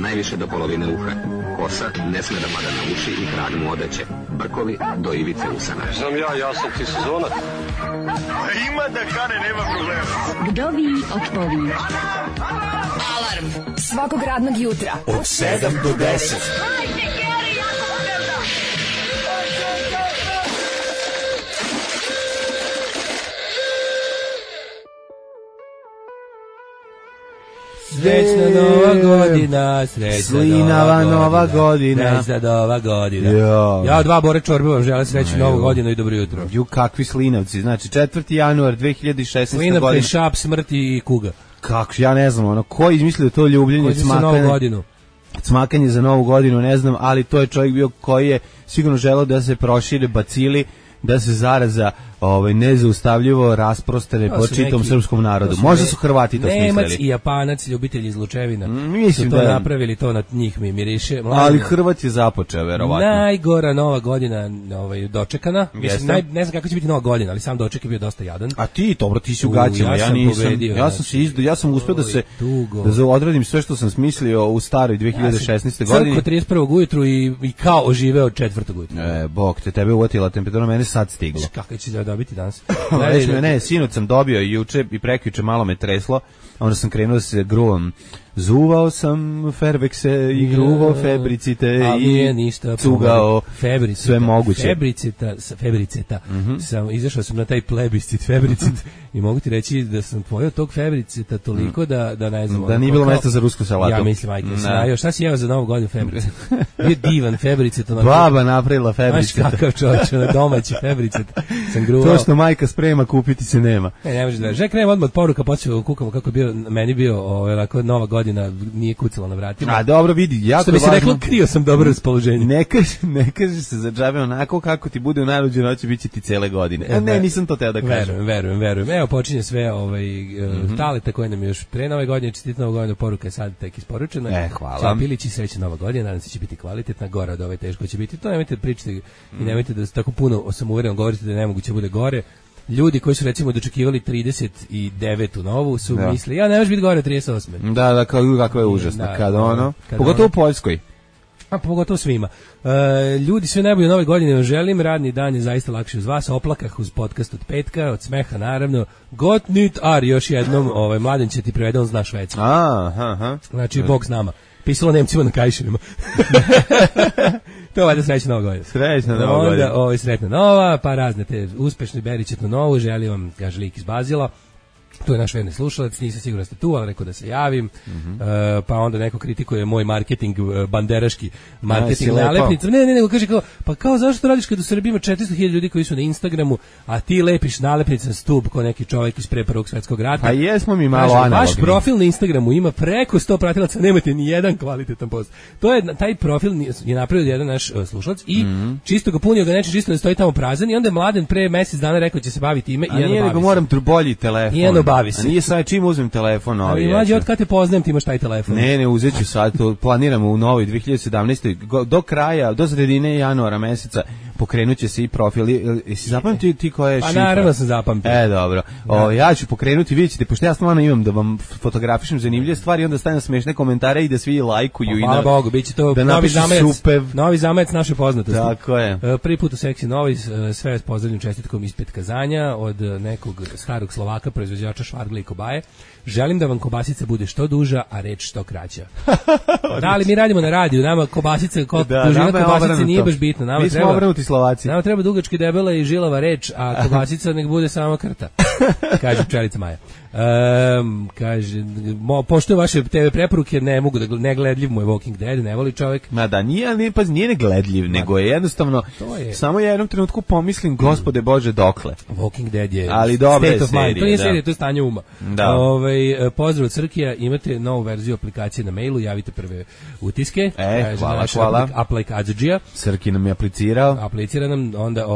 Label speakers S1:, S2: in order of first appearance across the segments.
S1: najviše do polovine uha. Kosa ne sme da pada na uši i krag mu odeće. Brkovi do ivice usana.
S2: Znam ja sam ti sezona.
S3: Ima da kane, nema problema.
S4: Vdovi otpovi. Alarm svakog radnog jutra
S3: od 7 do 10.
S5: Srećna nova godina,
S3: slinava nova godina.
S5: Srećna nova godina.
S3: Jo.
S5: Ja dva Bore Čorbe vam žele srećnu novu godinu i dobro jutro.
S3: Ju, kakvi slinavci, znači 4. januar 2016.
S5: Slinavka
S3: godina.
S5: I šap, smrti i kuga.
S3: Kako, ja ne znam, ono, ko je izmislio to ljubljenje, cmakanje za novu godinu, ne znam, ali to je čovjek bio koji je sigurno želeo da se prošire bacili, da se zaraza nezaustavljivo rasprostane po čitom srpskom narodu. Možda su Hrvati to smislili.
S5: Nemac i Japanac, ljubitelji izlučevina,
S3: mislim
S5: su to
S3: da
S5: napravili, to na njih mi miriše.
S3: Ali Hrvat je započeo, verovatno.
S5: Najgora nova godina dočekana. Mislim, ne znam kako će biti nova godina, ali sam doček je bio dosta jadan.
S3: A ti, dobro, ti si u gaćima, ja nisam. Pobedio, ja sam uspio da odradim sve što sam smislio u staroj 2016. godini.
S5: Crko 31. ujutru i kao oživeo 4. ujutru.
S3: Bog te, tebe uvatila temperatura, mene sad stiglo.
S5: Kako će da dobiti danas?
S3: Ne, sinoć sam dobio juče i prekjuče malo me treslo, onda sam krenuo da se gruvam. Zuvao sam Ferbekse i gruvao Febricite i cugao sve moguće.
S5: Febriceta. Izašao sam na taj plebiscit Febricit i mogu ti reći da sam pojeo tog Febriceta toliko da ne znam.
S3: Da nije bilo mesta za rusku salatu.
S5: Ja mislim, ajde, šta si jeo za novu godinu Febricet? Bio divan Febricet.
S3: Baba napravila Febricet.
S5: Znaš kakav čovječ, na domaći Febricet sam gruvao.
S3: To što majka sprema, kupiti se nema.
S5: Ne može da. Žek, krenem odmah od poruka, počeo kukamo kako je meni bio nova godina, nije kucala na vratima.
S3: A dobro, vidi, jako
S5: što bi se reklo, krio sam dobro raspoloženje.
S3: Ne kaže se za džabe onako kako ti bude u najluđoj noći, bit će ti cele godine. Ne, nisam to teo da kažem.
S5: Verujem. Evo počinje sve taleta koje nam još pre nove godine, čestitna nova godina, poruka je sad tek isporučena.
S3: Hvala.
S5: Pilići, srećna nova godina, nadam se će biti kvalitetna, gore od ove teško će biti. To nemojte da pričate i nemojte da tako puno samouvereno govorite da nemoguće bude gore. Ljudi koji su recimo dočekivali 39. novu su mislili, ja ne može biti gore 38.
S3: Da, kako je užasno. Pogotovo u Poljskoj.
S5: A pogotovo svima. Ljudi, sve najbolje nove godine vam želim, radni dan je zaista lakši uz vas, oplakah uz podcast od petka, od smeha naravno. Got nit ar, još jednom, Mladen će ti prevede, on zna švedski. Znači, Bog s nama. Pisalo Nemcima na kajševima. To je valjda srećna nova godina.
S3: Srećna nova godina.
S5: Onda sretna nova, pa razne te uspešne beričetnu novu, želim vam, kaže lik iz Bazila. Tu je naš verni slušalac, nisam siguran da ste tu, ali rekao da se javim. Pa onda neko kritikuje moj marketing, banderaški marketing nalepnica. Ne, kaže kao, pa kao zašto radiš kad u Srbiji ima 400.000 ljudi koji su na Instagramu, a ti lepiš nalepnice na stub kao neki čovjek iz pre Prvog svjetskog rata.
S3: Pa jesmo mi malo analogni.
S5: Vaš profil na Instagramu ima preko 100 pratilaca, nemate ni jedan kvalitetan post. To je, taj profil je napravio jedan naš slušalac i čisto ga punio ga neče, čisto da stoji tamo prazan i onda je Mladen pre mjesec dana rekao će se baviti time i
S3: nije nego moram bolji telefon.
S5: Bavi se.
S3: A nije sad čim uzmem telefon.
S5: Ali mlađe, od kad te poznajem ti imaš taj telefon?
S3: Ne, uzet ću sad, to planiramo u novoj 2017. Do kraja, do sredine januara meseca pokrenut će se i profil. Jesi zapamtio ti koja je šifra?
S5: A naravno sam zapamtio.
S3: Dobro. Ja ću pokrenuti, vidjet ćete, pošto ja stvarno imam da vam fotografišem zanimljive stvari, onda stavim smešne komentare i da svi lajkuju.
S5: Hvala Bogu, bit će to
S3: da
S5: novi zamajac naše poznatosti.
S3: Tako je.
S5: Prvi put u Seksi Novi, sve s pozdravljam čestitkom ispred Kazanja od nekog starog Slovaka, proizvođača švargle i kobaje. Želim da vam kobasica bude što duža, a reč što kraća. Da, ali mi radimo na radiju, nama kobasica, dužina kobasice nije baš bitna.
S3: Mi smo obrnuti Slovaci.
S5: Nama treba dugački debela i žilava reč, a kobasica nek bude samo krta. Kaže pčelica Maja. Kaže, pošto vaše TV preporuke ne mogu da negledljiv mu je Walking Dead, ne voli čovjek.
S3: Ma da, nije negledljiv, nego je jednostavno, samo ja jednom trenutku pomislim, Gospode Bože, dokle.
S5: Walking Dead je
S3: state
S5: of mind. To nije serija, to je stanje uma. Pozdrav od Srkija, imate novu verziju aplikacije na mailu, javite prve utiske.
S3: Hvala.
S5: Aplikadžija.
S3: Srki nam je aplicirao.
S5: Aplicira nam, onda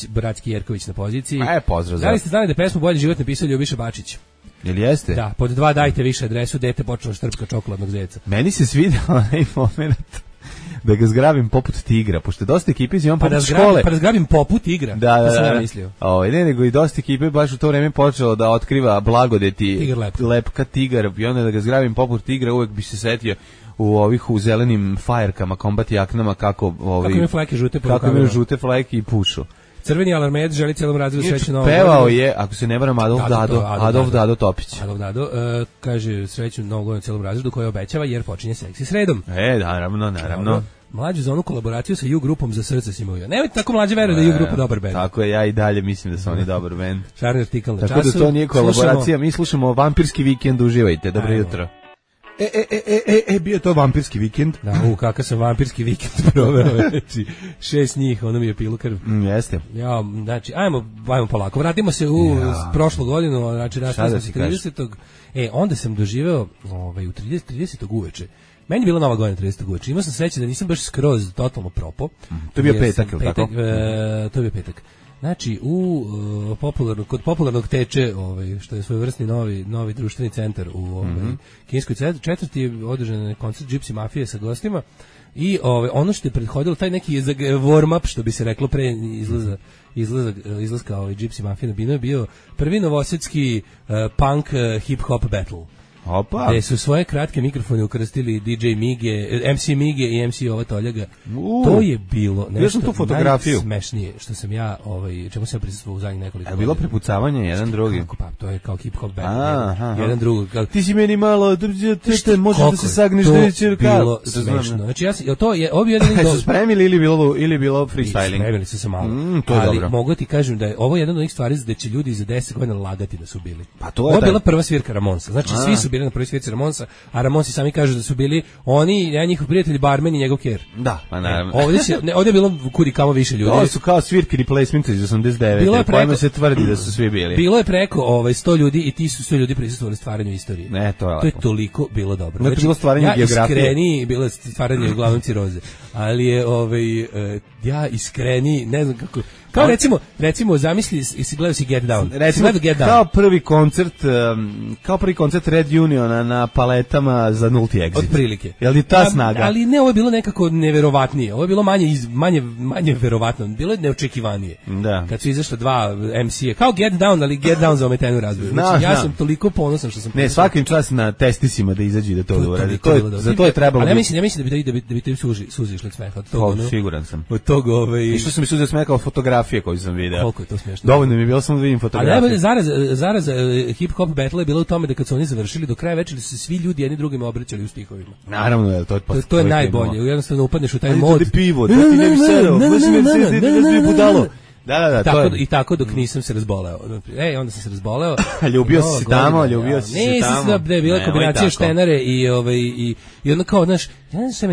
S5: Bratski Jerković na poziciji.
S3: Pozdrav.
S5: Da li ste znali da pesmu Bolji život napisao Ljubiša Bačić?
S3: Jel jeste?
S5: Da, pod 2 dajte više adresu, dete počelo štrpka čokoladnog zeca.
S3: Meni se svidio onaj moment da ga zgrabim poput tigra, pošto dosta ekipe iz poput škole.
S5: Pa da zgrabim poput tigra?
S3: Da.
S5: Sam ja mislio.
S3: Ne, nego i dosta ekipe baš u to vreme počelo da otkriva blagodeti
S5: Tigar
S3: lepka tigar i onda da ga zgrabim poput tigra uvek bi se setio u zelenim fajerkama, kombat jaknama, kako
S5: imaju fleke žute,
S3: kako imaju žute fleke i pušu.
S5: Crveni alarmed želi celom razredu srećnu novu
S3: godinu. Pevao je, ako se ne varam, Adolf Dado Topić.
S5: Adolf Dado kaže srećnu novu godinu celom razredu koju obećava jer počinje seksi sredom.
S3: Naravno.
S5: Mlađu za onu kolaboraciju sa U grupom za srce si imao. Nemojte tako mlađe veruje da je U grupa dobar bend.
S3: Tako je, ja i dalje mislim da su oni dobar bend.
S5: Šarni artikal na
S3: tako
S5: času.
S3: Tako da to nije kolaboracija, mi slušamo Vampirski vikend, uživajte, dobro jutro. Bio to vampirski vikend.
S5: Da, kakav sam vampirski vikend proveo. Znači, 6 njih, ono mi je pilu krv.
S3: Jeste.
S5: Ja, znači, ajmo polako. Vratimo se u prošlu godinu, znači, nastavimo se 30. Onda sam doživeo u 30. uveče. Meni je bila nova godina 30. uveče. Imao sam sreće da nisam baš skroz totalno propo.
S3: To je bio petak, ili tako?
S5: To je bio petak. Znači, kod popularnog teče, što je svojevrsni novi društveni centar u kineskoj četvrti, je održan koncert Gypsy Mafije sa gostima i ono što je prethodilo, taj neki warm-up, što bi se reklo pre izlaska Gypsy Mafije na binu, je bio prvi novosadski punk hip-hop battle.
S3: Opa.
S5: Gde su svoje kratke mikrofone ukrstili DJ Mige, MC Mige i MC Ova Toljaga. To je bilo nešto najsmešnije što sam ja, čemu sam prisustvovao u zadnjih nekoliko godina.
S3: Je bilo prepucavanje jedan drugi?
S5: Pa, to je kao hip-hop band. Jedan drugi.
S3: Ti si meni malo, možeš da se sagneš da je čirka.
S5: To je bilo smešno. Znači, ovo je jedan
S3: do... Su spremili ili bilo freestyling?
S5: Spremili su se malo.
S3: To je
S5: ali
S3: dobro.
S5: mogu ti kažem da je ovo jedan od onih stvari da će ljudi za 10 godina lagati da su bili.
S3: Pa to
S5: je ovo je bila prva svirka Ramonsa. Znači, svi su bili na prvoj svirci Ramonsa, a Ramonsi sami kažu da su bili oni, njihov prijatelj barmen i njegov ker.
S3: Da, pa naravno.
S5: Ovdje je bilo kudi kamo više ljudi.
S3: To su kao svirke replacement iz 89. Pojma se tvrdi da su svi bili.
S5: Bilo je preko 100 ljudi i ti su 100 ljudi prisustvovali stvaranju istorije.
S3: To
S5: je toliko bilo dobro.
S3: Znači, bilo stvaranje geografije.
S5: Ja iskreni, bilo je stvaranje uglavnom ciroze. Ali je ja iskreni, ne znam kako. Kao recimo zamisli si gledao si Get Down.
S3: Recimo, kao prvi koncert Red Uniona na paletama za nulti exit.
S5: Otprilike.
S3: Jel ti ta snaga?
S5: Ali ne, ovo je bilo nekako neverovatnije. Ovo je bilo manje verovatno. Bilo je neočekivanije.
S3: Da.
S5: Kad su izašla dva MC-a. Kao Get Down, ali Get Down za ometenu razvoju. Znači, ja sam toliko ponosan što sam...
S3: Ne, svakim čas na testisima da izađe da to uradi. Za to je trebalo...
S5: Ali ja mislim da bi te suzi išli od smeha.
S3: Siguran sam.
S5: Od toga...
S3: I što sam mi suzi od smeha kao fotografije koju sam video.
S5: Koliko je to smiješno.
S3: Dovoljno mi je bilo samo da vidim fotografije.
S5: Ali najbolje zaraza hip-hop battle je bilo u tome da kad su oni završili, do kraja večeri su se svi ljudi jedni drugima obraćali u stihovima.
S3: Naravno,
S5: to je najbolje. Jednostavno upadneš u taj mod.
S3: Ajde pivo, da ti ne bi sedao, da bi budalo. Da,
S5: I tako dok nisam se razboleo. Onda sam se razboleo.
S3: Ljubio si se tamo.
S5: Ne, da je bila kombinacija štenare i onda kao, znaš,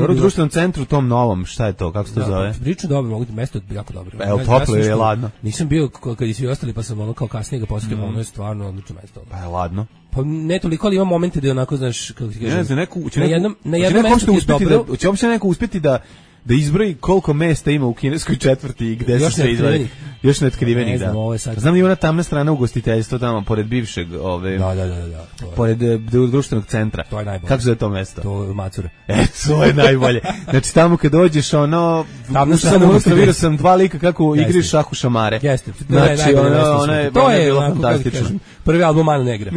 S3: u društvenom centru tom novom, šta je to, kako se to zove?
S5: Prilično dobro, mogu ti mesto jako dobro.
S3: Evo, toplo je ladno.
S5: Nisam bio kad i svi ostali, pa sam ono kao kasnije ga posjetio, ono je stvarno odlično mesto.
S3: Pa je ladno.
S5: Pa ne toliko, ali ima momente da je onako, znaš, kako ti kažem.
S3: Na jednom mestu je dobro. Će uopšte neko uspjeti da izbroji koliko mesta ima u kineskoj četvrti i gde se sve izvodi. Još neotkriveni, da. Znam da ima ona tamna strana ugostiteljstva tamo, pored bivšeg,
S5: Da.
S3: Pored društvenog centra.
S5: To je najbolje.
S3: Kako se zove to mesto?
S5: To je Macura.
S3: To je najbolje. Znači tamo kad dođeš, vidio sam dva lika kako igri šahu šamare.
S5: Jeste.
S3: Znači, ono je bilo fantastično.
S5: Prvi album Mano Negra.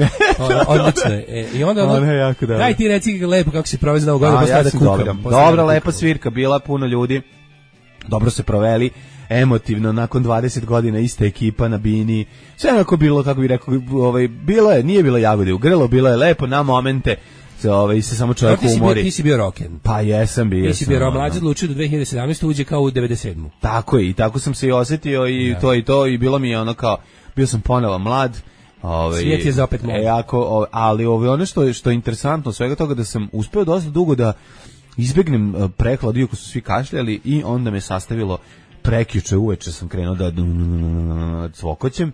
S5: Odlično je. I onda daj ti reci lepo kako si proveo Novu godinu, posle da kukam.
S3: Dobra, lepa svirka, bila puno ljudi. Dobro se proveli. Emotivno, nakon 20 godina ista ekipa na bini, sve onako bilo, kako bih rekao, bilo je, nije bilo jagode u grlo, bilo je lepo na momente, se samo čovjek umori.
S5: Ti si bio roken.
S3: Pa jesam bio.
S5: Ti si bio mlađi odlučio do 2017. uđe kao u 97.
S3: Tako je, i tako sam se i osjetio i to i bilo mi je ono kao, bio sam ponovo mlad.
S5: Svijet je za opet mlad.
S3: Ali ono što je interesantno svega toga da sam uspeo dosta dugo da izbegnem prehlad, iako su svi kašljali i onda me sastavilo prekjuče uveče sam krenuo da cvokoćem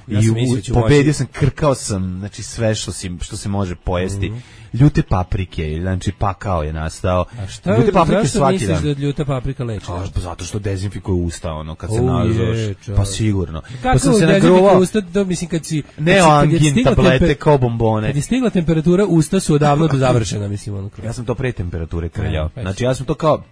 S3: i pobedio sam, krkao sam, znači sve što se može pojesti. Ljute paprike, znači pakao je nastao. Ljute paprike svaki dan.
S5: Misliš da ljuta paprika leči?
S3: Zato što dezinfikuje usta, ono, kad se nažeš. Pa sigurno.
S5: Kako sam se dezinfikuje usta, mislim kad si...
S3: Neoangin tablete kao bombone.
S5: Kad je stigla temperatura, usta su odavno završena, mislim. Ono.
S3: Ja sam to pre temperature krljao. Znači ja sam to kao...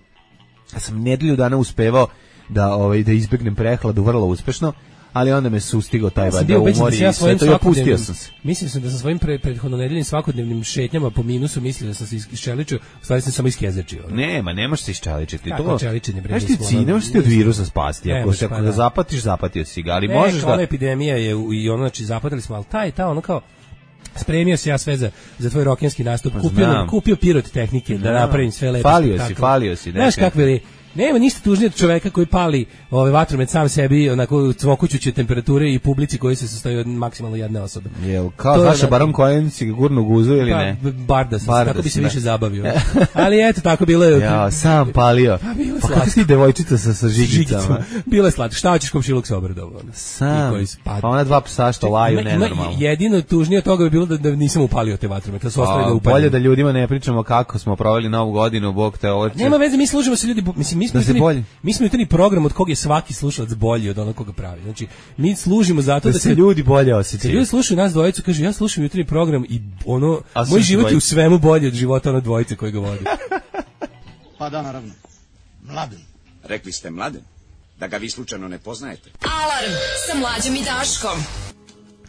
S3: Ja sam nedelju dana uspevao da izbegnem prehladu vrlo uspešno, ali onda me sustigao taj valjda umor i sve to, i opustio sam se.
S5: Mislim da sam svojim prethodno nedeljnim svakodnevnim šetnjama po minusu mislio da sam se iščeličio, u stvari sam samo iskezečio.
S3: Ne možeš se iščeličiti.
S5: To čeličenje bre.
S3: Ne možeš ti od virusa spasti, ako ga zapatiš, zapatio si ga, ali možeš da...
S5: epidemija je i ono, znači zapatili smo, ali ta ono kao spremio se ja sve za tvoj rokenski nastup, kupio pirot tehnike da napravim sve lepo.
S3: Falio si.
S5: Znaš kakve li, nema ništa tužnije od čoveka koji pali vatromet sam sebi, onako cvokućuće temperature i publici koji se sastoji od maksimalno jedne osobe.
S3: Jel, kao Saša Baron Cohen si ga gurno guzu ili ne?
S5: Barda sam, tako bi se više zabavio. Ali eto, tako bilo je.
S3: Ja, sam palio. Pa kako si devojčica sa žigicama?
S5: Bilo je slatko. Šta hoćeš, komšiluk se obradovao?
S3: Sam, pa ona dva psa što laju nenormalno.
S5: Jedino tužnije od toga bi bilo da nisam upalio te vatromete, da su ostali da upalim.
S3: Bolje da ljudima ne pričamo kako smo proveli Novu godinu, Bog te oče.
S5: Nema veze, mi služimo se ljudi, mislim, mi smo jutrini program od kog je svaki slušalac bolji od onog koga pravi. Znači, mi služimo zato da
S3: se ljudi bolje osjećaju.
S5: Ljudi slušaju nas dvojicu, kaže ja slušam jutrini program i ono moj život je u svemu bolji od života ono dvojice koji ga vodi.
S2: Pa da, naravno. Mladen.
S6: Rekli ste Mladen? Da ga vi slučajno ne poznajete.
S4: Alarm sa Mlađom i Daškom.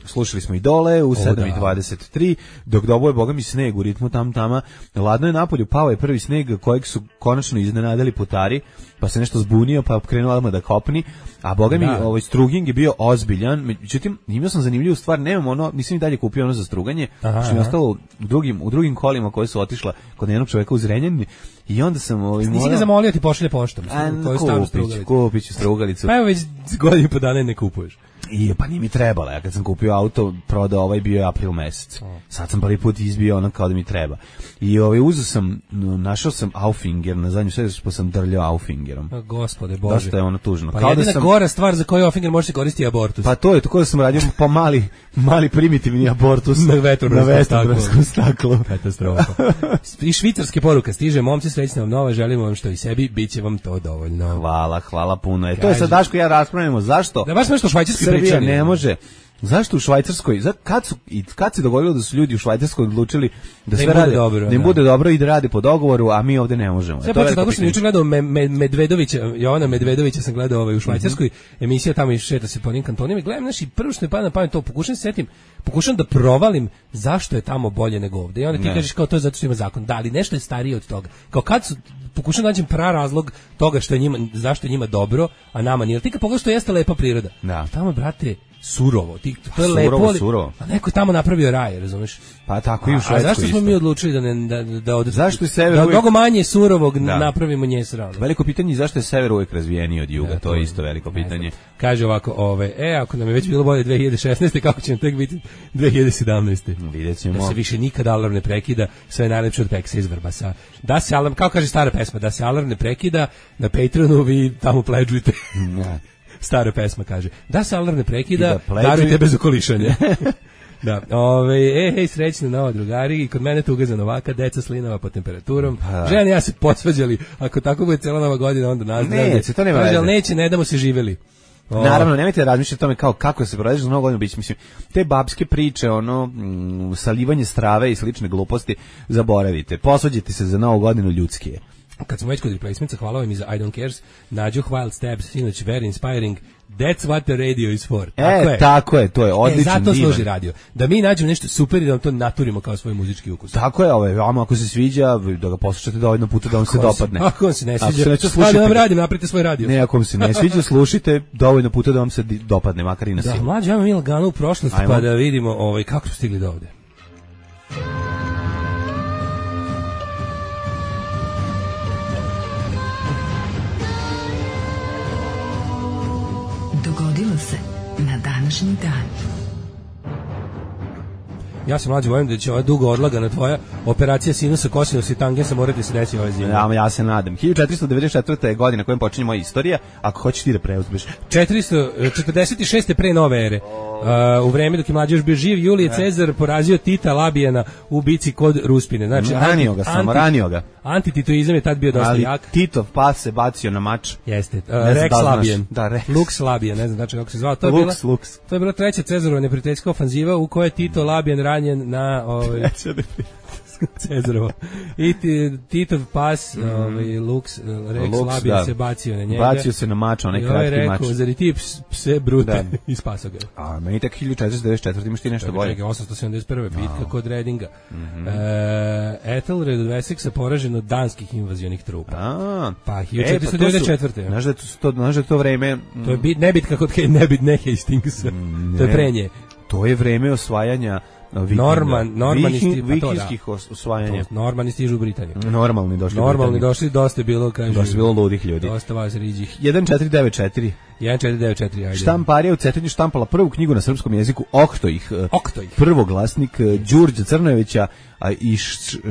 S3: Slušali smo i dole u 7:23, dok doboje boga mi sneg u ritmu tam-tama. Ladno je napolju, pao je prvi sneg kojeg su konačno iznenadili putari, pa se nešto zbunio, pa krenuo odmah da kopni, a boga mi struging je bio ozbiljan. Međutim, imao sam zanimljivu stvar, nisam i dalje kupio ono za struganje, što mi je ostalo u drugim kolima koje su otišla kod jednog čoveka u Zrenjanini, i onda sam
S5: nisi ga zamolio ti pošalje poštom,
S3: kupit ću strugalicu.
S5: Pa evo već godinu po dana ne kupuješ.
S3: Pa nije mi trebala, ja kad sam kupio auto, prodao bio je april mesec. Sad sam prvi put izbio ono kao da mi treba. I našao sam Auffinger na zadnju sredu, pa sam drljao Auffingerom.
S5: Gospode Bože.
S3: Dosta je ono tužno.
S5: Pa jedina gora stvar za koju Auffinger može se koristiti abortus.
S3: Pa to je, tako da sam radio pa mali primitivni abortus
S5: na vetrobranskom
S3: staklu.
S5: Katastrofa. I švicarske poruka stiže, momci, srećna vam nova, želimo vam što i sebi, bit će vam to dovoljno.
S3: Hvala puno. To je sad Daško ja raspravljamo, zašto?
S5: Da baš nešto švajcarski
S3: Srbija ne može. Zašto u Švajcarskoj, kad se dogodilo da su ljudi u Švajcarskoj odlučili da sve rade, da im bude dobro i da rade po dogovoru, a mi ovde ne možemo.
S5: Sve počeo tako što sam juče gledao Jovana Medvedovića sam gledao u Švajcarskoj, emisija tamo i šeta se po onim kantonima i gledam, znači prvo što mi pada na pamet to, pokušam da provalim zašto je tamo bolje nego ovde. I onda ti kažeš kao to je zato što ima zakon. Da, ali nešto je starije od toga. Kao kad su pokušam da nađem razlog toga što je njima, zašto je njima dobro, a nama nije. Ti kad pogledaš što jeste lepa priroda.
S3: Da.
S5: Tamo, brate, surovo. To je lepo,
S3: surovo.
S5: A neko je tamo napravio raj, razumeš?
S3: Pa tako i u Švedskoj.
S5: A zašto smo mi odlučili da mnogo manje surovog napravimo nje srano?
S3: Veliko pitanje je zašto je sever uvijek razvijeniji od juga, to je isto veliko pitanje.
S5: Kaže ovako, ako nam je već bilo bolje 2016. kako će nam tek biti 2017.
S3: Vidjet ćemo.
S5: Da se više nikad alarm ne prekida, sve je najlepše od Peksa iz Vrbasa. Da se alarm, kao kaže stara pesma, da se alarm ne prekida, na Patreonu vi tamo pledžujte. Stara pesma kaže, da se alarm ne prekida, darujte bez okolišanja. Da, hej, srećna nova drugari, i kod mene tuga za Novaka, deca slinava pod temperaturom, žene ja se posvađali, ako tako bude cijela nova godina, onda nazdravlje.
S3: Neće, to nema veze.
S5: Ali neće, ne damo se živjeli.
S3: Naravno, nemojte da razmišljate o tome kako se provedeš za novu godinu, mislim, te babske priče, salivanje strave i slične gluposti, zaboravite, posvađajte se za novu godinu ljudski.
S5: Kad smo već kod replacementsa, hvala vam i za I Don't Cares, Nađu Wild Stabs, sinoć very inspiring, that's what the radio is for.
S3: Tako je, to je odličan
S5: zato služi radio. Da mi nađemo nešto super i da vam to naturimo kao svoj muzički ukus.
S3: Tako je, vama ako se sviđa, da ga poslušate dovoljno puta da vam se dopadne.
S5: Ako vam se ne sviđa, da vam radim, napravite svoj radio.
S3: Ne, ako vam se ne sviđa, slušajte dovoljno puta da vam se dopadne, makar i na silu.
S5: Da, mlađe, ajmo mi lagano u prošlost, pa da vidimo kako smo stigli do ovde.
S4: Dogodilo se na današnji dan.
S5: Ja se mlađe bojim da će ova dugo odlagana tvoja operacija sinusa, kosinusa i tangensa morati se desiti ove zime.
S3: Ja se nadam. 1494. je godina kojom počinje moja istorija, ako hoćeš ti da preuzmeš.
S5: 446. pre nove ere. U vreme dok je mlađe još bio živ, Julije Cezar porazio Tita Labijana u bici kod Ruspine. Znači,
S3: ranio ga.
S5: Antititoizam je tad bio dosta jak.
S3: Ali Titov pas se bacio na mač.
S5: Jeste. Rex Labijan.
S3: Da, Rex.
S5: Lux Labijan, ne znam znači kako se zvao. To je bila treća Cezarova neprijateljska ofanziva u kojoj je Tito Labijan ranjen na... Cezarovo. I Titov pas, Lux, Rex Labija se bacio na njega.
S3: Bacio se na mač, onaj kratki mač.
S5: I rekao, zar i ti pse brute, i spasao ga.
S3: A meni tako 1494, imaš ti nešto bolje.
S5: 871. bitka kod Redinga. Ethelred od Wessexa poražen od danskih invazionih trupa. Pa 1494.
S3: Znaš da je to vreme...
S5: To je nebitka kod ne Hastingsa. To je prenje.
S3: To je vreme osvajanja vikingskih osvajanja.
S5: Normani stižu u Britaniju.
S3: Normalni
S5: došli, dosta je bilo, kaže.
S3: Dosta je bilo ludih ljudi.
S5: Dosta vas riđih.
S3: 1494.
S5: 1494, ajde.
S3: Štamparija u Cetinju štampala prvu knjigu na srpskom jeziku Oktoih. Prvoglasnik Đurđa Crnojevića i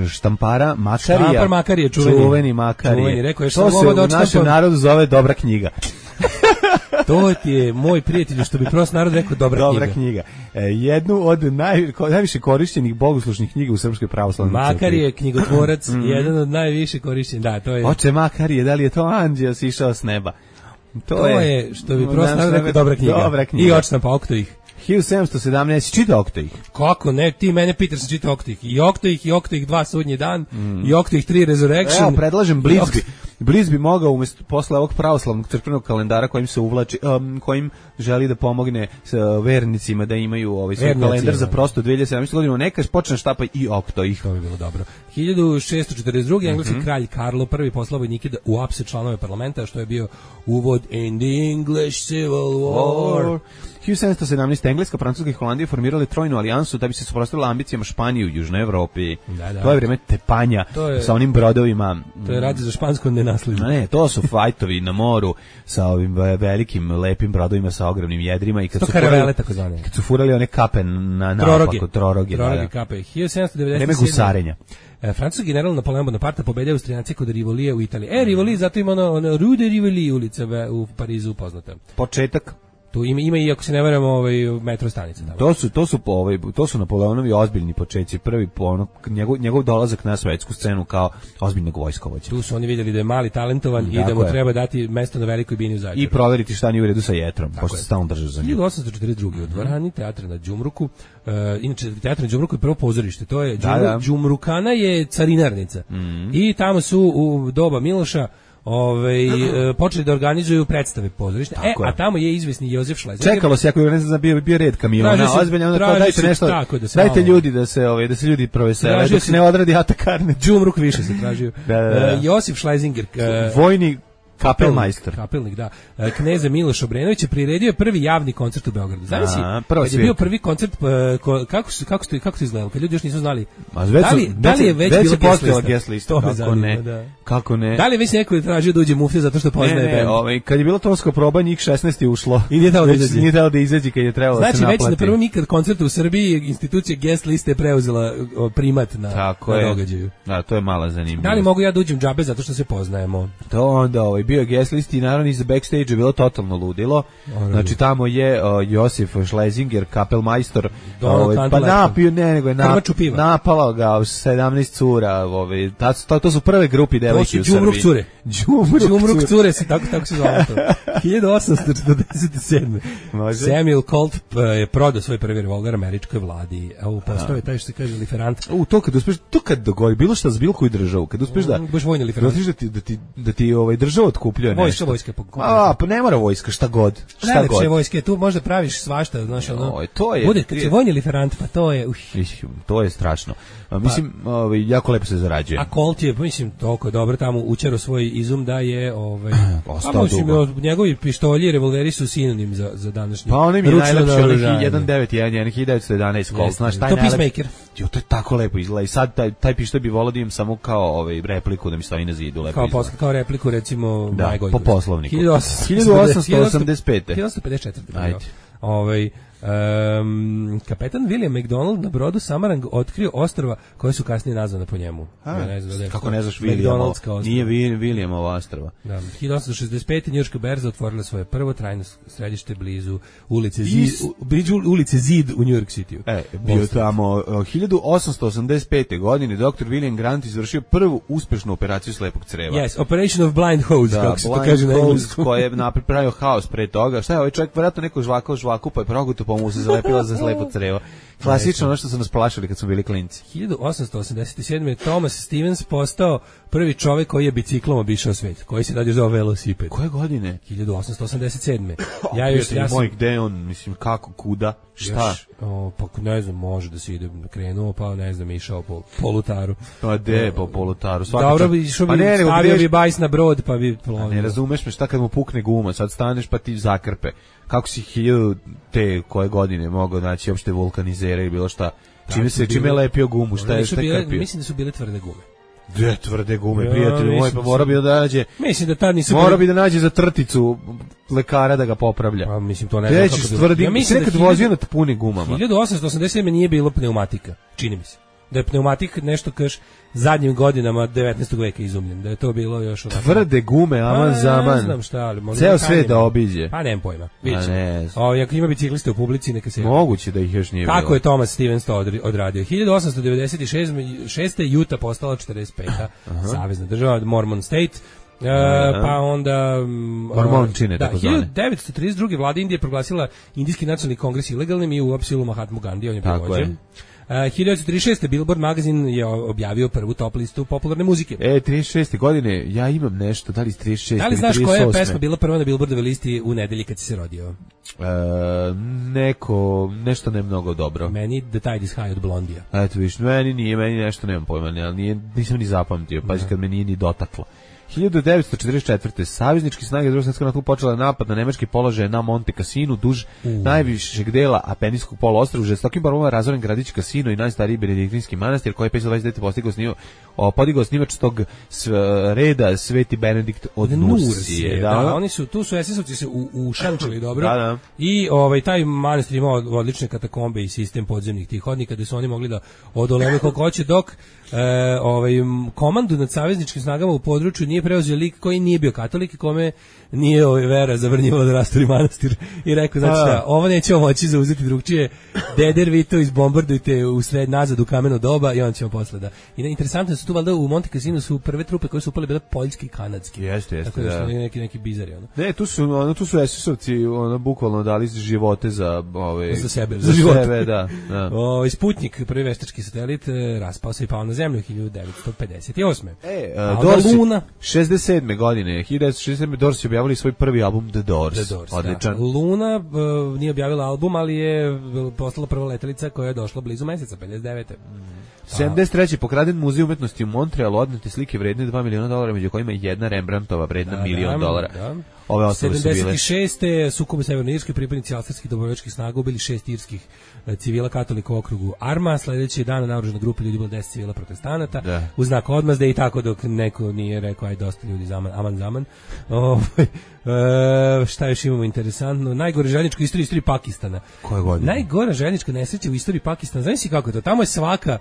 S3: štampara Makarija.
S5: Štampar Makarije,
S3: čuveni Makarije.
S5: Rekao je
S3: to se u našem narodu zove dobra knjiga.
S5: To ti je moj prijatelj, što bi prosto narod rekao dobra
S3: knjiga. Jednu od najviše korišćenih bogoslužnih knjiga u Srpskoj pravoslavnoj crkvi.
S5: Makar je knjigotvorac, jedan od najviše korišćenih. Da, to je.
S3: Oče Makarije, da li je to anđeo sišao s neba?
S5: To je što bi prosto narod rekao dobra knjiga. I očna pa Oktoih.
S3: 1717, čita Oktoih.
S5: Kako ne, ti mene pitaš sam čita Oktoih. I Oktoih 2 sudnji dan, i Oktoih 3 Resurrection.
S3: Evo, predlažem Blitz bi mogao umjesto posle ovog pravoslavnog crkvenog kalendara kojim se uvlači, kojim želi da pomogne vernicima da imaju svoj kalendar za prosto 2017. godinu, neka počne štapa i Oktoih.
S5: To bi bilo dobro. 1642. engleski kralj Karlo I poslao vojnike da uapse članove parlamenta, što je bio uvod in the English Civil War.
S3: 1717. Engleska, Francuska i Holandija formirali trojnu alijansu da bi se suprotstavila ambicijama Španije u Južnoj Evropi. To je vrijeme tepanja sa onim brodovima.
S5: To je rat za špansko nenasliđe.
S3: Ne, to su fajtovi na moru sa ovim velikim, lepim brodovima sa ogromnim jedrima. I
S5: to karavele, tako zvane.
S3: Kad su furali one kape na naopako, troroge.
S5: Troroge kape. 1797.
S3: Vreme gusarenja.
S5: Francuski general Napoleon Bonaparte pobedio Austrijanci kod Rivolije u Italiji. Rivoli, zato ima ono Rue de Rivoli ulica u Parizu poznata.
S3: Početak.
S5: Tu ima i, ako se ne varam, metro stanica.
S3: To su Napoleonovi ozbiljni početci, prvi njegov dolazak na svetsku scenu kao ozbiljnog vojskovođa.
S5: Tu su oni vidjeli da je mali talentovan i da mu treba dati mesto na velikoj bini u Zaječaru.
S3: I proveriti šta nije u redu sa jetrom, pošto se stalno drže za njim.
S5: 1842. u dvorani teatra na Đumruku, inače teatr na Đumruku je prvo pozorište, to je Đumrukana je carinarnica. I tamo su u doba Miloša počeli da organizuju predstave pozorišne. A tamo je izvesni Josef Schlesinger.
S3: Čekalo se, ako ne znam, bio red kamiona, ozbiljno, onda dajte nešto, dajte ljudi da se ljudi provesele, dok se ne odradi atakarne.
S5: Džumruk više se tražio. Josef Schlesinger,
S3: vojni kapelmajster.
S5: Kapelnik, da. Kneza Miloš Obrenović je priredio prvi javni koncert u Beogradu. Znaš si, kad je bio prvi koncert, kako se izgledalo, kad ljudi još nisu znali, da li je već bila guest lista?
S3: Kako ne?
S5: Da li je već neko tražio da uđe muflja zato što poznaje band?
S3: Kad je bilo tonska proba, njih 16 je ušlo.
S5: I nije dao da izađe
S3: kad je trebalo da se naplati.
S5: Znači, već na prvom ikad koncertu u Srbiji institucija guest liste je preuzela primat na događaju.
S3: Da, to je mala zanimljivost.
S5: Da li mogu ja da uđem džabe zato što se poznajemo?
S3: To onda bio je guest list i naravno iz backstage je bilo totalno ludilo. Znači tamo je Josif Schlesinger, kapelmajstor, pa napio, nego je napala ga 17 cura, to su prve grupi devojki u Srbiji.
S5: Đumruk cure se tako se zove to. 1847. Samuel Colt je prodao svoj prvi revolver američkoj vladi. Evo postao je taj što se kaže liferant.
S3: To kad dogodi bilo šta za bilo koju državu, kad uspeš da
S5: baš vojni liferant.
S3: Da ti država otkupljuje nešto.
S5: Vojska
S3: pa ne mora vojska, šta god.
S5: Najlepše vojske, tu možda praviš svašta, znaš,
S3: to je.
S5: Bude kad si vojni liferant, pa to je.
S3: To je strašno. Mislim, jako lepo se zarađuje.
S5: A Colt je, mislim, toliko dobro tamo učero svoj izum da je
S3: ostao dugo.
S5: Njegovi pištolji i revolveri su sinonim za današnji.
S3: Pa oni mi najlepše 1911 1911 Colt, znaš, taj
S5: Peacemaker.
S3: To je tako lepo izgleda i sad taj pištolj bi volio da imam samo kao repliku da mi stoji na zidu lepo izgleda.
S5: Kao repliku recimo
S3: Majgoj. Po poslovniku. 1885.
S5: 1854. Ajde. Kapetan William McDonald na brodu Samarang otkrio ostrva koje su kasnije nazvane po njemu.
S3: Kako ne znaš Williamova? Nije Williamova ostrva.
S5: Da, 1865. Njujorška berza otvorila svoje prvo trajno središte blizu ulice Zid u New York City.
S3: Bio tamo 1885. godine dr. William Grant izvršio prvu uspešnu operaciju slepog creva.
S5: Yes, Operation of Blind Hose, kako se to kaže na engleskom.
S3: Koji je napravio haos pre toga. Šta je ovaj čovjek, vjerojatno neko žvaku pa je proguto pa mu se zalepila za slepo crevo. Klasično ono što su nas plašili kad smo bili klinci.
S5: 1887. Thomas Stevens postao prvi čovjek koji je biciklom obišao svet, koji se radio za velosiped.
S3: Koje godine?
S5: 1887. Ja sam
S3: moj, gde on, mislim, kako, kuda, šta?
S5: Još, pa ne znam, može da se ide krenuo, pa ne znam, išao po polutaru.
S3: Pa de, po polutaru.
S5: Dobro bi išao, stavio bi bajs na brod, pa bi plovio.
S3: Ne razumeš me, šta kad mu pukne guma, sad staneš pa ti zakrpe. Kako si 1000 te koje godine mogao naći uopšte vulkanizere i bilo šta? Čime je lepio gumu, šta je krpio?
S5: Mislim da su bile tvrde gume.
S3: Dve tvrde gume, prijatelju moj, pa mora bi da nađe.
S5: Mislim da tad nisu.
S3: Mora bi da nađe za trticu lekara da ga popravlja.
S5: Pa mislim to ne znam kako.
S3: Ja mislim da vozio na punim gumama.
S5: 1887 nije bilo pneumatika, čini mi se. Da je pneumatik nešto kaš zadnjim godinama 19. veka izumljen, da je to bilo još onako.
S3: Tvrde gume, aman zaman.
S5: Ne znam šta, ali možda
S3: ceo svet da obiđe.
S5: Pa nemam pojma. Ako ima bicikliste u publici, neka se.
S3: Moguće da ih još nije bilo.
S5: Kako je Thomas Stevens to odradio? 1896. Utah postala 45. savezna država, Mormon State. Pa onda
S3: Mormončine, tako zvane.
S5: 1932. vlada Indije proglasila Indijski nacionalni kongres ilegalnim i uopsilo Mahatmu Gandhi, on je prevođen. 1936. Billboard magazin je objavio prvu top listu popularne muzike.
S3: 36. godine, ja imam nešto, da li iz 36.
S5: Da li znaš koja je pesma bila prva na Billboardove listi u nedelji kad si se rodio?
S3: Nešto ne mnogo dobro.
S5: Meni The Tide is High od Blondija.
S3: Eto viš, meni nešto nemam pojma, ali nisam ni zapamtio, pa kad me nije ni dotaklo. 1944. saveznički snage Drugog svjetskog rata počele napad na nemački položaje na Monte Cassinu duž najvišeg dela Apenijskog poluostrva. Žestokim borbama razoren gradić Cassino i najstariji benediktinski manastir koji je 529. podigao snimač tog reda Sveti Benedikt od Nursije.
S5: Da, oni su tu su SS-ovci se ušančili dobro.
S3: Da.
S5: I taj manastir imao odlične katakombe i sistem podzemnih tih hodnika gde su oni mogli da odoleve koliko hoće, dok komandu nad savezničkim snagama u području nije preuzeo lik koji nije bio katolik i kome nije vera zavrnjivala da rasturi manastir i rekao, znači šta, ovo nećemo moći zauzeti drugčije, deder vi to izbombardujte u sred nazad u kameno doba i on ćemo posle da. I interesantno su tu valjda u Monte Cassino su prve trupe koje su upale bile poljski i kanadski.
S3: Jeste,
S5: tako da. Neki bizari ono.
S3: Ne, tu su SS-ovci bukvalno dali živote za
S5: za sebe, za živote.
S3: Da.
S5: Sputnik, prvi veštački satelit, raspao se i pao na zemlju 1958.
S3: Luna 67. godine, 1967. Doors je objavili svoj prvi album The Doors. Odličan.
S5: Da. Luna nije objavila album, ali je postala prva letelica koja je došla blizu meseca, 59.
S3: 73. pokraden muzej umetnosti u Montrealu, odnete slike vredne $2 miliona, među kojima je jedna Rembrandtova vredna $1 milion.
S5: Da.
S3: Ove ostale su bile.
S5: 76. sukob u Severnoj Irskoj, pripadnici austrijskih dobrovoljačkih snaga ubili 6 irskih civila katolika u okrugu Arma. Sledeći dan naoružana grupa ljudi bilo 10 civila protestanata u znak odmazde i tako dok neko nije rekao aj dosta ljudi zaman. Šta još imamo interesantno? Najgore željeznička istorija Pakistana.
S3: Koje godine?
S5: Najgora željeznička nesreća u istoriji Pakistana. Znaš kako je to? Tamo je svaka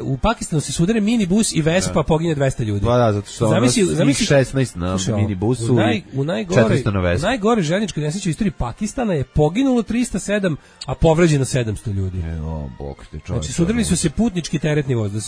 S5: u Pakistanu se sudare minibus i Vespa, pogine 200 ljudi.
S3: Da, zato što zamisli 16 na minibusu
S5: u najgore željezničkoj nesreći u istoriji Pakistana je poginulo 307, a povređeno 700 ljudi. Znači sudarili su se putnički teretni voz. Da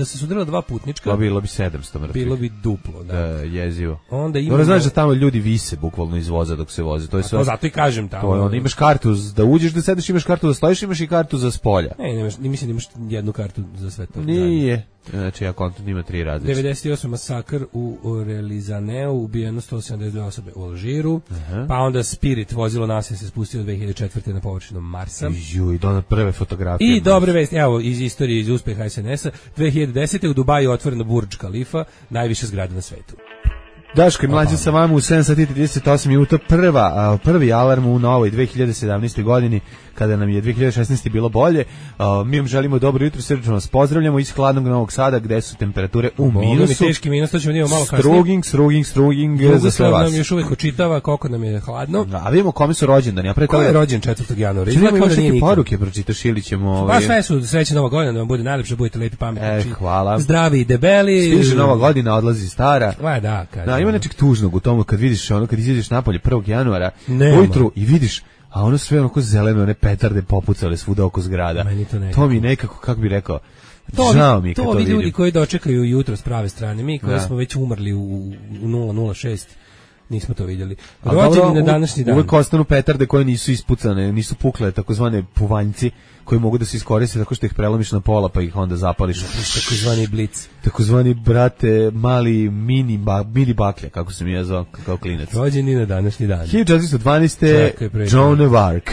S5: se sudarila dva putnička.
S3: To bilo bi 700 mrtvih.
S5: Bilo bi duplo, da.
S3: Jezivo.
S5: Onda imamo.
S3: Znaš da tamo ljudi vise bukvalno iz voza dok se voze. To je sve.
S5: Zato i kažem tamo.
S3: To je, imaš kartu da uđeš da sediš, imaš kartu da stojiš, imaš i kartu za spolja.
S5: Ne, mislim da imaš jednu kartu za sve to.
S3: Nije. Znači, kontent ima 3 različite.
S5: 98. masakr u Relizaneu, ubijeno 172 osobe u Alžiru, pa onda Spirit, vozilo nasilje se spustilo 2004. na površinu Marsa.
S3: I do prve fotografije.
S5: I dobre vesti, evo, iz istorije, iz uspeha SNS-a, 2010. u Dubaju otvoreno Burj Khalifa, najviša zgrada na svetu.
S3: Daško i Mlađe sa vama u 7 sati 38 minuta, prvi alarm u novoj 2017. godini, kada nam je 2016. bilo bolje. Mi vam želimo dobro jutro, srdečno vas pozdravljamo iz hladnog Novog Sada, gde su temperature u minusu.
S5: Teški minus, to ćemo vidjeti malo kasnije.
S3: Struging za sve vas.
S5: Nam još uvijek očitava koliko nam je hladno.
S3: A vidimo kome su rođendani.
S5: Ko je rođen 4. januara?
S3: Izgleda kao da nije nikad. Poruke pročitaš ili ćemo...
S5: Pa sve su srećna Nova godina, da vam bude najlepše, budete lepi, pametni.
S3: Hvala.
S5: Zdravi i debeli.
S3: Stiže Nova godina, odlazi stara.
S5: Da,
S3: ima nečeg tužnog u tomu kad vidiš kad izađeš napolje 1. januara ujutru i vidiš, a ono sve onako zeleno, one petarde popucale svuda oko zgrada. To mi nekako, kako bi rekao, žao mi kad to vidim.
S5: To ljudi koji dočekaju jutro s prave strane, mi koji smo već umrli u 006 Nismo to vidjeli. Rođeni na današnji dan.
S3: Uvek ostanu petarde koje nisu ispucane, nisu pukle, takozvane puvanjci koji mogu da se iskoriste tako što ih prelomiš na pola pa ih onda zapališ.
S5: Takozvani blic.
S3: Takozvani, brate, mali mini baklje, kako sam ja zvao kao klinac.
S5: Rođeni na današnji dan.
S3: 1412. Joan of Arc.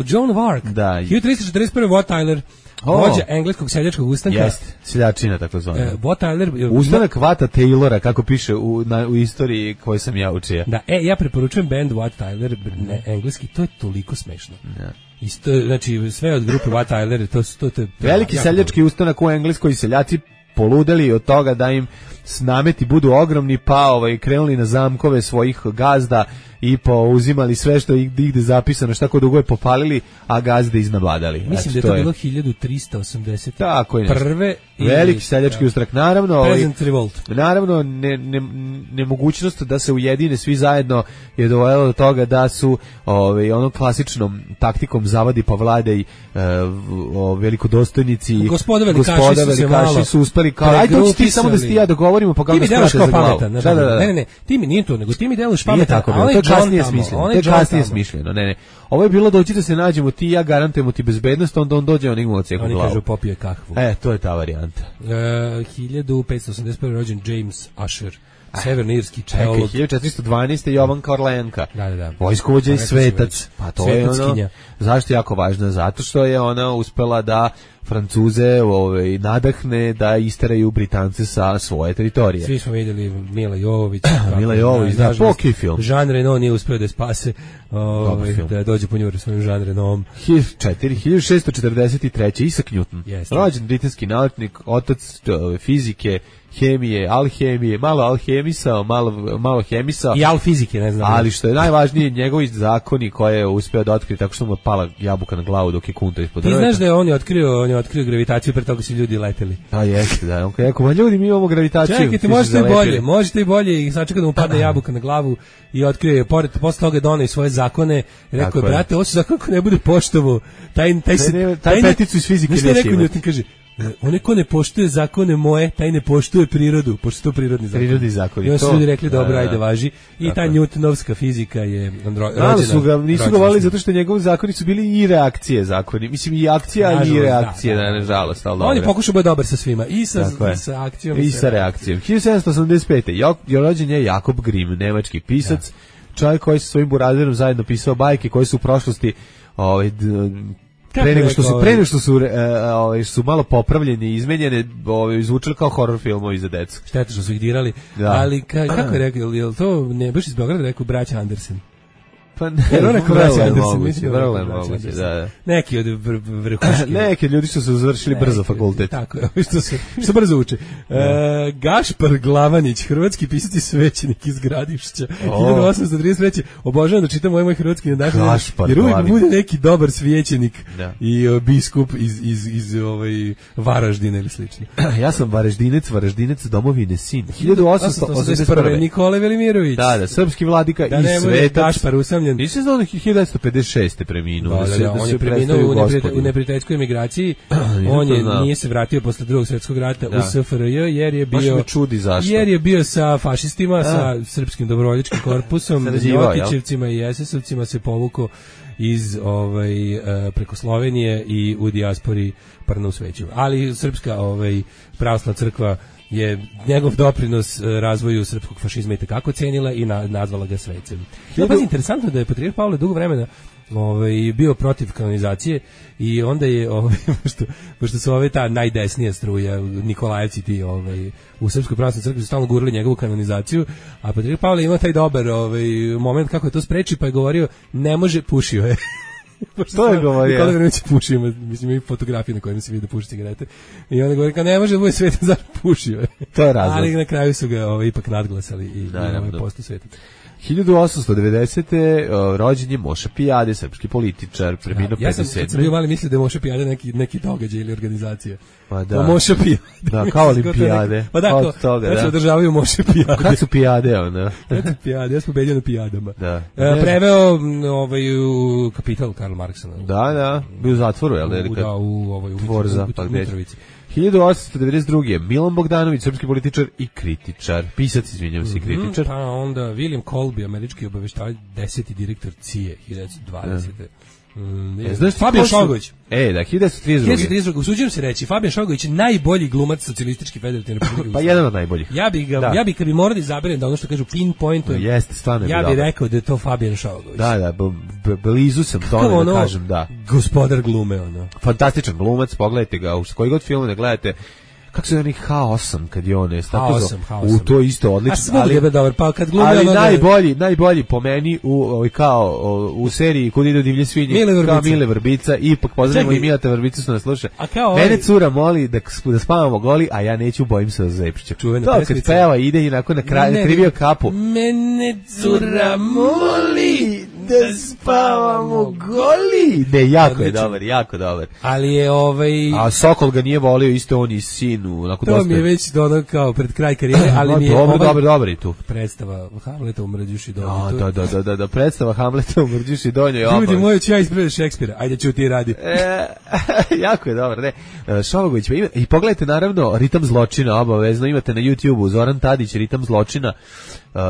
S5: Joan of Arc.
S3: Da.
S5: 1341. Wat Tyler. Vođa engleskog seljačkog ustanka.
S3: Jeste, seljačina takozvana.
S5: Wat Tyler.
S3: Ustanak Vata Taylora, kako piše u istoriji koju sam ja učio.
S5: Da, ja preporučujem band Wat Tyler, engleski, to je toliko smešno. Ja. Isto, znači, sve od grupe Wat Tyler, to je
S3: veliki seljački ustanak u Engleskoj, seljaci poludeli od toga da im nameti budu ogromni, pa krenuli na zamkove svojih gazda i uzimali sve što igde zapisano, šta ko dugo je popalili, a gazde iznabladali.
S5: Mislim da je to bilo 1380.
S3: Tako je.
S5: Prve
S3: veliki seljački ustanak. Naravno,
S5: Peasant Revolt.
S3: Naravno, nemogućnost da se ujedine svi zajedno je dovelo do toga da su onom klasičnom taktikom zavadi pa vladaj velikodostojnici,
S5: gospoda velikaši
S3: su uspeli kao, ajde ti samo da ti ja dogovorimo pa kako skrate za glavu.
S5: Ne, ti mi nije to, nego ti mi deluješ pametan.
S3: To je kasnije smišljeno. Ne. Ovo je bilo doći da se nađemo ti i ja, garantujemo ti bezbednost, onda on dođe, on ima oceku glavu.
S5: Oni kažu popije kahvu.
S3: To je ta varijanta.
S5: 1581. rođen James Usher. Severnoirski čelog.
S3: 1412. Jovanka Orleanka.
S5: Da.
S3: Vojskovođa i svetac. Pa to je ono. Zašto je jako važno? Zato što je ona uspela da Francuze nadahne da isteraju Britance sa svoje teritorije.
S5: Svi smo vidjeli Mila Jovović.
S3: Mila Jovović, da, poki film.
S5: Jean Reno nije uspio da spase, da dođe po njuru svojim Jean Renom.
S3: 1643. Isaac Newton. Rođen britanski naučnik, otac fizike, hemije, alhemije, malo alhemisao, malo hemisao.
S5: I alfizike, ne znam.
S3: Ali što je najvažnije, njegovi zakoni koje je uspeo da otkrije tako što mu je pala jabuka na glavu dok je kunta ispod drveta.
S5: Ti znaš da je on je otkrio gravitaciju, pre toga su ljudi leteli.
S3: Jeste, da. On rekao, ljudi, mi imamo gravitaciju.
S5: Čekajte, možete i bolje i sačeka da mu padne jabuka na glavu i otkrije, posle toga doneo svoje zakone. Rekao je, brate, ovo su zakon ko ne bude poštovo.
S3: Taj peticu iz fizike neće imati.
S5: Newton kaže, onaj ko ne poštuje zakone moje, taj ne poštuje prirodu, pošto to prirodni zakon.
S3: Prirodni zakon.
S5: I onda su ljudi rekli, dobro, ajde, važi. I ta Newtonovska fizika je rođena.
S3: Nisu ga volili zato što njegovi zakoni su bili i reakcije zakoni. Mislim, i akcija i reakcije, nažalost.
S5: On je pokušao biti dobar sa svima, i sa akcijom.
S3: I sa reakcijom. 1785. Rođen je Jakob Grimm, nemački pisac, čovjek koji sa svojim burazerom zajedno pisao bajke koje su u prošlosti pre nego što su malo popravljeni i izmenjene, izvučili kao horror filmovi za decu.
S5: Šteta što su ih dirali. Da. Ali kako je rekao, je li to ne baš iz Beograda rekao braća Andersen?
S3: Pa ne, vrlo je moguće, da.
S5: Neki od vrhuški.
S3: Neki ljudi su se završili brzo fakultet.
S5: Tako je, što brzo uče. Gašpar Glavanić, hrvatski pisac i svećenik iz Gradišća. 1833. Obožavam da čitam moj hrvatski na dan, jer uvijek bude neki dobar svećenik i biskup iz Varaždina ili slično.
S3: Ja sam Varaždinec domovine sin. 1881.
S5: Nikola Velimirović.
S3: Da, srpski vladika i svetac.
S5: Gašpar usamljen.
S3: Nisi znao da 1956. preminuo.
S5: On je preminuo u neprijateljskoj emigraciji. On nije se vratio posle Drugog svjetskog rata u SFRJ jer je bio sa fašistima, sa srpskim dobrovoljačkim korpusom, Ljotićevcima i SS-ovcima se povukao iz preko Slovenije i u dijaspori prno usvećio. Ali srpska pravoslavna crkva je njegov doprinos razvoju srpskog fašizma i tekako cenila i nazvala ga svecem. Ja, interesantno da je patrijarh Pavle dugo vremena bio protiv kanonizacije i onda je pošto su ta najdesnija struja Nikolajevci ti u Srpskoj pravoslavnoj crkvi su stalno gurali njegovu kanonizaciju, a patrijarh Pavle ima taj dobar moment kako je to spreči, pa je govorio ne može, pušio je.
S3: To je govorio.
S5: Nikola Velimirović pušio, mislim i fotografije na kojima se vidi da puši cigarete. I onda govori kao ne može da bude svetan, zašto pušio je.
S3: To je razlog.
S5: Ali na kraju su ga ipak nadglasali i postao svetac.
S3: 1890. rođen je Moša Pijade, srpski političar, preminuo 57.
S5: Ja sam bio mali mislio da je Moša Pijade neki događaj ili organizacija.
S3: Pa da.
S5: Moša Pijade.
S3: Da, kao olimpijade.
S5: Pa da, od toga, da. Održavaju Moša Pijade.
S3: Kad su pijade, onda?
S5: Kad su pijade, ja sam pobedio na pijadama.
S3: Da.
S5: Preveo u Kapital Karl Marksa.
S3: Da, bio u zatvoru, jel?
S5: U Mitrovici.
S3: 1892. Milan Bogdanović, srpski političar i kritičar. Pisac, izvinjam se, kritičar.
S5: Pa onda William Colby, američki obaveštajatelj, 10. direktor CIA, 1920. Fabijan Šogović.
S3: Da, 1932.
S5: Usuđujem se reći, Fabijan Šogović je najbolji glumac socijalistički federativne republike.
S3: Pa jedan od najboljih.
S5: Ja bi kad bi morao da izaberem da ono što kažu pinpointujem.
S3: Jeste, stvarno je
S5: ja bih rekao da je to Fabijan Šogović.
S3: Da, blizu sam tome da kažem, da.
S5: Gospodar glume, ono.
S3: Fantastičan glumac, pogledajte ga, u koji god film ne gledate. Kako se zove H8 kad je on je
S5: H8.
S3: U to isto odlično,
S5: ali dobar, pa kad glumi
S3: ali najbolji po meni u seriji Kud idu divlje svinje kao Mile Vrbica, ipak pozdravimo i Mileta Vrbicu što nas sluša. Mene cura moli da spavamo goli, a ja neću, bojim se da Zepšića. To kad peva ide i onako na kraju krivio kapu.
S5: Mene cura moli da spavamo goli.
S3: Ne, jako dobar.
S5: Ali je
S3: A Sokol ga nije volio, isto on i sin.
S5: To mi je već ono kao pred kraj karijere, ali mi je
S3: dobro i tu.
S5: Predstava Hamleta u Mrđuši Donjoj.
S3: Da, predstava Hamleta u Mrđuši Donjoj.
S5: Ljudi moji, ću ja ispred Šekspira. Ajde, ću ti radi.
S3: Jako je dobro, ne. Šovagović, i pogledajte naravno Ritam zločina, obavezno imate na YouTube-u Zoran Tadić, Ritam zločina,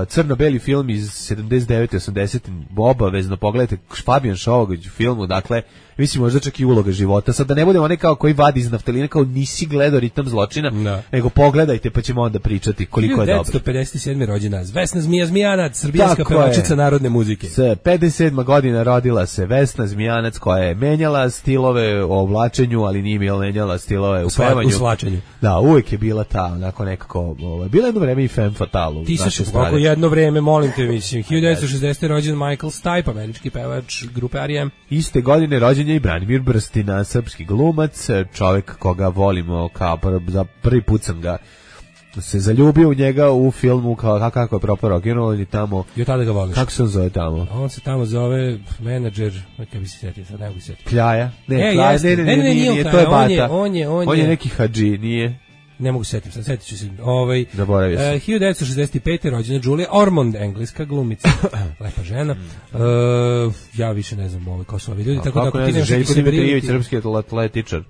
S3: crno-beli film iz 79. 80. Obavezno pogledajte Fabijan Šovagović u filmu, dakle, mislim možda čak i uloga života. Sad da ne budemo onaj kao koji vadi iz naftalina, kao nisi gledao Ritam zločina, nego pogledajte pa ćemo onda pričati koliko je dobro.
S5: 1957. rođena Vesna Zmijanac, srbijanska pevačica narodne muzike.
S3: 57. godina rodila se Vesna Zmijanac, koja je menjala stilove u oblačenju, ali nije menjala stilove u pevanju.
S5: U slačenju.
S3: Da, uvijek je bila ta, onako nekako, bila jedno vreme i femme fatale.
S5: Ti se kako jedno vreme, molim te, mislim, 1960. rođen Michael Stipe, američki pevač grupe R.E.M.
S3: Iste godine rođen je i Branimir Brstina, srpski glumac, čovjek koga volimo, kao za prvi put sam ga se zaljubio u njega u filmu kako je propao rock'n'roll i tamo.
S5: I od tada ga voliš.
S3: Kako se on zove tamo?
S5: On se tamo zove menadžer, kako bi se sjetio, sad ne mogu se sjetiti.
S3: Kljaja? Ne, nije, to je Bata. On je neki hadži, nije.
S5: Ne mogu se sjetiti, sjetit ću se.
S3: Zaboravio sam.
S5: 1965. rođena Julia Ormond, engleska glumica. Lepa žena. Ja više ne znam ko su ovi ljudi.
S3: Kako ne znam, Željko Dimitrijević, srpski atletičar.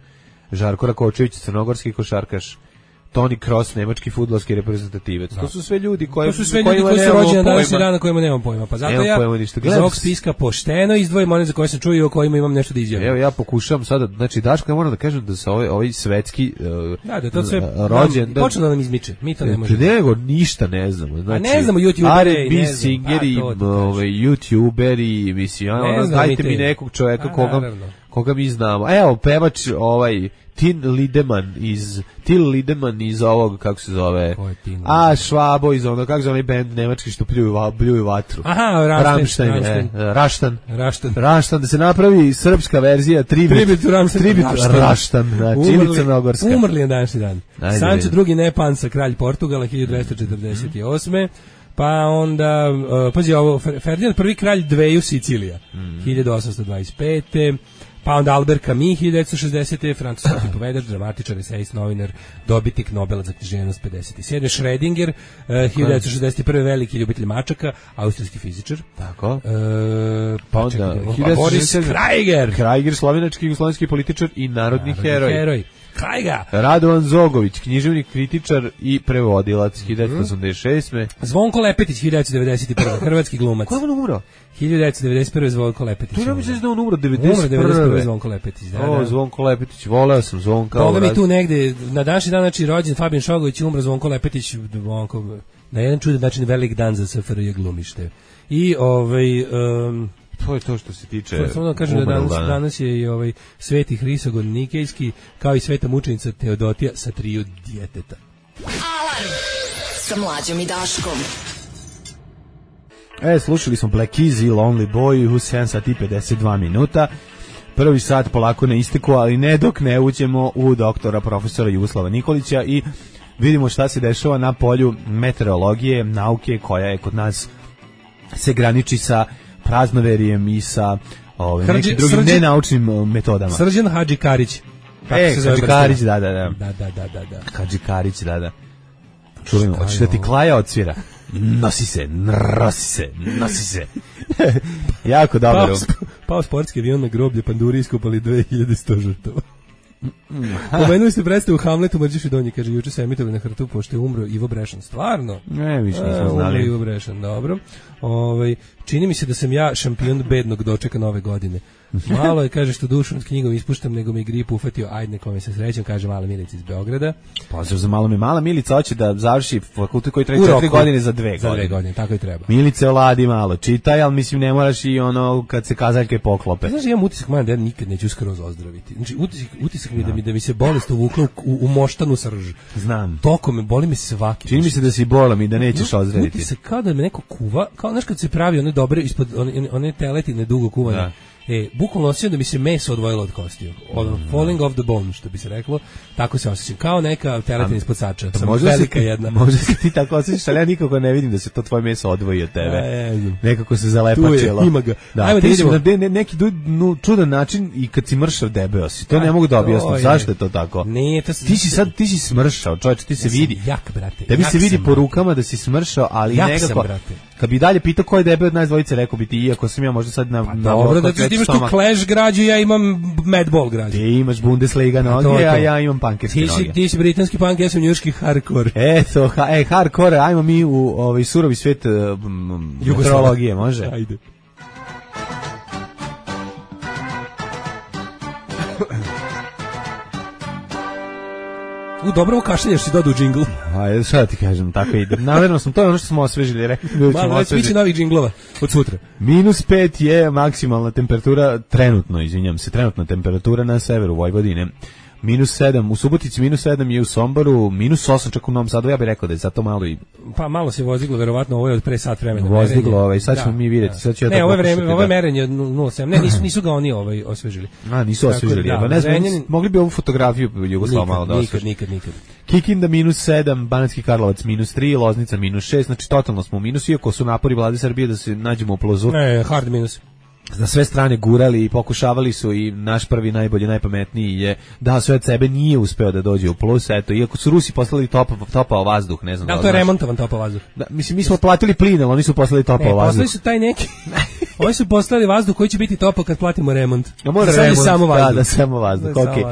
S3: Žarko Rakočević, crnogorski košarkaš. Toni Kroos, nemački fudbalski reprezentativac. To su sve ljudi koji
S5: su rođeni na današnji dan na kojima nemam pojma. Pa zato ja iz ovog spiska pošteno izdvojim one za koje sam čuo i o kojima imam nešto da izjavim.
S3: Evo ja pokušavam sada, znači Daško, ja moram da kažem da se ovaj svetski
S5: da to sve
S3: rođen
S5: počne da nam izmiče. Mi to ne možemo.
S3: Nego ništa ne znamo. Znači,
S5: ne znamo youtubere,
S3: R&B singeri, youtuberi, mislim, dajte mi nekog čovjeka koga mi znamo. Evo pevač Till Lindemann iz ovog, kako se zove, Švabo iz onog, kako se onaj band nemački što pljuju vatru.
S5: Aha,
S3: Raštan, da se napravi srpska verzija, tribut Raštan, znači, ili crnogorska.
S5: Umrli je današnji dan. Sancho II. Nepansa, kralj Portugala, 1248. Pa onda, pazi ovo, Ferdinand I. kralj dveju Sicilija, 1825. Pa onda Albert Camus, 1960. francuski pripovedač, dramatičar, esejist, novinar, dobitnik Nobela za književnost 57. Schrödinger, 1961. veliki ljubitelj mačaka, austrijski fizičar.
S3: Tako. Pa onda
S5: Boris
S3: Krajger, slovenački jugoslovenski političar i narodni heroj.
S5: Krajga.
S3: Radovan Zogović, književnik, kritičar i prevodilac, 1986.
S5: Zvonko Lepetić, 1991. hrvatski glumac.
S3: Ko je on umro?
S5: 1991. Zvonko Lepetić.
S3: To je mislim da on umro 1991.
S5: Zvonko Lepetić.
S3: Zvonko Lepetić, voleo sam Zvonka.
S5: Boga mi tu negde, na današnji dan, znači rođen Fabijan Šogović, umro Zvonko Lepetić, na jedan čudan način velik dan za SFRJ glumište. I
S3: to je to što se tiče.
S5: Samo da kažem da danas je i Sveti Hrisogon Nikejski, kao i sveta mučenica Teodotija sa 3 djeteta.
S4: Alarm sa Mlađom i Daškom.
S3: Slušali smo Black Keys i Lonely Boy u 7 sati 52 minuta. Prvi sat polako na isteku, ali ne dok ne uđemo u doktora profesora Jugoslava Nikolića i vidimo šta se dešava na polju meteorologije, nauke koja je kod nas se graniči sa praznoverijem i sa nekim drugim nenaučnim metodama.
S5: Srđan Hadži Karić.
S3: Hadži Karić, da.
S5: Da.
S3: Hadži Karić, da. Čulimo, hoćeš da ti Klaja odsvira? Nosi se. Jako dobro.
S5: Pao sportski avion na groblje, panduri iskopali 2100 žrtava. Pomenuli ste predstavu Hamletu Mrđiš i Donji, kaže, juče se emitovali na Hrtu, pošto je umro Ivo Brešan. Stvarno?
S3: Ne, više nismo znali.
S5: Umro Ivo Brešan, dobro. Čini mi se da sam ja šampion bednog dočeka nove godine. Malo je, kaže, što dušu nad knjigom ispuštam, nego mi grip ufatio, ajde nekome se srećem, kaže Mala Milica iz Beograda.
S3: Pozdrav za Malo mi. Mala Milica hoće da završi fakultet koji traje 4 godine za 2 godine.
S5: Za 2 godine, tako i treba.
S3: Milice, oladi malo, čitaj, ali mislim ne moraš i ono kad se kazaljke poklope.
S5: Znaš, imam utisak, da ja nikad neću skroz ozdraviti. Znači, utisak mi da mi se bolest uvukla u moštanu srž.
S3: Znam.
S5: Toko me, boli mi svaki.
S3: Čini mi se da si bolam i da nećeš ozdraviti.
S5: Utisak kao da me neko kuva, kao znaš kad se pravi one dobre, ispod one teletine dugo kuvane. Da. Bukvalno osjećam da mi se meso odvojilo od kostiju. Falling off the bone, što bi se reklo. Tako se osjećam. Kao neka teletina ispod sača. Sam velika jedna.
S3: Možda se ti tako osjećaš, ali ja nikako ne vidim da se to tvoje meso odvoji od tebe. Nekako se zalepačilo.
S5: Ima ga.
S3: Da, ajmo da vidimo. Neki čudan način i kad si mršav debeo si. To ne mogu da objasnim. Zašto je to tako?
S5: Ne, to
S3: ti si smršao, čovječe, ti se vidi.
S5: Jak, brate.
S3: Tebi se vidi po rukama da si smršao, ali nekako. Kad bi dalje pitao ko je debeo od nas dvojice, rekao bi ti, iako sam ja možda sad na
S5: dobro, da ti imaš tu Clash građu, ja imam Madball građu.
S3: Ti imaš Bundesliga noge, a ja imam pankerske noge.
S5: Ti si britanski punk, ja sam njujorški hardcore.
S3: Eto, hardcore, ajmo mi u surovi svet meteorologije, može?
S5: Ajde. Dobro kašljenješ si dodao džingl.
S3: Ajde, šta da ti kažem, tako ide. Namerno sam, to je ono što smo osvežili, rekli.
S5: Malo već biće novih džinglova od sutra.
S3: -5 je maksimalna temperatura, trenutna temperatura na severu Vojvodine. -7, u Subotici -7 je u Somboru, -8 čak u Novom Sadu, ja bih rekao da je zato malo i...
S5: Pa malo se vozdiglo, verovatno ovo je od pre sat vremena.
S3: Vozdiglo, sad ćemo mi vidjeti, sad ću ja to pokušati.
S5: Ne, ovo je merenje od 0,7, ne, nisu ga oni osvežili.
S3: Nisu osvežili, pa ne znam, mogli bi ovu fotografiju Jugoslava malo da osvežili.
S5: Nikad.
S3: Kikinda -7, Banatski Karlovac -3, Loznica -6, znači totalno smo u minusu, iako su napori Vlade Srbije da se nađemo u plusu.
S5: Ne, hard minus.
S3: Na sve strane gurali i pokušavali su i naš prvi najbolji, najpametniji je da sve od sebe nije uspeo da dođe u plus, eto, iako su Rusi poslali topao vazduh, ne znam
S5: da to je remontovan topao vazduh.
S3: Da, mislim, mi smo platili plin, ali oni su poslali topao vazduh.
S5: Poslali su taj neki, oni su poslali vazduh koji će biti topao kad platimo remont.
S3: Mora remont, samo vazduh. Da, samo vazduh, okej.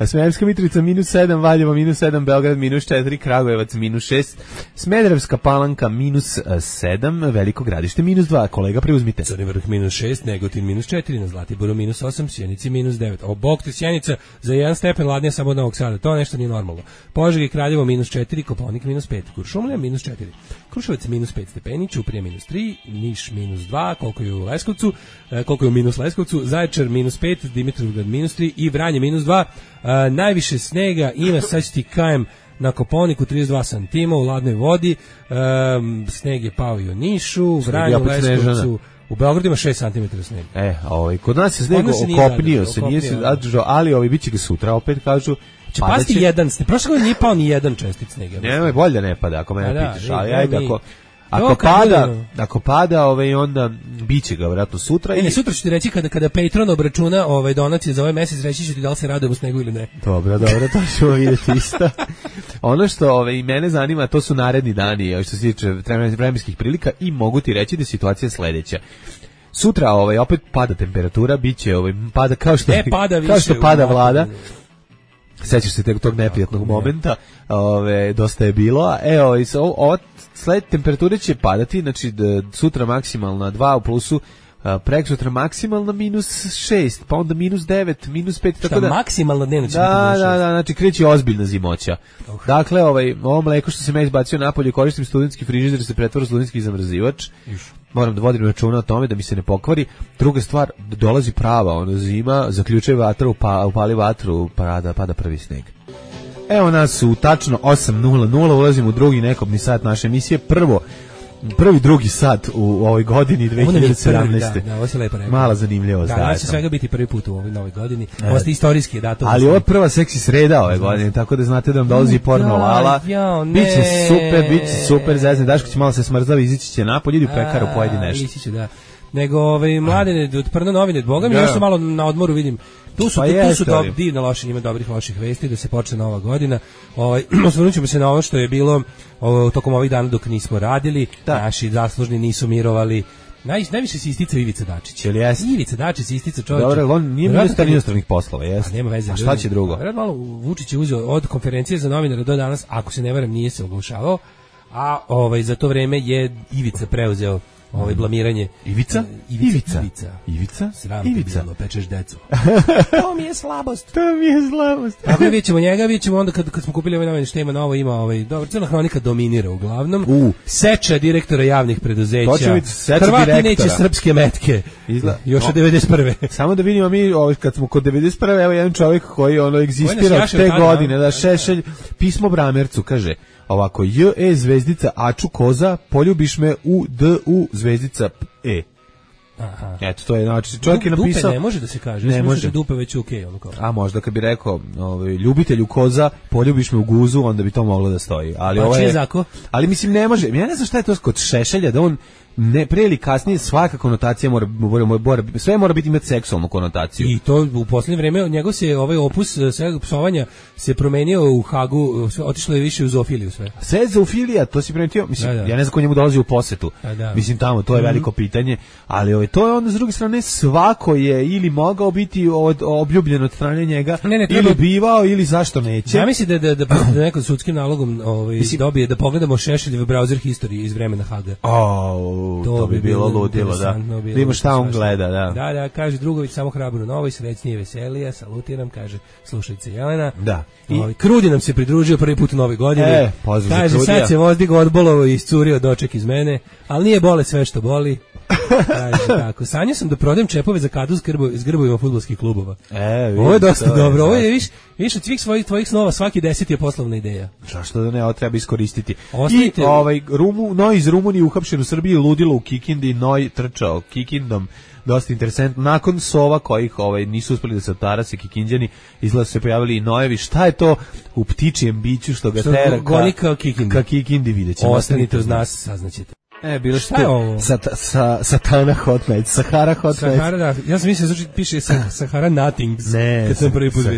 S3: Smederevska Mitrovica -7, Valjevo -7, Beograd -4, Kragujevac -6, Smederevska Palanka -7, Veliko Gradište -2, kolega preuzmite.
S5: Crni Vrh -6, Negotin -4, na Zlatiboru -8, Sjenici -9. O bog ti Sjenica za 1 stepen ladnija samo od Novog Sada. To nešto nije normalno. Požega i Kraljevo -4, Kopaonik -5, Kuršumlija -4, Kruševac -5 stepeni, Ćuprija -3, Niš -2, koliko je u Leskovcu, koliko je u Leskovcu, Zaječar -5, Dimitrovgrad -3 i Vranje -2. Najviše snega ima, sad ću ti kajem, na Kopaoniku 32 cm u ladnoj vodi, sneg je pao i u Nišu, u Vranju, Leskovcu. U Beogradu ima 6 cm snega.
S3: Kod nas je sneg okopnio se, nije se zadržao, ali biće ga sutra, opet kažu.
S5: Će pasti jedan sneg. Prošle godine nije pao ni jedan čestic snega.
S3: Nemoj, bolje da ne pada, ako mene pitaš, ali ajde, ako pada, onda biće ga vjerojatno sutra.
S5: Ne, sutra ću ti reći kada Patreon obračuna donacije za ovaj mesec, reći ću ti da li se radujem u snegu ili ne.
S3: Dobro, to ćemo vidjeti isto. Ono što i mene zanima, to su naredni dani, što se tiče vremenskih prilika, i mogu ti reći da je situacija sledeća. Sutra opet pada temperatura, biće pada kao što pada vlada. Sećaš se tog neprijatnog momenta, dosta je bilo. Sled temperature će padati, znači sutra maksimalna 2 u plusu, preksutra maksimalna -6, pa onda -9, -5, tako da
S5: maksimalna dnevna će biti
S3: -6. Da, znači kreće ozbiljna zimoća. Dakle, ovo mleko što sam ja izbacio napolje, koristim studentski frižider, se pretvara u studentski zamrzivač. Moram da vodim računa o tome da mi se ne pokvari. Druga stvar, dolazi prava zima, zaključuje vatru, upali vatru, pada prvi sneg. Evo nas u tačno 8:00, ulazimo u drugi nekobni sat naše emisije. Drugi sat u ovoj godini 2017.
S5: Da, ovo se lepo rekao.
S3: Mala zanimljivost.
S5: Da, će svega biti prvi put u ovoj novoj godini. Ovo ste istorijski datum.
S3: Ali ovo je prva seksi sreda ove godine, tako da znate da vam dolazi porno lala. Biće super, zezne. Daško će malo se smrzava, izići će napolje, idi u pekaru, pojedi nešto.
S5: Ići će, da. Nego mladine od Prna novine, boga mi nešto malo na odmoru vidim. Tu su divne loše, ima dobrih loših vesti da se počne nova godina. Osvrnut ćemo se na ovo što je bilo tokom ovih dana dok nismo radili. Naši zaslužni nisu mirovali. Najviše se isticao Ivica Dačić.
S3: Jel'
S5: Ivica Dačić se isticao čovjek.
S3: Dobro, on nije ministar inostranih poslova, jeste.
S5: Nema veze.
S3: A šta će drugo?
S5: Malo Vučić je uzeo od konferencije za novinare do danas, ako se ne varam, nije se oglašavao, a za to vreme je Ivica preuzeo blamiranje.
S3: Ivica?
S5: Sram te bilo, pečeš decu. To mi je slabost. Tako vidjet ćemo njega, vidjet ćemo onda kad smo kupili novine što ima novo, ima dobro, Crna hronika dominira uglavnom. Seča direktora javnih preduzeća. Hrvati neće srpske metke. Još od 91.
S3: Samo da vidimo mi, kad smo kod 91. Evo jedan čovjek koji egzistira od te godine, da Šešelj, pismo Bramercu, kaže ovako, J.E. zvezdica Aču Koza, poljubiš me u D.U. zvezdica E.
S5: Aha.
S3: Eto, to je, znači, čovjek je napisao...
S5: Dupe ne može da se kaže, ne može. Da dupe već okej,
S3: A možda kad bi rekao, ljubitelju koza, poljubiš me u guzu, onda bi to moglo da stoji. Ali ovo je... Ali mislim, ne može, ja ne znam šta je to kod Šešelja, da on ne pre ili kasnije svaka konotacija sve mora biti imati seksualnu konotaciju.
S5: I to u poslednje vreme njegov se opus svega psovanja se promenio u Hagu, otišlo je više u zoofiliju sve.
S3: Sve zoofilija, to si primetio, mislim, ja ne znam ko njemu dolazi u posetu. Mislim tamo, to je veliko pitanje, ali to je onda s druge strane svako je ili mogao biti obljubljen od strane njega, ili bivao, ili zašto neće.
S5: Ja mislim da nekom sudskim nalogom dobije da pogledamo Šešeljev browser history iz vremena Haga.
S3: To bi bilo ludilo, da. Vidimo šta on gleda, da.
S5: Da, kaže Drugović, samo hrabro novo i srećnije veselija, salutiram, kaže slušajte Jelena.
S3: Da.
S5: Krudi nam se pridružio prvi put u nove godine. Kaže, sad se vozdigo odbolovo i iscurio doček iz mene, ali nije bole sve što boli. Kaže tako, sanjao sam da prodajem čepove za kadu s grbovima fudbalskih klubova. Ovo je dosta dobro, ovo je više od svih tvojih snova, svaki 10 je poslovna ideja.
S3: Zašto da ne, ovo treba iskoristiti. I Noj iz Rumunije uhapšen u Srbiji, ludilo u Kikindi, Noj trčao Kikindom, dosta interesantno. Nakon sova kojih nisu uspeli da se otarase Kikinđani, izgleda su se pojavili i Nojevi. Šta je to u ptičijem biću što ga tera ka Kikindi, vidjet ćemo.
S5: Ostanite uz nas, saznaćete.
S3: Bilo šta je ovo? Satana Hot Nights, Sahara Hot Nights.
S5: Da. Ja sam mislio da piše Sahara Nothings.
S3: Ne,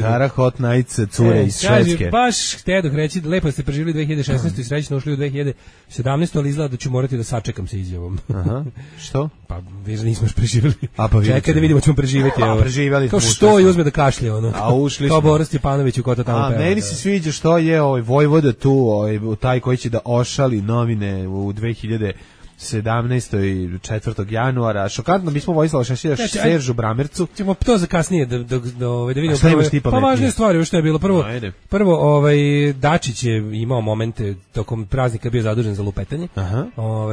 S3: Sahara Hot Nights, cure iz Švedske.
S5: Baš htedoh reći, lepo ste preživjeli 2016. i srećno ušli u 2017. ali izgleda da ću morati da sačekam sa izjavom.
S3: Aha, što?
S5: Pa, viš nismo još preživjeli.
S3: Čekaj
S5: da vidimo ćemo preživjeti.
S3: Preživjeli smo.
S5: Kao što i uzme da kašlje,
S3: A ušli smo.
S5: Kao Boris Stjepanović u kota tamo peva.
S3: A meni se sviđa što je Vojvoda tu, taj koji će da ošali novine u 2017. 4. januara. Šokantno, mi smo Vojislava Šešelja Seržu Bramercu.
S5: Ćemo to za kasnije da vidimo.
S3: Šta imaš ti pametnije?
S5: Pa važnije stvari, što je bilo. Prvo Dačić je imao momente tokom praznika bio zadužen za lupetanje.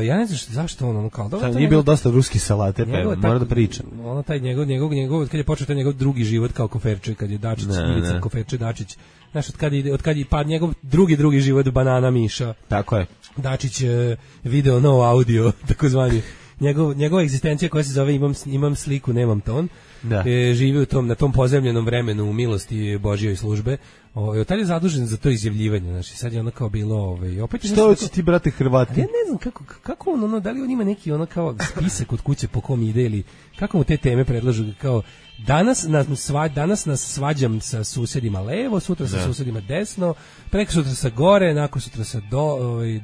S5: Ja ne znam zašto on kao da
S3: nije bilo dosta ruski salate, pa mora da priča.
S5: Ono taj njegov kad je počeo taj njegov drugi život kao koferče, kad je Dačić Ivica koferče Dačić. Znaš, od kad je pad njegov drugi život banana Miša.
S3: Tako je.
S5: Dačić video no audio, takozvani. Njegova egzistencija koja se zove imam sliku, nemam ton. Živi na tom pozemljenom vremenu u milosti Božjoj službe. Tad je zadužen za to izjavljivanje, znači sad je ono kao bilo opet
S3: što hoće ti brate Hrvati?
S5: Ja ne znam kako on da li on ima neki ono kao spisak od kuće po kom ide ili kako mu te teme predlažu kao danas nas svađam sa susedima levo, sutra sa susedima desno, prekosutra sa gore, nakon sutra sa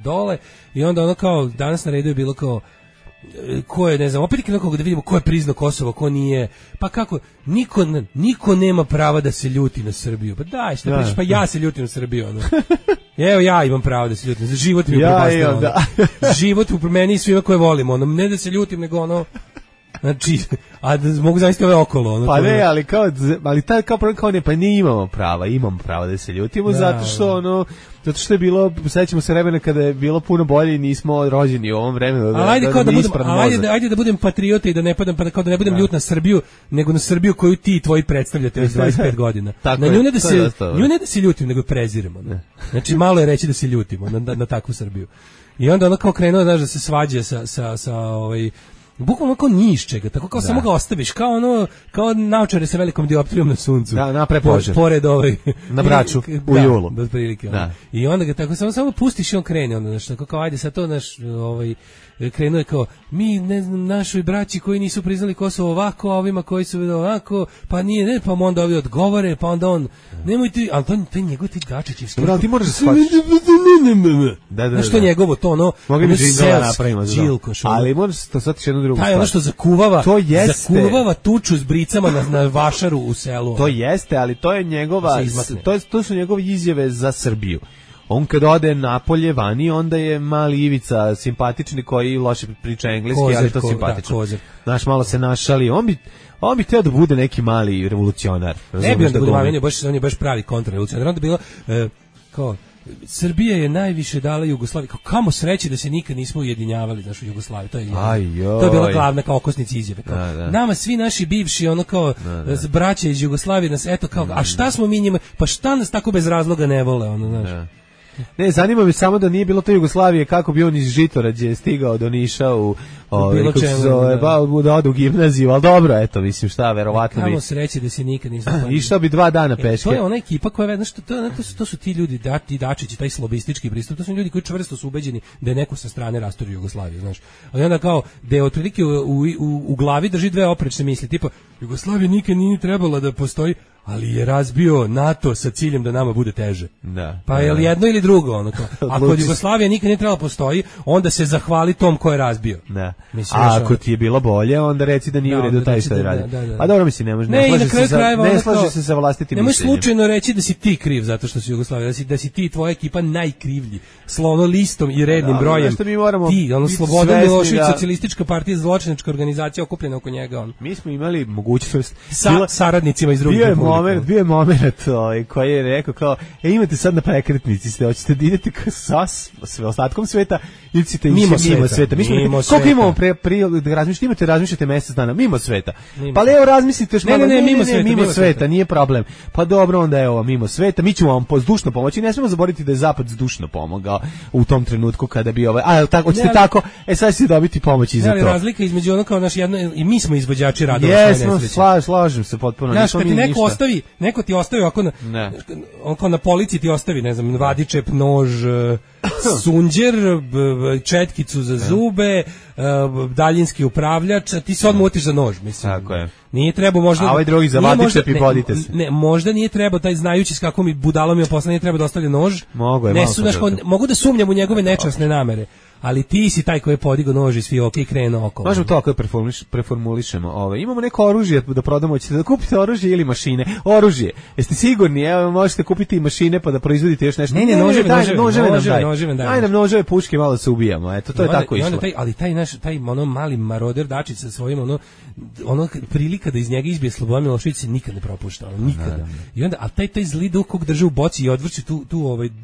S5: dole i onda ono kao danas na redu je bilo kao ko je, ne znam, opet nekako da vidimo ko je priznao Kosovo, ko nije, pa kako, niko nema prava da se ljuti na Srbiju, pa daj, šta pričaš, pa ja se ljutim na Srbiju, ono. Evo ja imam pravo da se ljutim, život mi je propastio, život u meni i svima koje volim, ono, ne da se ljutim, nego ono, znači, a da mogu zaista ove okolo. Ono,
S3: pa ne, ali taj kao problem kao ne, pa ne imamo prava da se ljutimo, zato što je bilo, sećamo se vremena kada je bilo puno bolje i nismo rođeni u ovom vremenu.
S5: Ajde da budem patriota i da ne padam, kao da ne budem ljut na Srbiju, nego na Srbiju koju ti tvoji predstavljate već 25 godina. Na nju ne da se ljutim, nego preziremo. Znači, malo je reći da se ljutimo na takvu Srbiju. I onda ono kao krenuo, znaš, da se svađa sa bukvalno kao ni iz čega, tako kao samo ga ostaviš, kao naočare sa velikom dioptrijom na suncu.
S3: Da, napre požar.
S5: Pored
S3: na Braču, u julu.
S5: Da, otprilike. I onda ga tako samo pustiš i on krene, onda, znaš, tako kao, ajde sad to, znaš, krenuo je kao, mi, ne znam, našoj braći koji nisu priznali Kosovo ovako, a ovima koji su ovako, pa nije, ne, pa onda ovi odgovore, pa onda on, nemoj ti, ali to je njegov ti Dačićevski.
S3: Dobro, ali ti moraš da shvatiš. Znaš,
S5: to njegovo, to ono,
S3: mogli bi žindala napravimo. Ali moraš to shvatiš jednu drugu stvar.
S5: Taj ono što zakuvava,
S3: to jeste,
S5: zakuvava tuču s bricama na vašaru u selu.
S3: To jeste, ali to je njegova, to su njegove izjave za Srbiju. On kad ode napolje vani, onda je mali Ivica simpatični koji loše priča engleski, ali to simpatično. Znaš, malo se našali. On bi teo da bude neki mali revolucionar.
S5: Ne bi on da bude mali, on je baš pravi kontrarevolucionar. Onda bilo kao Srbija je najviše dala Jugoslaviji. Kamo sreće da se nikad nismo ujedinjavali, znaš, u Jugoslaviji. To je bila glavna kao okosnica izjave. Nama svi naši bivši, ono kao braća iz Jugoslavije nas, eto kao, a šta smo mi njima, pa šta nas tako bez razloga ne vole, ono, znaš.
S3: Ne, zanima me samo da nije bilo to Jugoslavije, kako bi on iz Žitorađe stigao do Niša u da ode u gimnaziju, ali dobro, eto, mislim, šta, verovatno bi...
S5: Kamo sreće da se nikad nisam...
S3: Išao bi 2 dana peške.
S5: To je ona ekipa koja, znaš, to su ti ljudi, ti Dačići, taj slobistički pristup, to su ljudi koji čvrsto su ubeđeni da je neko sa strane rastorio Jugoslaviju, znaš. Ali onda kao, da je otprilike u glavi drži 2 oprečne misli, tipa, Jugoslavija nikad nije trebala da postoji, ali je razbio NATO sa ciljem da nama bude teže.
S3: Da.
S5: Pa je li jedno ili drugo? Ono kao, ako Jugoslavija nikad nije trebala postoji, onda se zahvali tom ko je razbio.
S3: Da. Mislim, ako ti je bilo bolje, onda reci da nije u redu taj što je radio. Pa dobro, mislim, ne slaže se sa vlastitim
S5: mišljenjem. Nemoj slučajno reći da si ti kriv zato što si Jugoslavija, da si ti tvoja ekipa najkrivlji. Slovno listom i rednim brojem. Ti, ono Slobodan Milošević, socijalistička partija, zločinačka organizacija okupljena oko njega.
S3: Mi smo imali mogućnost
S5: sa saradnicima iz drugih republika.
S3: Bio je moment koji je rekao kao, imate sad na prekretnici, hoćete da idete sa ostatkom sveta ili ćete mimo sveta. Koliko imamo da razmišljate mesec dana mimo sveta. Pa evo razmislite još malo. Mimo sveta, nije problem. Pa dobro, onda evo mimo sveta, mi ćemo vam zdušno pomoći. Ne smemo zaboraviti da je Zapad zdušno pomogao u tom trenutku kada bi hoćete tako, sad ćete dobiti pomoć i za to.
S5: Ali razlika između ono kao naš jedno, i mi smo izvođači radova.
S3: Jesmo, slažem se potpuno.
S5: Znaš, kad ti neko ti ostavi ako na policiji ti ostavi, ne znam, vadičep, nož, sunđer, četkicu za zube, daljinski upravljač, a ti se odmah utiš za nož, mislim.
S3: Tako je.
S5: Nije treba možda...
S3: A ovaj drugi za vadičep i podite se.
S5: Ne, možda nije treba, taj znajući s kakvom mi budalom je posla, nije treba da ostavlja nož. Mogu da sumnjam u njegove nečasne namere. Ali ti si taj koji je podigao nož i svi i krenuo okolo.
S3: Možemo to ako preformulišemo. Imamo neko oružje da prodamo, ćete da kupite oružje ili mašine. Oružje. Jeste sigurni? Evo, možete kupiti i mašine pa da proizvodite još nešto.
S5: Ne, noževe.
S3: Daj nam noževe, puške, malo da se ubijamo. Eto, to je tako išlo.
S5: Ali taj mali maroder Dačić sa svojim prilika da iz njega izbije Slobodan Milošević se nikad ne propušta. Nikada. I onda, a taj zli duh kog drži u boci i odvrći tu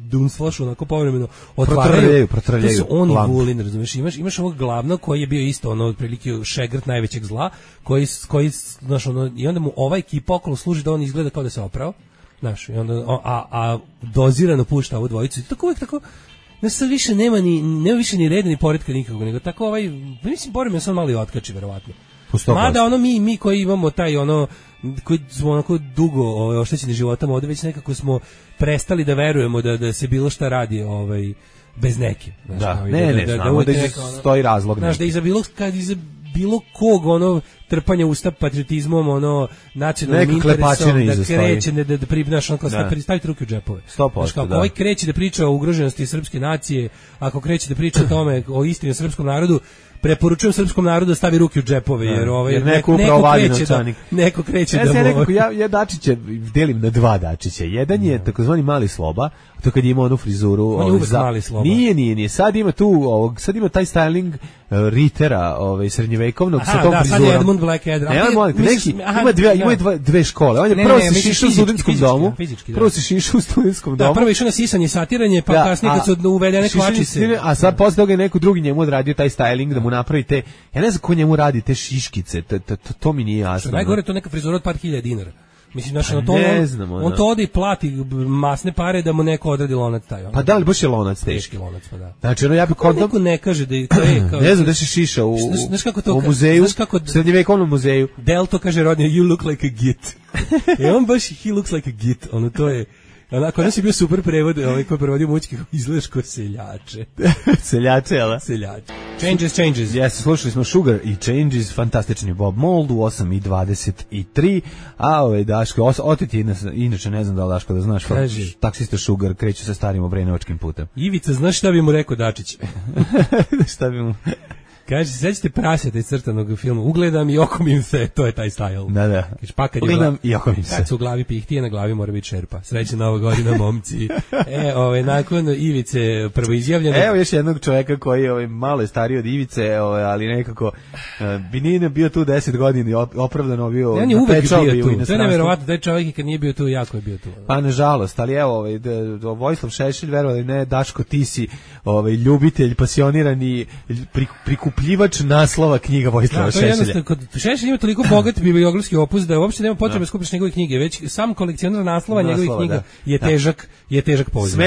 S5: dunsflašu onako povremeno otvaraju.
S3: Protrljaju.
S5: Vulin, razumiješ, imaš ovog glavnog koji je bio isto otprilike šegrt najvećeg zla, koji znaš, i onda mu ova ekipa okolo služi da on izgleda kao da se oprao, znaš, i onda a dozirano pušta ovu dvojicu i tako uvijek tako. Sad više nema više ni reda ni poretka nikakvog, nego tako mislim, Borim je sam malo i otkači, verovatno. Mada mi koji imamo taj koji smo onako dugo oštećeni životom, ovdje već nekako smo prestali da verujemo da se bilo šta radi bez neke.
S3: Znamo da stoji razlog.
S5: Znaš, da iza bilo kog trpanja usta patriotizmom, nacionalnim interesom, da kreće, da pribnaš, staviti ruke u džepove.
S3: 100%,
S5: ako ovaj kreće da priča o ugroženosti srpske nacije, ako kreće da priča o tome, o istini o srpskom narodu, preporučujem srpskom narodu da stavi ruke u džepove, jer neko kreće da...
S3: Ja Dačića delim na 2 Dačića. Jedan je takozvani mali Sloba, to kad ima onu frizuru...
S5: On je uvek mali Sloba.
S3: Nije. Sad ima taj styling Ritera srednjevekovnog sa tom frizurom.
S5: Sad je Edmund Blackadder.
S3: Ima 2 škole. On je prvo se šišao u studentskom domu. Prvo išao na sisanje i satiranje, pa kasnije kad su uvedene kvačice. A sad posle toga je neko drugi njemu odradio taj styling da mu napravi te... Ja ne znam ko njemu radi te šiškice, to mi nije jasno.
S5: Najgore to neka frizura od par hiljada dinara. Mislim, on to ode i plati masne pare da mu neko odradi lonac taj.
S3: Pa da li baš je lonac
S5: teški lonac, pa da.
S3: Znači, ja bi kod...
S5: Neko ne kaže da je...
S3: Ne znam da se šiša u muzeju, srednjevekovnom muzeju.
S5: Delto kaže rodnje, you look like a git. On baš, he looks like a git. To je... Onako, ono si bio super prevod, koji je prevodio Mućki, izgledaš ko seljače.
S3: Seljače, jel?
S5: Seljače. Changes.
S3: Jeste, slušali smo Sugar i Changes, fantastični Bob Mould u 8:23, a Daško, oteti, inače ne znam da li Daško da znaš, taksista Sugar kreću sa starim obrenovačkim putem.
S5: Ivica, znaš šta bi mu rekao Dačić?
S3: Šta bi mu...
S5: Kaže, sećate praseta iz crtanog filma, ugledam i okomim se, to je taj style.
S3: Da.
S5: Kaže, pa kad
S3: ugledam i okomim se.
S5: Kad su u glavi pihtije, na glavi mora biti šerpa. Srećna Nova godina, momci. Nakon Ivice prvoizjavljeno.
S3: Evo još jednog čovjeka koji je malo je stariji od Ivice, ali nekako bi nije bio tu 10 godina i opravdano bio.
S5: On je uvek bio tu. To je neverovatno, da je čovjek i kad nije bio tu, jako je bio tu.
S3: Pa nažalost, ali evo, Vojislav Šešelj, verovali ne, Daško, ti si ljubitelj, pasionirani prikupljivač naslova knjiga Vojislava Šešelja.
S5: Kod Šešelj ima toliko bogat bibliografski opus da uopšte nema potrebe skupiš njegove knjige, već sam kolekcionar naslova njegovih knjiga je težak poziv.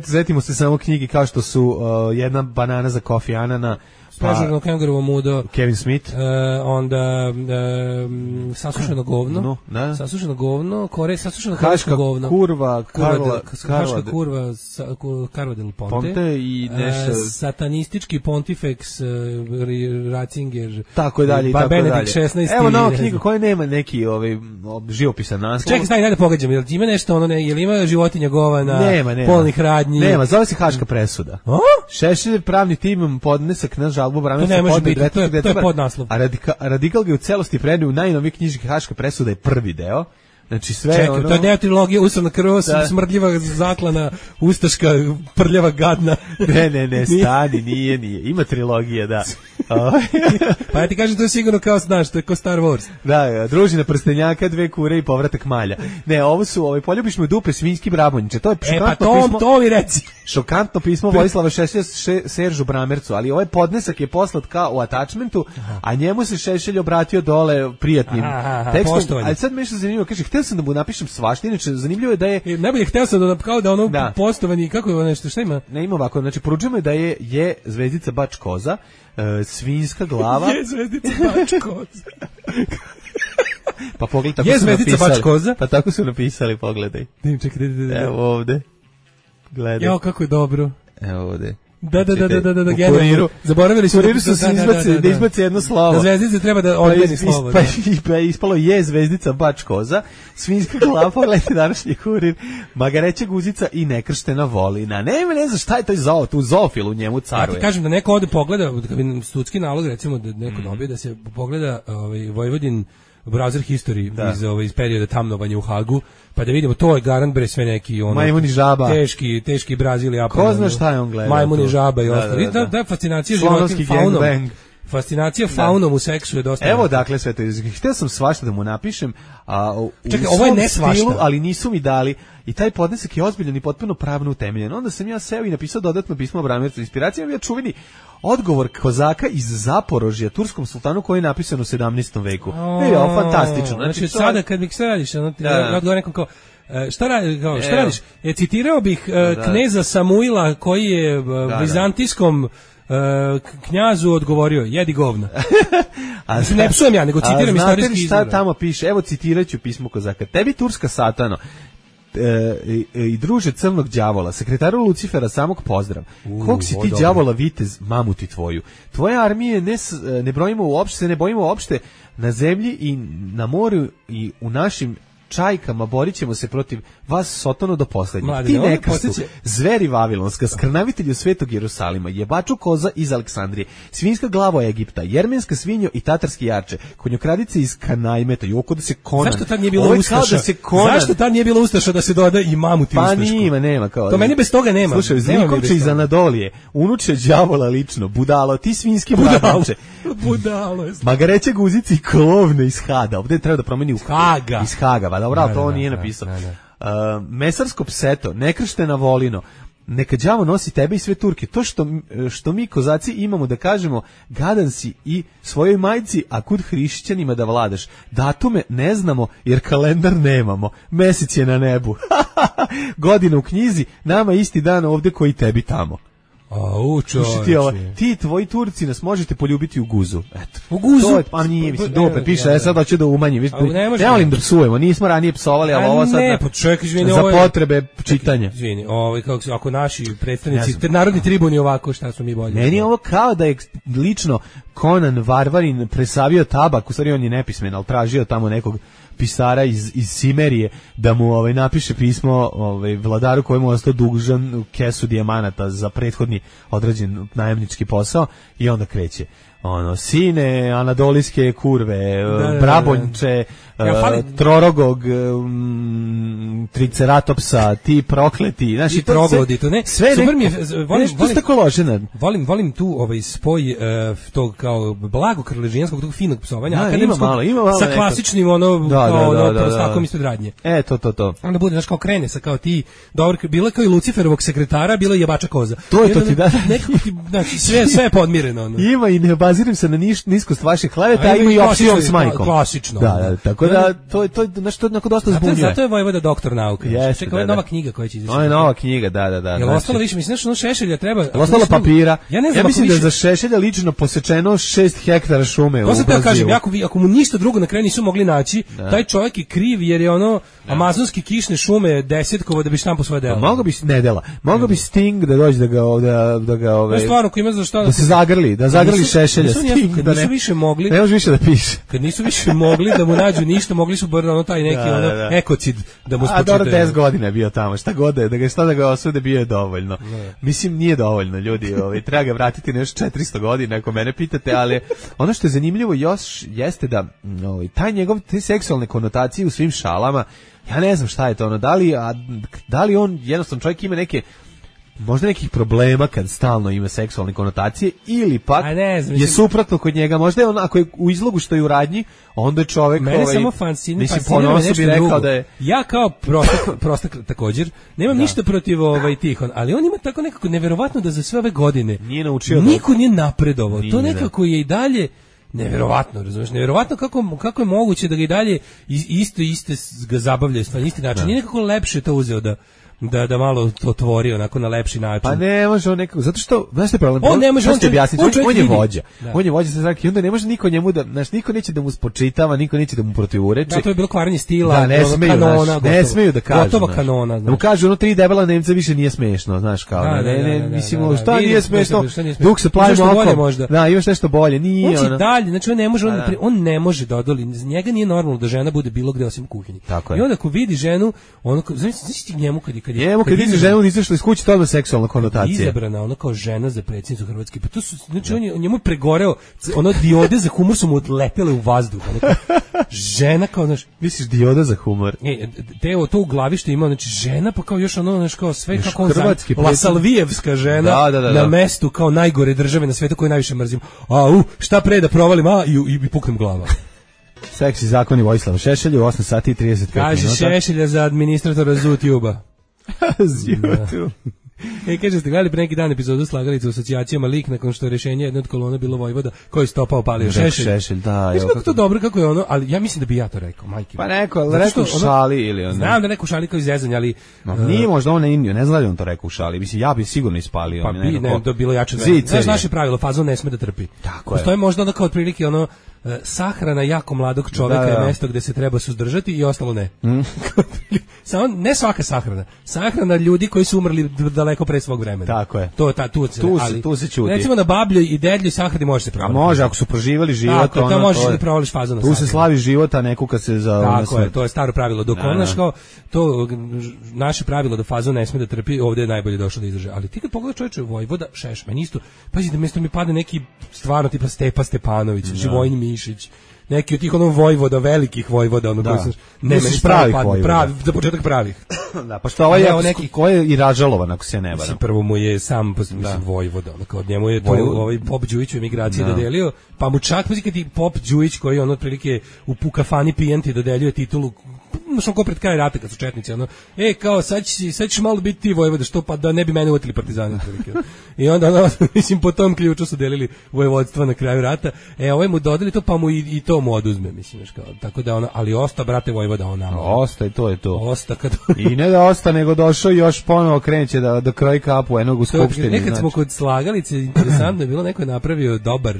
S3: Setimo se samo knjige kao što su Jedna banana za Kofi Anana,
S5: Pražurno kangarovo mudo,
S3: Kevin Smith,
S5: onda Sasušeno govno, Sasušeno govno, Sasušeno
S3: Haška
S5: govno,
S3: Haška
S5: kurva, Carva del Ponte
S3: i nešto
S5: satanistički Pontifex Ratzinger,
S3: tako je dalje i tako
S5: dalje.
S3: Evo nova knjiga koja nema neki živopisan naslov.
S5: Čekaj, daj da pogađam, jel ima nešto jel ima životinja govana, polnih radnji?
S3: Nema, zove se Haška presuda. Šešelj pravni tim podnesak na žalbu Bramesa.
S5: To ne može biti, to je podnaslov.
S3: A Radikal ga u celosti prenio u najnoviji knjižki Haška presuda je prvi deo. Znači sve
S5: čekaj, to je deo trilogije Usavna krv, smrdljiva zaklana, ustaška, prljava gadna.
S3: Ne, stani, nije. Ima trilogija, da.
S5: Pa ja ti kažem, to je sigurno kao, znaš, to je kao Star Wars.
S3: Da, družina prstenjaka, 2 kure i povratak malja. Ne, ovo su, poljubiš me dupe, svinjski brabonjiče. To je šokantno pismo.
S5: To mi reci.
S3: Šokantno pismo Vojislava Šešelja Seržu Bramercu, ali ovaj podnesak je poslat kao u attachmentu, a njemu se Šešelj obratio dole prijatnim tekstom. Ali sad me nešto zanimljivo, kaže, htio sam da mu napišem svašta, inače zanimljivo je da je...
S5: Najbolje htio sam da kao da ono postovani, kako je nešto, šta ima?
S3: Ne, ima ovako, znači poručujemo da je zvezdica bač koza, svinjska glava...
S5: Je zvezdica bač koza.
S3: Pa pogledaj, tako su napisali. Pa tako su napisali, pogledaj.
S5: Čekaj.
S3: Evo ovde. Gledaj.
S5: Jao, kako je dobro.
S3: Evo ovde.
S5: Da, generalno. Zaboravili su
S3: da izbaci jedno slovo.
S5: Da zvezdice treba da odmeni slovo.
S3: Pa ispalo je zvezdica bač koza, svinjska glava, pogledajte današnji Kurir, magareća guzica i nekrštena volina. Ne znam šta je taj tu zoofil u njemu caruje.
S5: Ja ti kažem da neko ode pogleda, kad bi sudski nalog, recimo da neko dobije da se pogleda Vojvodin browser history iz perioda tamnovanja u Hagu, pa da vidimo, to je garant bre sve neki
S3: majmun i žaba,
S5: teški Brazil i Japan.
S3: Ko zna šta je on gledao?
S5: Majmun i žaba i ostalo. Da, fascinacija životinjom, faunom. Fascinacija faunom u seksu je dosta.
S3: Evo dakle sve to. Htio sam svašta da mu napišem,
S5: čekaj, ovo je ne svašta,
S3: ali nisu mi dali. I taj podnesak je ozbiljan i potpuno pravno utemeljen. Onda sam ja seo i napisao dodatno pismo Bramercu. Inspiracija mi je čuveni odgovor kozaka iz Zaporožja turskom sultanu koji je napisan u 17. veku. Fantastično.
S5: Znači sada kad bih se radiš, ja odgovorim nekom kao, šta radiš? Citirao bih kneza Samuila koji je vizantijskom knjazu odgovorio, jedi govna. Ne psujem ja, nego citiram istorijski izvor.
S3: Šta tamo piše? Evo citiraću pismo kozaka. Tebi turska satano i druže crnog đavola, sekretaru Lucifera, samog pozdrav. Kog si ti đavola vitez, mamuti tvoju. Tvoje armije ne brojimo uopšte, se ne bojimo uopšte na zemlji i na moru i u našim čajkama, borit ćemo se protiv vas Sotonu do poslednjeg. Ti nekrstu, zveri vavilonska, skrnavitelju svetog Jerusalima, jebaču koza iz Aleksandrije, svinjska glavo Egipta, jermenska svinjo i tatarski jarče, konjokradice iz Kanajmeta, joko da se Konan.
S5: Zašto tad nije bilo ustaša? Zašto tad nije bilo ustaša da se doda i mamuti ustašku?
S3: Pa nema kao.
S5: To meni bez toga nema.
S3: Slušaj, Zlikovče iz Anadolije, unuče đavola lično, budalo, ti svinjski bradanče.
S5: Budalo je.
S3: Magareće guzici i klovne iz Hada. Ovde treba da promeni u
S5: Haga.
S3: Iz Haga, dobro, to on nije napisao. Mesarsko pseto, nekrštena volino, neka đavo nosi tebe i sve Turke. To što mi kozaci imamo da kažemo, gadan si i svojoj majci, a kud hrišćanima da vladaš. Datume ne znamo jer kalendar nemamo. Mesec je na nebu. Godina u knjizi, nama isti dan ovde koji tebi tamo. Ti tvoji Turci nas možete poljubiti u guzu. Eto.
S5: U guzu?
S3: Pa nije, mislim, dope, piše, sad hoće da umanji. Ne volim da psujemo, nismo ranije psovali, ali ovo sad za potrebe čitanja.
S5: Izvini, ako naši predstavnici, narodni tribuni ovako, šta su mi bolje?
S3: Meni je ovo kao da je lično Konan Varvarin presavio tabak, u stvari on je nepismen, ali tražio tamo nekog pisara iz Simerije da mu napiše pismo vladaru kojemu je ostao dužan kesu dijamanata za prethodni odrađen najamnički posao i onda kreće. ono, sine, anadolijske kurve, brabonče, trorogog, triceratopsa, ti prokleti, znači
S5: troglodi, to ne.
S3: Sve
S5: super mi je, volim tu spoj tog kao blago krležijanskog, tog finog psovanja, akademskog, sa klasičnim prostakom ispred radnje.
S3: To.
S5: Onda bude, znaš, kao krene sa kao ti, dobro, bilo je kao i Luciferovog sekretara, bilo je jebača koza.
S3: To je to ti da.
S5: Nekako ti, znači, sve je podmireno.
S3: Ima i ne obaziram se na niskost vaših kleveta, a ima i opcijom s majkom.
S5: Klasično.
S3: Da, tako da, to je nešto onako dosta zbunjuje.
S5: Zato je Vojvoda doktor nauke. Čekaj, ovo je nova knjiga koja će izaći.
S3: Ovo je nova knjiga, da.
S5: Jel ostalo više, mislim, ono Šešelja treba...
S3: Ostalo papira. Ja mislim da je za Šešelja lično posečeno 6 hektara šume u Brazilu.
S5: To kažem, ako mu ništa drugo na kraju nisu mogli naći, taj čovjek je kriv jer je ono amazonski kišne šume desetkovo da bi štampo svoje delo.
S3: Mogu bi Sting da dođe da ga
S5: stvarno, ko ima za šta
S3: da se zagrli Šešelja Sting,
S5: da nisu više mogli.
S3: Ne može više da piše.
S5: Kad nisu više mogli da mu nađu ništa, mogli su bar taj neki ekocid da mu spočitaju.
S3: A dobro, 10 godina je bio tamo, šta da ga osude, bio je dovoljno. Mislim, nije dovoljno, ljudi, treba ga vratiti nešto 400 godina, ako mene pitate, ali ono što je zanimljivo još jeste da taj njegov, te seksualne konotacije u svim šalama, ja ne znam šta je to, da li on jednostavno čovjek ima možda nekih problema kad stalno ima seksualne konotacije ili pak je suprotno kod njega, možda je on, ako je u izlogu što je u radnji, onda je čovjek
S5: mene samo fascinira nešto bi rekao da je... Ja kao prostak također nemam ništa protiv Tihon, ali on ima tako nekako neverovatno da za sve ove godine
S3: nije naučio,
S5: niko nije napredovao, to nekako je i dalje neverovatno, razumiješ, neverovatno kako je moguće da ga i dalje isto ga zabavljaju na isti način, nije nekako lepše to uzeo da malo to tvori onako na lepši način.
S3: Pa ne može on nekako, zato što, znaš što je problem?
S5: On ne može,
S3: on je vođa. On je vođa sa zraki, onda ne može niko njemu da, znaš, niko neće da mu spočitava, niko neće da mu protivureči.
S5: Da, to je bilo kvarenje stila,
S3: ne smeju da kažu.
S5: Gotova kanona,
S3: znaš. Da mu kažu, ono 3 debela Nemca više nije smešno, znaš, kao, mislim, šta nije smešno, dok se plavimo oko. Da, imaš nešto bolje, nije ono.
S5: On će dalje, znači on ne može da odoli, njega nije normalno da žena bude bilo gde osim u kuhinji. I onda ako vidi ženu, ono, znači ti njemu kad
S3: vidi ženu izašla iz kuće, to je seksualna konotacija.
S5: Izabrana ona kao žena za predsjednicu Hrvatske. Pa to su, znači njemu je pregoreo, ono diode za humor su mu odletele u vazduh. Žena kao, znaš,
S3: misliš dioda za humor?
S5: To u glavi što ima, znači žena pa kao još ono, znaš, kao sve kako on Lasalvijevska žena na mestu kao najgore države na svijetu koju najviše mrzim. Šta pre da provalim, i puknem glava.
S3: Seksi zakoni Vojislava Šešelja u 8 sati i 35 minuta.
S5: Kaže Šešelja za administratora ZUTube-a.
S3: ZUTube.
S5: Kaže, ste gledali pre neki dan epizodu Slagalice u asocijacijama lik nakon što je rješenje jedne od kolona bilo Vojvoda koji stopao palio Šešelj.
S3: Da,
S5: kako to dobro, kako je ono, ali ja mislim da bi ja to rekao, majke.
S3: Pa rekao šali ili ono.
S5: Znam da neko šali kao izrezanje, ali
S3: nije možda on ne Indiju, ne znam da on to rekao u šali. Mislim, ja bi sigurno ispalio.
S5: Pa bi, ne, to bilo jače. Znaš naše pravilo, fazon ne sme da trpi. Postoji možda ono kao otprilike ono sahrana jako mladog čoveka je mesto gde se treba suzdržati i ostalo ne. Samo ne svaka sahrana ljudi koji su umrli daleko pre svog vremena.
S3: Tako je. Tu se čuti.
S5: Recimo na bablju i dedlju sahrani može se provaliti.
S3: A može, ako su proživali život,
S5: tako, to možeš da provališ fazon na sahrani.
S3: Tu se slavi život, a ne kuka se za
S5: tako je, to je staro pravilo. Dok onaš kao to naše pravilo da fazon ne sme da trpi, ovdje je najbolje došlo da izdrže. Ali ti kad pogledaš čoveče Vojvoda Šešelj, isto, pazi da mesto mi pada neki stvarno tipa Stepa Stepanović, Živojin Mišić, neki od tih Vojvoda, velikih Vojvoda, koji su
S3: pravih,
S5: za početak pravih.
S3: Da, pa što ovaj ko je i Ražalovan, ako se ne varam.
S5: Prvo mu je sam Vojvoda, kao od njemu je to ovaj Pop Đujić u emigraciji dodelio, pa mu čak kad i Pop Đujić koji on otprilike u kafani pijenti dodeljuje titulu, što ko pred kraj rata kad su četnici, kao sad ćeš malo biti ti Vojvoda, što pa da ne bi mene uvatili partizani. I onda, mislim, po tom ključu su delili vojvodstva na kraju rata, ovaj mu dodali to, pa mu i to mu oduzme, mislim, tako da ali osta, brate Vojvoda,
S3: osta i to je to.
S5: Osta kad...
S3: I ne da osta, nego došao i još ponovo kreneće da kroji kapu jednog u skupštini.
S5: Nekad smo kod Slagalice, interesantno je bilo, neko je napravio dobar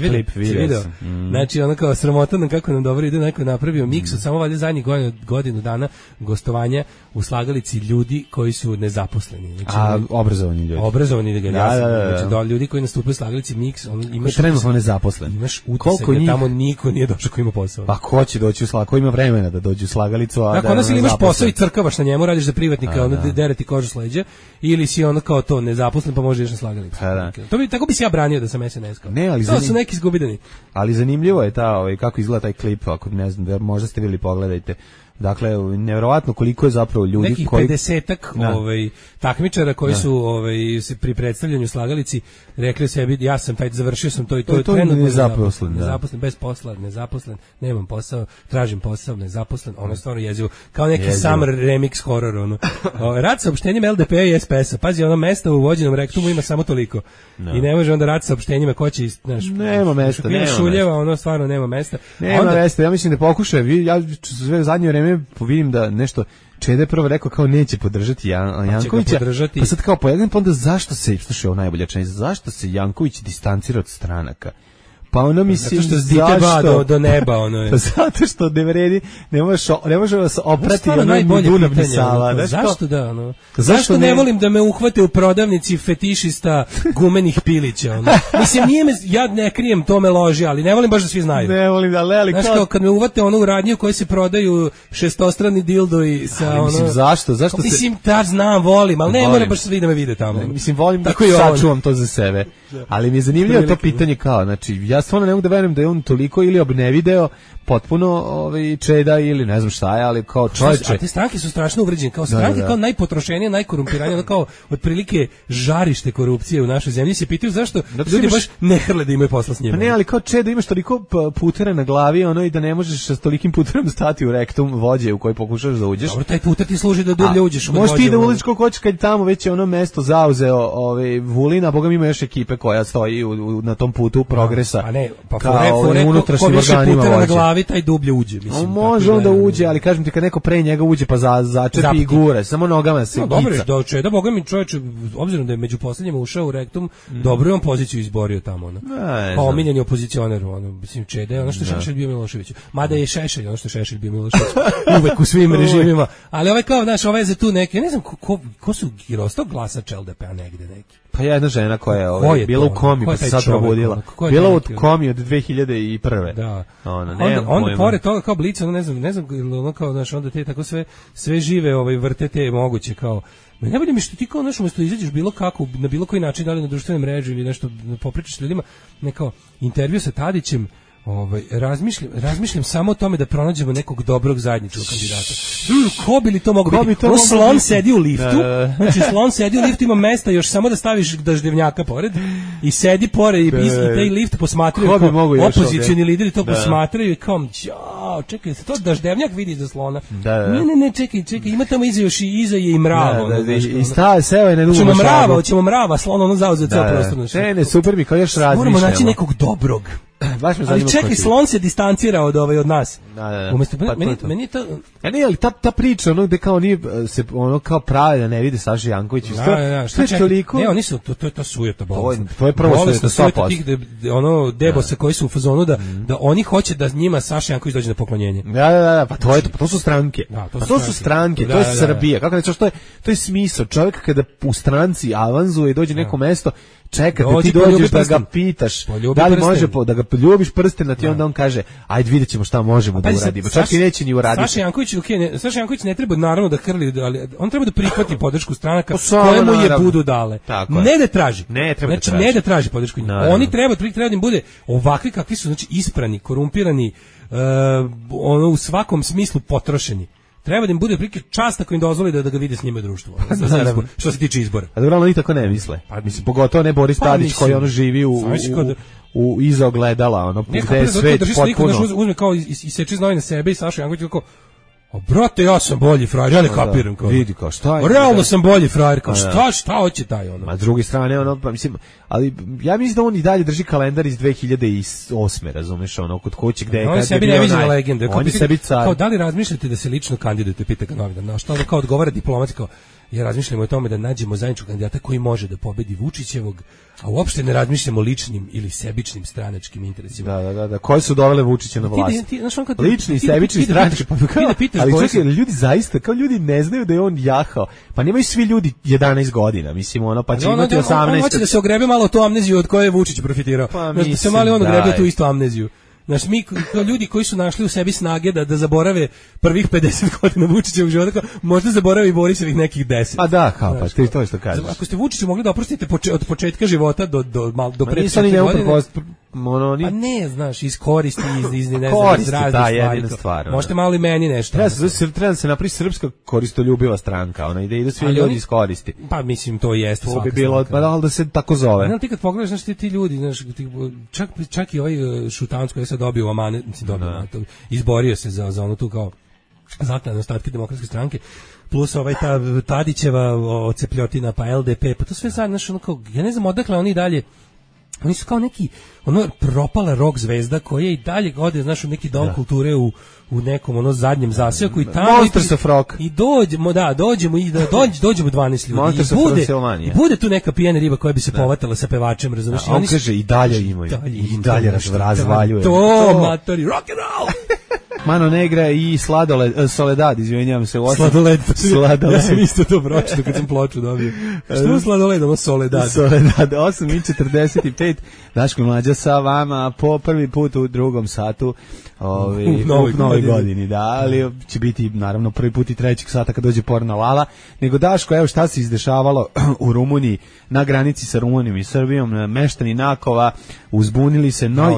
S3: klip, vidio sam.
S5: Znači, kao sramota kako nam dobro ide, neko je napravio miks, samo valjda zadnjih godina napravio godinu dana gostovanja u slagalici ljudi koji su nezaposleni. Znači,
S3: obrazovani ljudi.
S5: Obrazovani ljudi, znači ljudi koji nastupaju u slagalici Mix, imaš
S3: trenutno nezaposleni.
S5: Imaš utisak da tamo niko nije došao ko ima posao.
S3: Pa ko će doći u slagalicu, ko ima vremena da dođe u slagalicu, a
S5: dakle, onda si imaš posao i crkavaš na njemu, radiš za privatnika, onda dereti kožu s leđa, ili si ono kao to nezaposlen pa možeš na slagalicu. Tako bi se ja branio da sam SNS-kao.
S3: Ne, ali
S5: to su neki izgubidani.
S3: Ali zanimljivo je kako izgleda taj klip, ako ne znam, možda ste vidjeli, pogledajte. Dakle, nevjerovatno koliko je zapravo ljudi
S5: nekih
S3: koji
S5: 50-ak takmičara koji su pri predstavljanju slagalici rekli sebi ja sam završio sam to i to, trenutno
S3: nezaposlen,
S5: bez posla, nezaposlen, nemam posao, tražim posao, nezaposlen, ono je stvarno jezivo, kao neki summer remix horror, ono. Rad saopštenjem LDP i SPS-a, pazi, ono mesta u vođenom rektumu ima samo toliko. I ne može onda rad saopštenjima ko će, znaš,
S3: nema mesta,
S5: ono stvarno nema mesta.
S3: Nema mesta, ja mislim da pokušaju, ja sve zadnje vreme vidim da nešto Čeda je prvo rekao kao neće podržati Jankovića, pa sad kao pojedin, pa onda zašto se, slušaj, ovo najbolja činjenica, zašto se Janković distancira od stranaka? Pa ono mislim,
S5: zato što zdite do neba, ono je.
S3: Pa zato što ne vredi, ne može vas oprati ono Dunavni Sava.
S5: Zašto da, ono? Zašto ne volim da me uhvate u prodavnici fetišista gumenih pilića, ono? Mislim, ja ne krijem, to me loži, ali ne volim baš da svi znaju.
S3: Ne volim da, ali
S5: znaš, kao kad me uvate ono u radnju koji se prodaju šestostrani dildo i sa ono...
S3: Mislim, zašto?
S5: Mislim, znam, volim, ali ne moram baš svi da me vide tamo.
S3: Mislim, volim da sačuvam to za sebe. Ali mi je zanimljivo to pitanje kao, znači, ja stvarno ne mogu da verujem da je on toliko ili obnevideo potpuno Čeda ili ne znam šta je, ali kao čovječe.
S5: A te stranke su strašno uvređene, kao stranke kao najpotrošenije, najkorumpiranije, kao otprilike žarište korupcije u našoj zemlji. Se pitaju zašto ljudi baš ne hrle da imaju posla s njima.
S3: Pa ne, ali kao Čeda imaš toliko putera na glavi, ono, i da ne možeš s tolikim puterom stati u rektum vođe u koji pokušaš da uđeš.
S5: Dobro, taj puter ti služi da dublje uđeš.
S3: Možeš ti da uliš koliko hoćeš kad tamo već je ono mesto zauzeo Vulina, boga mi ima još ekipe koja stoji na tom putu progresa.
S5: Pa ne, pa
S3: kao unutrašnjim organima vođe.
S5: Taj dublje uđe, mislim.
S3: Može on da uđe, ali kažem ti kad neko pre njega uđe pa začepi i gure, samo nogama se gica.
S5: Dobro, Čeda, boga mi čovječe, obzirom da je među poslednjima ušao u rektum, dobro je on poziciju izborio tamo, ono. Pa omiljeni opozicioner, ono, mislim, Čeda je ono što Šešelj bio Milošević. Mada je Šešelj, ono što Šešelj bio Milošević, uvek u svim režimima. Ali kao, znaš, je tu neki, ne znam ko su Girostov glasač LDP-a negde neki.
S3: Pa jedna žena koja je bila u komi, pa se sad probudila. Bila u komi od 2001.
S5: Da.
S3: Onda
S5: pored toga kao Blic, ne znam, ono kao, znaš, onda te tako sve žive vrte te moguće, kao, najbolje mi što ti kao, znaš, umjesto izađeš bilo kako, na bilo koji način, da li na društvene mreže ili nešto, popričaš s ljudima, kao intervju sa Tadićem, razmišljam samo o tome da pronađemo nekog dobrog zajedničkog kandidata. Ko bi li to mogao biti? Slon sedi u liftu, znači slon sedi u liftu, ima mesta još samo da staviš daždevnjaka pored i sedi pored i taj lift posmatraju, opozicioni lideri to posmatraju i kao, čekaj, to daždevnjak vidi za slona. Ne, čekaj, ima tamo iza je i mravo.
S3: I seo je na drugu
S5: šabu. Hoćemo mrava, slon ono zauzeo ceo prostor.
S3: Ne, super mi, kao još razmišljamo.
S5: Moramo naći nekog dobrog. Ali čekaj, slon se distancira od nas. Umesto, meni je to...
S3: Ne, ali ta priča, ono gde kao nije se ono kao pravi da ne vide Saša Janković.
S5: Što je toliko? Ne, oni su, to je ta sujeta bolesna.
S3: To je prvo sujeta 100%.
S5: Tih debosa koji su u fazonu da oni hoće da njima Saša Janković dođe na poklonjenje.
S3: Da, pa to su stranke. To su stranke, to je Srbija. Kako rečeš, to je smisao. Čovjek kada u stranci avanzuje i dođe neko mesto, čekate, ti dođeš da ga pitaš da li može da ga poljubiš prsten, da ti onda on kaže ajde vidjet ćemo šta možemo da uradimo. Čak i neće ni uraditi.
S5: Saša Janković ne treba naravno da hrli, ali on treba da prihvati podršku stranaka koje mu je budu dale. Ne da traži. Znači ne da traži podršku. Oni treba da im bude ovakvi kakvi su, znači isprani, korumpirani, ono u svakom smislu potrošeni. Treba da im bude prilike čast ako im dozvoli da ga vide s njima u društvu. Što se tiče izbora.
S3: A dobro, oni tako ne misle. Mislim, pogotovo ne Boris Tadić koji ono živi u iza ogledala, ono, gde je svet potpuno.
S5: Uzme kao i seče znoj na sebe i Saša Janković kako, brate, ja sam bolji frajer, ja ne kapiram.
S3: Vidi kao, šta je?
S5: Realno sam bolji frajer, kao, šta hoće taj ono?
S3: A s druge strane, ono, mislim, ali ja mislim da on i dalje drži kalendar iz 2008. razumeš, ono, kod kuće gde je
S5: kad je bio legende.
S3: On je sebi car.
S5: Kao, da li razmišljate da se lično kandidujete, pita ga novinar, na što ono kao odgovara diplomatski, kao, Ja razmišljamo o tome da nađemo zajedničkog kandidata koji može da pobedi Vučićevog, a uopšte ne razmišljamo o ličnim ili sebičnim stranačkim interesima.
S3: Da. Koji su dovele Vučića na vlast? Lični, sebični, stranački. Ali čekaj, ljudi zaista, kao ljudi ne znaju da je on jahao. Pa nemaju svi ljudi 11 godina, mislim, ono, pa će imati 18.
S5: On hoće da se ogrebe malo tu amneziju od koje je Vučić profitirao. Da se malo on ogrebe tu istu amneziju. Znaš, mi kao ljudi koji su našli u sebi snage da zaborave prvih 50 godina Vučićevog života, možda zaborave i Borisovih nekih 10.
S3: Pa da, kao, pa ti to što kažeš.
S5: Ako ste Vučiću mogli da oprostite od početka života do pre
S3: 4 godine,
S5: pa ne, znaš, iz koristi, iz ne znam,
S3: koristi,
S5: iz raznih
S3: stvari.
S5: Stvar, možete malo i meni nešto.
S3: Treba da se napravi srpska koristoljubiva stranka, ona ide svi ljudi iz koristi.
S5: Pa mislim, to jeste.
S3: To bi bilo, pa da se tako zove.
S5: Ne, ti kad pogledaš, znaš, ti ljudi, znaš, čak i ovaj Šutanac koji se dobio u Amanet, izborio se za ono tu kao znatne ostatke Demokratske stranke, plus ovaj ta Tadićeva ocepljotina, pa LDP, pa to sve sad, znaš, ono kao, ja ne znam odakle oni dalje. Oni su kao neki propala rock zvezda koja i dalje ode, znaš, u neki dom kulture u nekom zadnjem zaseoku i tamo
S3: Monsters of Rock.
S5: I dođemo 12 ljudi. I bude tu neka pijana riba koja bi se povatala sa pevačem, razumiješ?
S3: On kaže i dalje imaju. I dalje razvaljuje.
S5: To matori, rock and roll.
S3: Mano Negra i Soledad, izvinjavam se.
S5: Sladoled. Ja sam isto to pročito kad sam ploču dobio. Što je Sladoled, ovo Soledad?
S3: Soledad, 8:45, Daško i Mlađa sa vama po prvi put u drugom satu u novoj godini, da, ali će biti naravno prvi put i trećeg sata kad dođe porno Lala. Nego Daško, evo šta se izdešavalo u Rumuniji, na granici sa Rumunijom i Srbijom, meštani Nakova uzbunili se, Noj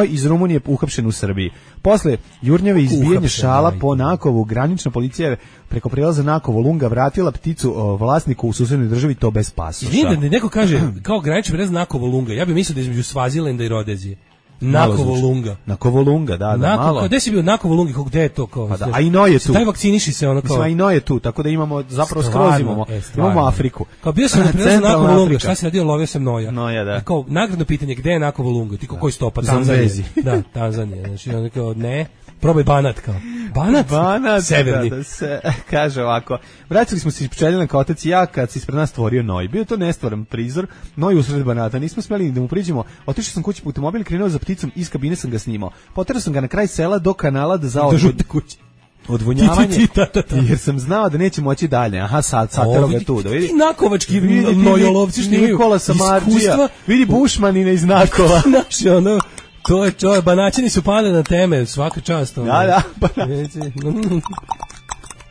S3: iz Rumunije uhapšen u Srbiji. Posle jurnjave izbijanja šala po Nakovu, granična policija je preko prelaza Nakovo-Lunga vratila pticu vlasniku u susednoj državi, to bez pasoša.
S5: Vidim da neko kaže kao granični prelaz Nakovo-Lunga, ja bih mislio da je između Svazilenda i Rodezije. Nakovo-Lunga.
S3: Nakovo-Lunga, da, malo.
S5: Gde si bio Nakovo-Lungi, gde je to? Kao,
S3: pa da, a i Noj je tu.
S5: Taj vakciniši se ono kao.
S3: Mislim, a i Noj je tu, tako da imamo, zapravo skroz imamo Afriku.
S5: Kao bio sam na prelazu Nakovo-Lunga, šta si radio, lovio sam Noja.
S3: Noja, da.
S5: Kao, nagradno pitanje, gde je Nakovo-Lunga? Ti koji stopa? Tanzanija. Da, Tanzanija. Znači, ono kao, ne. Probaj Banat kao. Banat severni.
S3: Da se kaže ovako. Vratili smo se iz Pčeljana otac i ja kad se ispred nas stvorio Noj. Bio to nestvaran prizor, Noj usred Banata. Nismo smeli da mu priđemo. Otišao sam kući po automobil, krenuo za pticom, iz kabine sam ga snimao. Poterao sam ga na kraj sela do kanala da zaodvodi kući. Odvonjavanje, jer sam znao da neće moći dalje. Aha, sad tero ga tu.
S5: Ti nakovački nojolovci snimaju
S3: Nikola Samarđija. Vidi Bušmanina iz Nakova.
S5: Naši ono... To je čovjek, Banaćani su pali na teme, svaka čast.
S3: Da,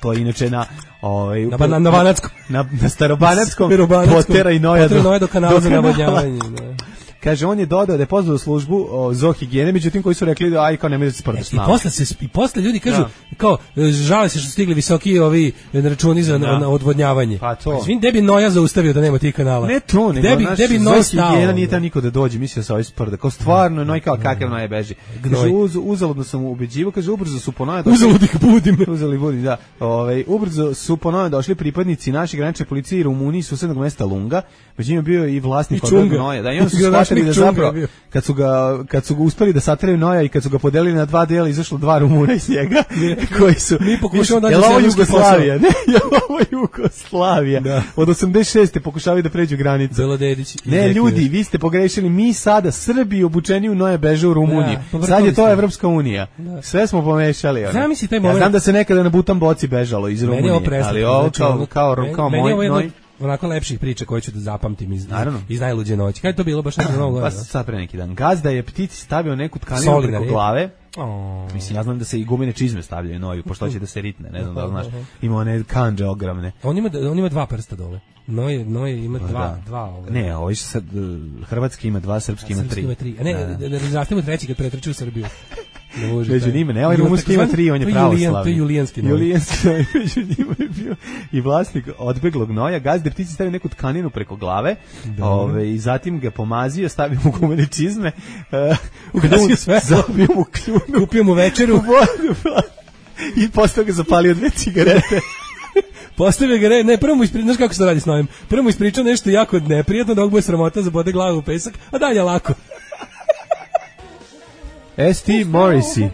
S3: to je inače na
S5: Banatskom.
S3: Na Starobanatskom potera i Noja
S5: do kanala za navodnjavanje.
S3: Kaže, on je dodao da je pozvao službu zoohigijene, međutim koji su rekli da aj kao ne može da se sprdaš s nama.
S5: I posle ljudi kažu, kao, žale se što su stigli visoki ovi računi za odvodnjavanje.
S3: Pa to.
S5: Svim, gde bi Noja zaustavio da nema tih kanala?
S3: Ne to, nego naš zoohigijena nije tam niko da dođe, mislio se ovaj sprda. Kao stvarno, Noj kao kakav Noja beži. Kaže, uzaludno sam ubeđivao, kaže, ubrzo su po Noja došli. Uzalud ih budim, da. Ubrzo su po Noja došli pripadnici naše granične policije i Rumuniji, susednog mesta Lunga, među njima bio i vlasnik od Noja. Da, i onda su shvatili da zapravo, kad su ga uspeli da sateraju Noja i kad su ga podelili na dva dela, izašlo dva Rumuna iz njega, koji su...
S5: Mi pokušamo da
S3: ovo Jugoslavija? Ne, ovo Jugoslavija. Od 86. pokušavaju da pređu granicu. Ne, ljudi, vi ste pogrešili, mi sada Srbi obučeni u Noja beže u Rumuniju. Sad je to Evropska unija. Sve smo pomešali. Ja znam da se nekada na Butan boci bežalo iz Rumunije, ali ovo kao moj Noj...
S5: Onako lepših priča koje ću da zapamtim iz najluđe noći. Kada je to bilo baš na novu godinu?
S3: Pa sad pre neki dan. Gazda je ptici stavio neku tkaninu preko glave. Mislim, ja znam da se i gumene čizme stavljaju Noju, pošto će da se ritne, ne znam da li znaš. Ima one kanđe ogromne.
S5: On ima dva prsta dole. Noje ima dva ove.
S3: Ne, ovo sad hrvatski ima dva, srpski ima tri.
S5: A ne, da razrastemo treći kad pretrči u Srbiju.
S3: Među njima, ne, ovaj rumunski ima tri, on je pravoslavni.
S5: To je julijanski Noj.
S3: Julijanski Noj, među njima je bio i vlasnik odbeglog Noja. Gazde ptici stavio neku tkaninu preko glave, i zatim ga pomazio, stavio mu gumene čizme,
S5: ugasio sve,
S3: zabio mu kljunu,
S5: kupio mu večeru,
S3: i posle ga zapalio 2 cigarete.
S5: Postavio ga, ne, prvo mu ispričao, znaš kako se to radi s Nojem, prvo mu ispričao nešto jako neprijatno, da ovog bude sramota, zabode glavu u pesak, a dalje lako.
S3: S.T. Morrissey.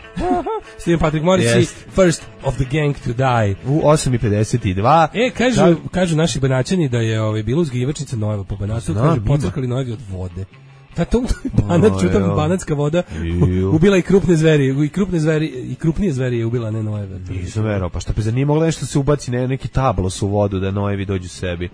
S5: Stephen Patrick Morrissey, first of the gang to die.
S3: U 8:52.
S5: Kažu naši Banaćani da je bilo uzgivačnica Nojeva po Banatu, kažu pocrkali Nojevi od vode. Banatska voda ubila i krupne zveri, i krupnije zveri je ubila, ne Nojeve.
S3: Nisam verao, pa šta pa nije mogla nešto se ubaci, neki tablos u vodu da Nojevi dođu sebi.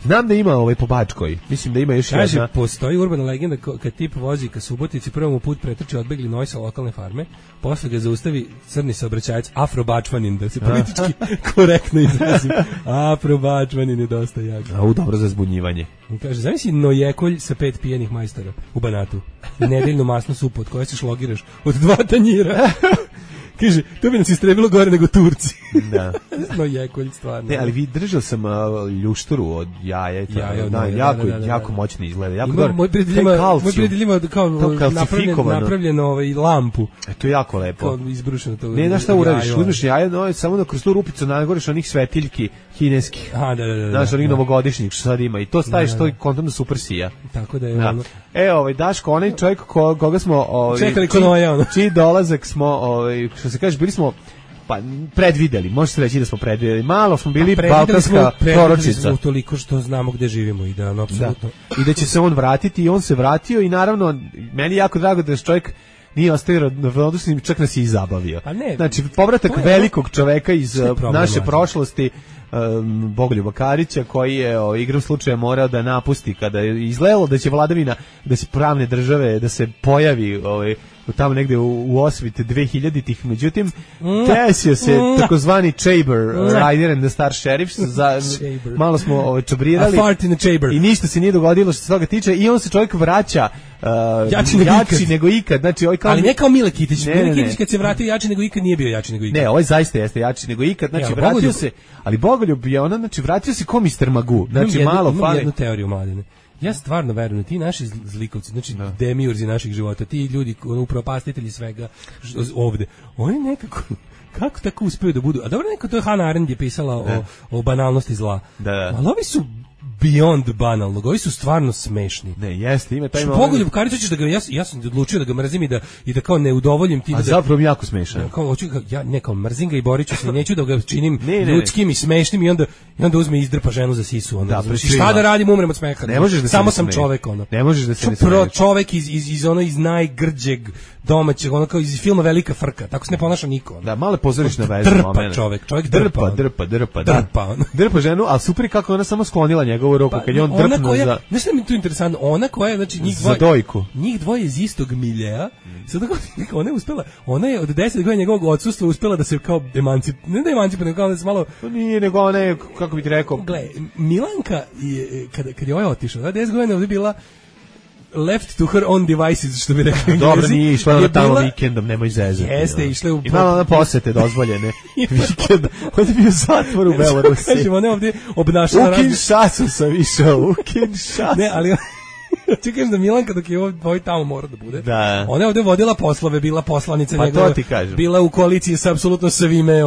S3: Znam da ima po Bačkoj. Mislim da ima još jedna.
S5: Kaže, postoji urbana legenda kad tip vozi ka Subotici, prvo mu put pretrče odbegli noj sa lokalne farme, posle ga zaustavi crni saobraćajac Afrobačvanin, da se politički korektno izrazim. Afrobačvanin je dosta jak.
S3: Dobro za zbunjivanje.
S5: Kaže, zamisli nojekolj sa 5 pijenih majstora u Banatu i nedeljnu masnu supu od koje se šlogiraš od 2 tanjira. Kaže, to bi nas istrebilo gore nego Turci.
S3: Da.
S5: No jekolj, stvarno.
S3: Ne, ali držao sam ljušturu od jaja. Jako moćno izgleda. Jako dobro.
S5: Moj prijatelj ima kao napravljeno lampu.
S3: To je jako lepo.
S5: Kao izbrušeno to.
S3: Ne, znaš šta uradiš? Uzmeš jaje, samo da kroz tu rupicu nagoriš onih svetiljki kineskih.
S5: Da.
S3: Znaš, onih novogodišnjih što sad ima. I to staviš, to je kontom da super sija.
S5: Tako da je ono.
S3: Daško, onaj čovjek koga smo...
S5: Čekali ko noja, ono.
S3: Čiji dolazak smo, što se kaže, bili smo predvideli, može se reći da smo predvideli. Malo smo bili balkanska proročica.
S5: Smo toliko što znamo gde živimo i da, apsolutno.
S3: I da će se on vratiti i on se vratio i naravno, meni je jako drago da je čovjek nije ostavio ravnodušnim, čak nas je i zabavio. Znači, povratak velikog čoveka iz naše prošlosti, Bogoljuba Karića, koji je igrom slučaja morao da napusti kada je izgledalo da će vladavina, da se pravne države, da se pojavi tamo negde u osvite 2000-ih, međutim desio se takozvani Chamber Rider and the Star Sheriff, malo smo čabrirali i ništa se nije dogodilo što se toga tiče i on se čovjek vraća jači nego ikad. Znači,
S5: ali ne kao Mile Kitić. Mile Kitić kad se vratio jači nego ikad nije bio jači nego ikad.
S3: Ne, ovaj zaista jeste jači nego ikad. Znači, vratio se, ali Bogoljub je vratio se ko Mr. Magoo. Znači, malo fali.
S5: Imam jednu teoriju, Mladine. Ja stvarno verujem, ti naši zlikovci, znači demiurzi naših života, ti ljudi, upropastitelji svega ovde, oni nekako, kako tako uspeju da budu, a dobro, to je Hannah Arendt je pisala o banalnosti zla, ali ovi su beyond banalnog, ovi su stvarno smešni.
S3: Ne, jeste, ima taj
S5: Bogoljub Karić, hoćeš da ga, ja sam odlučio da ga mrzim i da kao ne udovoljim ti.
S3: A zapravo mi jako smešan.
S5: Kao mrzim ga i borit ću se, neću da ga činim ljudskim i smešnim i onda uzme i izdrpa ženu za sisu. Šta da radim, umrem od smeha. Samo sam čovek, ono.
S3: Ne možeš da se ne smeješ.
S5: Čovek iz najgrđeg domaćeg, ono kao iz filma Velika frka, tako se ne ponaša niko.
S3: Da, male pozorišne veze.
S5: Drpa čovek
S3: drpa ženu, ali super kako ona samo sklonila njegovu ruku kad je on drpnuo za...
S5: Znaš što mi je tu interesantno? Ona koja, znači njih dvoje iz istog miljea, sad ona je uspela, ona je od 10 godina njegovog odsustva uspela da se kao emancipa, nego kao da se malo...
S3: Nije, nego ona je, kako bih ti rekao...
S5: Gle, Milanka, kad je ovaj otišao, 10 godina ovdje bila left to her own devices, što bi rekli.
S3: Dobro, nije išla na tamo vikendom, nemoj zezati.
S5: Jeste, išle u...
S3: Imala na posete dozvoljene vikenda. On je bio zatvor u Belorusiji.
S5: Kažemo, ona ovdje obnašala...
S3: U Kinshasu sam išao, u Kinshasu.
S5: Ne, ali... Ti kažeš da Milanka dok je ovaj tamo mora da bude.
S3: Da.
S5: Ona je ovdje vodila poslove, bila poslanica
S3: njegova. Pa to ti kažem.
S5: Bila u koaliciji sa apsolutno svime,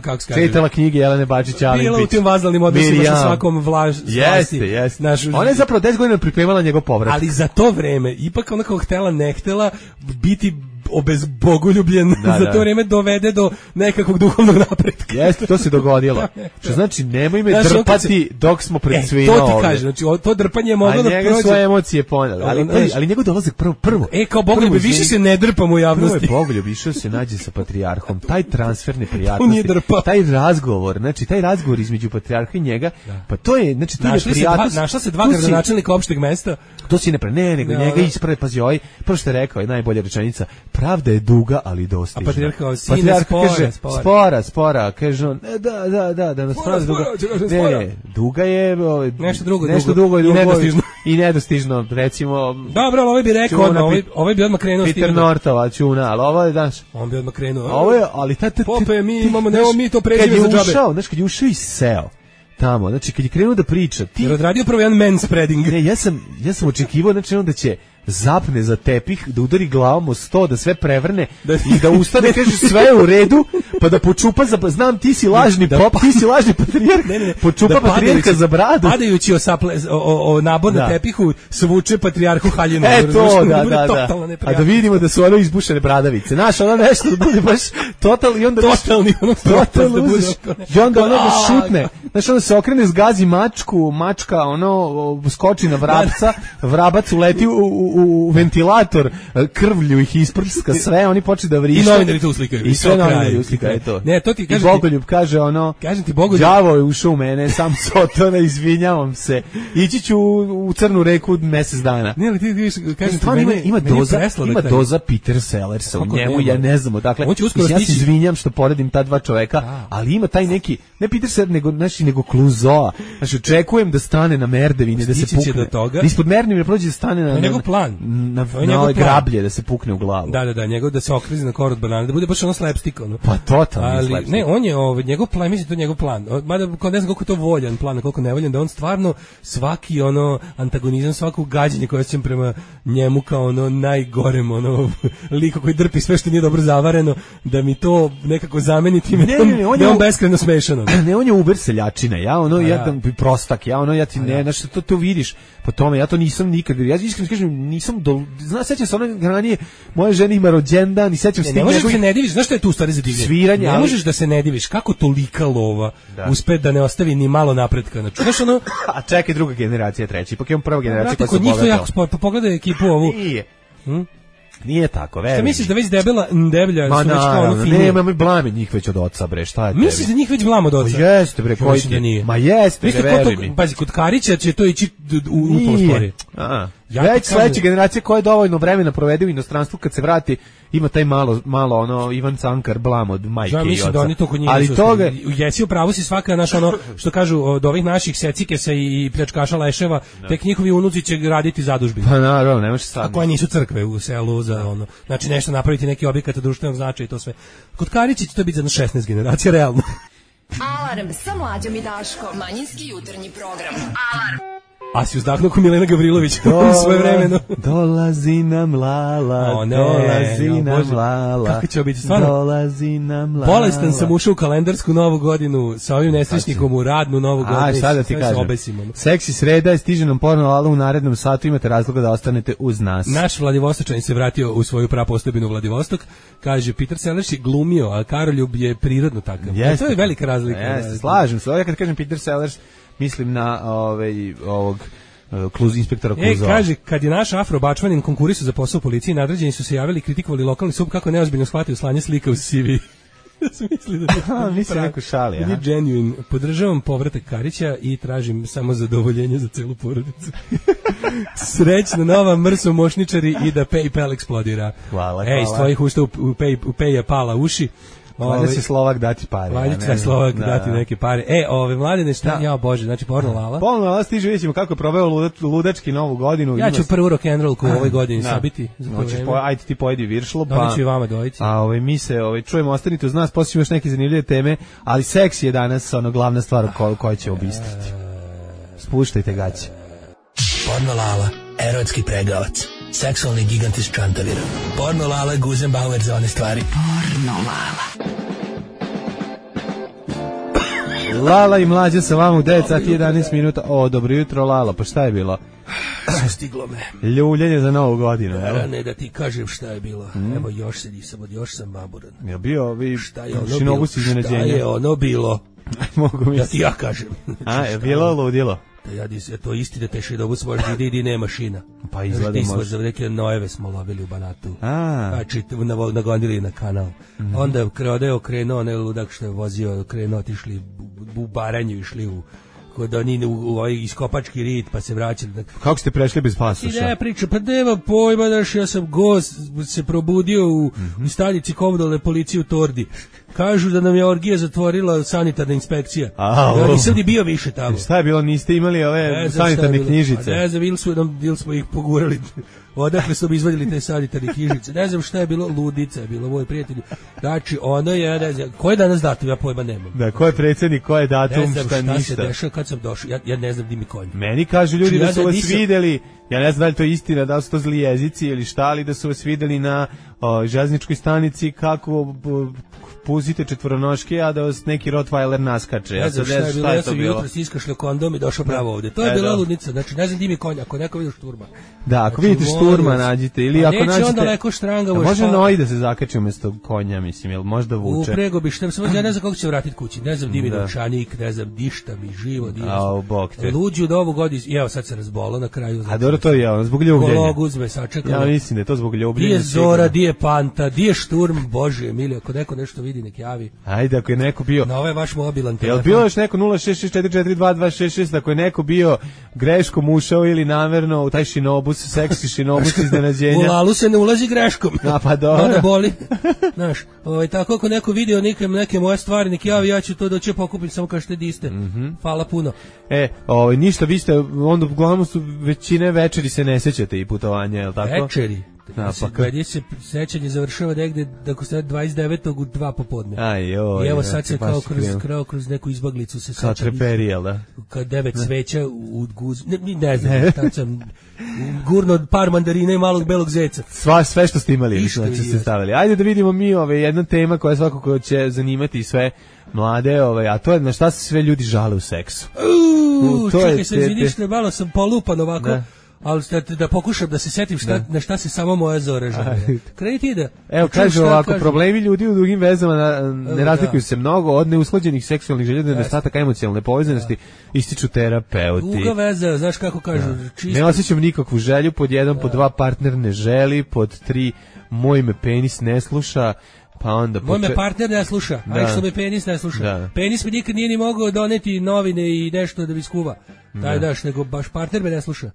S5: kako se kaže.
S3: Čitala knjige Jelene Bačić-Alimpić.
S5: Bila u tim vazalnim odnosima sa svakom vlasti.
S3: Jeste. Ona je zapravo 10 godina pripremala njegov povratak.
S5: Ali za to vreme, ipak ona kao htela, ne htela biti obezbogoljubljen, za to vrijeme dovede do nekakvog duhovnog napretka.
S3: Jeste, to se dogodilo. Što znači, nemoj me drpati dok smo pred svima ovdje.
S5: To ti kaže, znači, to drpanje je moglo da prođe.
S3: A njega svoje emocije poneli, ali njegov dolazak prvo.
S5: Kao Bogoljub, više se ne drpamo u javnosti.
S3: Prvo je Bogoljub, išao se nađe sa patrijarhom, taj transfer neprijatnosti, taj razgovor, znači, taj razgovor između patrijarha i njega, pa to je, znači, tu je neprijatnost.
S5: Našla se dva gradonačelnika opšteg mesta.
S3: To si ne, nego njega isprave, pazi, prvo što je rekao, je najbolja rečenica, pravda je duga, ali dostižna.
S5: A patrijarh kaže,
S3: spora, kaže on, da nas pravda duga. Ne, duga je nešto drugo i nedostižno, recimo.
S5: Dobro, ali ovaj bi rekao odmah, ovaj bi odmah krenuo s tim.
S3: Peter Nortova, čuna, ali ovo je daš.
S5: On bi odmah krenuo.
S3: Ovo je, ali
S5: Pope, mi to pređemo za džabe.
S3: Znaš, kad je ušao i seo tamo, znači kad je krenuo da priča,
S5: jer odradio prvo jedan manspreading.
S3: Ne, ja sam očekivao, znači da će zapne za tepih, da udari glavom o sto, da sve prevrne i da ustane, kaže sve je u redu, pa da počupa za, znam ti si lažni pop, ti si lažni patrijarh, počupa patrijarha za bradu.
S5: Padajući o nabor na tepihu, svuče patrijarhu haljinu.
S3: To, da. A da vidimo da su ono izbušene bradavice. Znaš, ono nešto da bude baš total i onda
S5: totalni ono
S3: da budeš. I onda ono ga šutne. Znaš, onda se okrene, zgazi mačka ono skoči na vrapca, vrabac uleti u ventilator, krvlju ih isprska sve, oni počnu da vrište.
S5: I novinari to uslikaju.
S3: I sve novinari uslikaju to.
S5: Ne, to ti kaže.
S3: I Bogoljub kaže ono, đavo je ušao u mene, sam sotona, izvinjavam se. Ići ću u Crnu reku mesec dana.
S5: Ne, ali ti kažem ti,
S3: ima doza Peter Sellersa u njemu, ja ne znam, dakle, ja se izvinjam što poredim ta dva čoveka, ali ima taj neki, ne Peter Sellers, nego Clouseau. Znači, očekujem da stane na merdevine, da se pukne. Ispod merdevine prođe da stane na
S5: njegov plan.
S3: Na ove grablje, da se pukne u glavu.
S5: Da, njegov da se okrizi na korod banane, da bude baš ono slapstick, ono.
S3: Pa totalno slapstick.
S5: Ne, on je njegov plan, mislim to je njegov plan. Mada ne znam koliko je to voljan plan, koliko nevoljan, da on stvarno svaki ono antagonizam, svako gađenje koje osjećam prema njemu kao ono najgorem ono liko koji drpi sve što nije dobro zavareno, da mi to nekako zameni time. Ne, on beskrajno smešan.
S3: Ne, on je uber seljačina, ja prostak, ja ti ne, znaš, to vidiš po tome, ja to nisam nikad, ja iskreno kažem, nisam, sećam se ono ranije, moje žene ima rođendan i sećam se...
S5: Ne možeš da se ne diviš, znaš što je tu stvari za divljenje?
S3: Sviranje,
S5: ne možeš da se ne diviš, kako tolika lova uspe da ne ostavi ni malo napretka, znači, znaš ono...
S3: A čekaj, druga generacija, treća, ipak imam prva generacija koja se bogatala.
S5: Pa pogledaj ekipu ovu.
S3: Nije tako, verujem.
S5: Šta misliš da već deblja su već kao ono fini?
S3: Nema, blame njih već od oca, bre, šta je tebi?
S5: Misliš da njih već blame od oca?
S3: Ma jeste, bre, koji ti? Ma jeste, bre, veruj mi.
S5: Pazi, kod Karića će to ići u pospori.
S3: Već sledeća generacija koja je dovoljno vremena provede u inostranstvu, kad se vrati, ima taj malo ono Ivan Cankar blam od majke i oca.
S5: Mislim da oni to kod njih
S3: ali toga
S5: jesi u pravu si svaka naš ono što kažu od ovih naših secikesa i pljačkaša leševa, tek njihovi unuci će raditi zadužbine.
S3: Pa naravno, ne može sad.
S5: A koje nisu crkve u selu za ono. Znači nešto napraviti neki objekat društvenog značaja i to sve. Kod Karića će to biti za 16 generacija realno.
S4: Alarm sa Mlađom i Daškom. Manjinski jutarnji program. Alarm.
S5: A si uzdahnuo ko Milena Gavrilović u svoje vremeno.
S3: Dolazi nam Lala, dolazi nam Lala.
S5: Kako će biti stvarno?
S3: Dolazi nam Lala.
S5: Bolestan sam ušao u kalendarsku novu godinu sa ovim nesrećnikom u radnu novu godinu.
S3: A sada ti kažem. Seksi sreda, stiže nam porno Lala u narednom satu, imate razloga da ostanete uz nas.
S5: Naš Vladivostočanin se vratio u svoju prapostojbinu Vladivostok. Kaže, Peter Sellers je glumio, a Karoljub je prirodno takav. To je velika razlika.
S3: Slažem se. Ja kad kažem Peter Sellers, mislim na ovog inspektora Clouseau.
S5: Kaže, kad je naš afrobačvanin konkurisao za posao u policiji, nadređeni su se javili i kritikovali lokalni sub kako neozbiljno shvatio slanje slika u CV. Misli da
S3: mislim neko šali.
S5: Nije genuine. Podržavam povratak Karića i tražim samo zadovoljenje za celu porodicu. Srećna nova mrso mošničari i da PayPal eksplodira.
S3: Hvala.
S5: Iz tvojih usta u Pay je pala uši.
S3: Valjda će Slovak dati pare.
S5: Valjda će Slovak dati neke pare. Mladine, šta? Ja, Bože, znači porno Lala.
S3: Porno Lala stiže, vidjet ćemo kako je proveo ludački novu godinu.
S5: Ja ću prvu rock'n'rollku u ovoj godini sabiti.
S3: Ajde ti pojedi viršlo.
S5: Doneću i vama dojici.
S3: A mi se čujemo, ostanite uz nas, poslije ćemo još neke zanimljive teme, ali seks je danas glavna stvar koju će obistriti. Spuštajte gaće.
S7: Porno Lala, erotski pregavac. Seksualni gigant iz Čantavira. Porno Lala, Guzenbauer za one stvari.
S4: Porno Lala.
S3: Lala i Mlađa sa vama u 9 sati 11 minuta. Dobro jutro, Lala, pa šta je bilo?
S7: Stiglo me.
S3: Ljuljenje za novu godinu.
S7: Ne da ti kažem šta je bilo. Evo još se nisam, još sam maburan.
S3: Je bio
S7: šta je ono bilo? Šta je ono bilo?
S3: Mogu mi
S7: da ti ja kažem.
S3: Je bilo ludilo?
S7: To isti da teši dobu smo vidi nema šina.
S3: Pa izgleda
S7: možda. Za neke nojeve smo lovili u Banatu. Znači nagonili na kanal. Onda je okrenuo onaj ludak što je vozio, otišli u Baranju, išli u kod oni u iskopački rit, pa se vraćali.
S3: Kako ste prešli bez pasoša?
S7: Ne priča, pa nema pojma, daš, ja sam gost, se probudio u stanici komunalne policije u Tordi. Kažu da nam je orgija zatvorila sanitarna inspekcija. Ja nisam ni bio više tamo.
S3: Šta je bilo, niste imali ove sanitarne knjižice?
S7: Ne znam, ili smo ih pogurali. Odakle su izvadili te sanitarne knjižice. Ne znam šta je bilo, ludica je bilo, moj prijatelj. Znači, ono je, ne znam, ko je danas datum, ja pojma nemam.
S3: Da, ko je predsjednik, ko je datum, šta ništa.
S7: Ne znam šta se dešava kad sam došao, ja ne znam di mi konj.
S3: Meni kažu ljudi da su vas videli, ja ne znam da li to je istina, da li su to zli jezici ili šta, ali da su vas videli na željezničkoj stanici kako puzite četvoronoške, a da vas neki Rottweiler naskače.
S7: Ne znam šta je bilo, ja sam jutro iskašljao kondom i došao pravo ovde. To je bila ludnica, znači ne znam di mi konj, ako neko vidi šturma.
S3: Da, ako vidite šturma nađite, ili ako nađete...
S7: onda leko štrangavo.
S3: Može noj da se zakači umjesto konja, mislim, jel možda vuče?
S7: Uprego bi šta, ja ne znam kako će se vratiti kući, ne znam di mi novčanik, ne znam dišta mi živo, luđu od ovog godina, evo sad se razbolo na kraju.
S3: A dobro, to je zbog ljubljenja.
S7: Kolog uzme, sačekalo.
S3: Ja mislim da je to zbog ljubljenja.
S7: Di je Zora, di je Panta, di je šturm, Bože, Emilio, ako neko nešto vidi, nek javi.
S3: Ajde, ako je neko bio...
S7: Na ovaj vaš mobilan telefon.
S3: Jel bilo još neko 066442266, ako je neko bio greškom ušao ili namerno u taj šinobus, seksi šinobus iznenađenja?
S7: U lalu se ne ulazi greškom.
S3: A pa dobro.
S7: Onda boli. Znaš, tako ako neko vidio neke moje stvari, nek javi, ja ću to doći pokupim, samo kažete di ste. Hvala puno.
S3: Ništa, vi ste, onda uglavnom su većine večeri se ne sećate i putovanja, je li tako?
S7: Večeri? Gdje se sećanje završava negde dok se 29. u 2 popodne. I evo sad se kao kroz neku izbaglicu se sećam.
S3: Kao treperi, jel da?
S7: Kao 9 sveća u guz... Ne znam, tad sam gurno par mandarina i malog belog zeca.
S3: Sve što ste imali, znači ste stavili. Ajde da vidimo mi jedna tema koja svakako će zanimati sve mlade, a to je na šta se sve ljudi žale u seksu.
S7: Čekaj se, izviniš, malo sam polupan ovako. Ali da pokušam da se setim na šta se samo moja Zora žali. Kreniti da...
S3: Evo, kaže ovako, problemi ljudi u drugim vezama ne razlikuju se mnogo od neusklađenih seksualnih želja, nedostataka emocionalne povezanosti, ističu terapeuti.
S7: Duga veza, znaš kako kažu, čisto...
S3: Ne osjećam nikakvu želju, pod 1, pod 2 partner ne želi, pod 3 moj me penis ne sluša, pa onda...
S7: Moj me partner ne sluša, a što me penis ne sluša. Penis mi nikad nije ni mogao doneti novine i nešto da bi skuva. Daj daš, nego baš partner me ne sluša.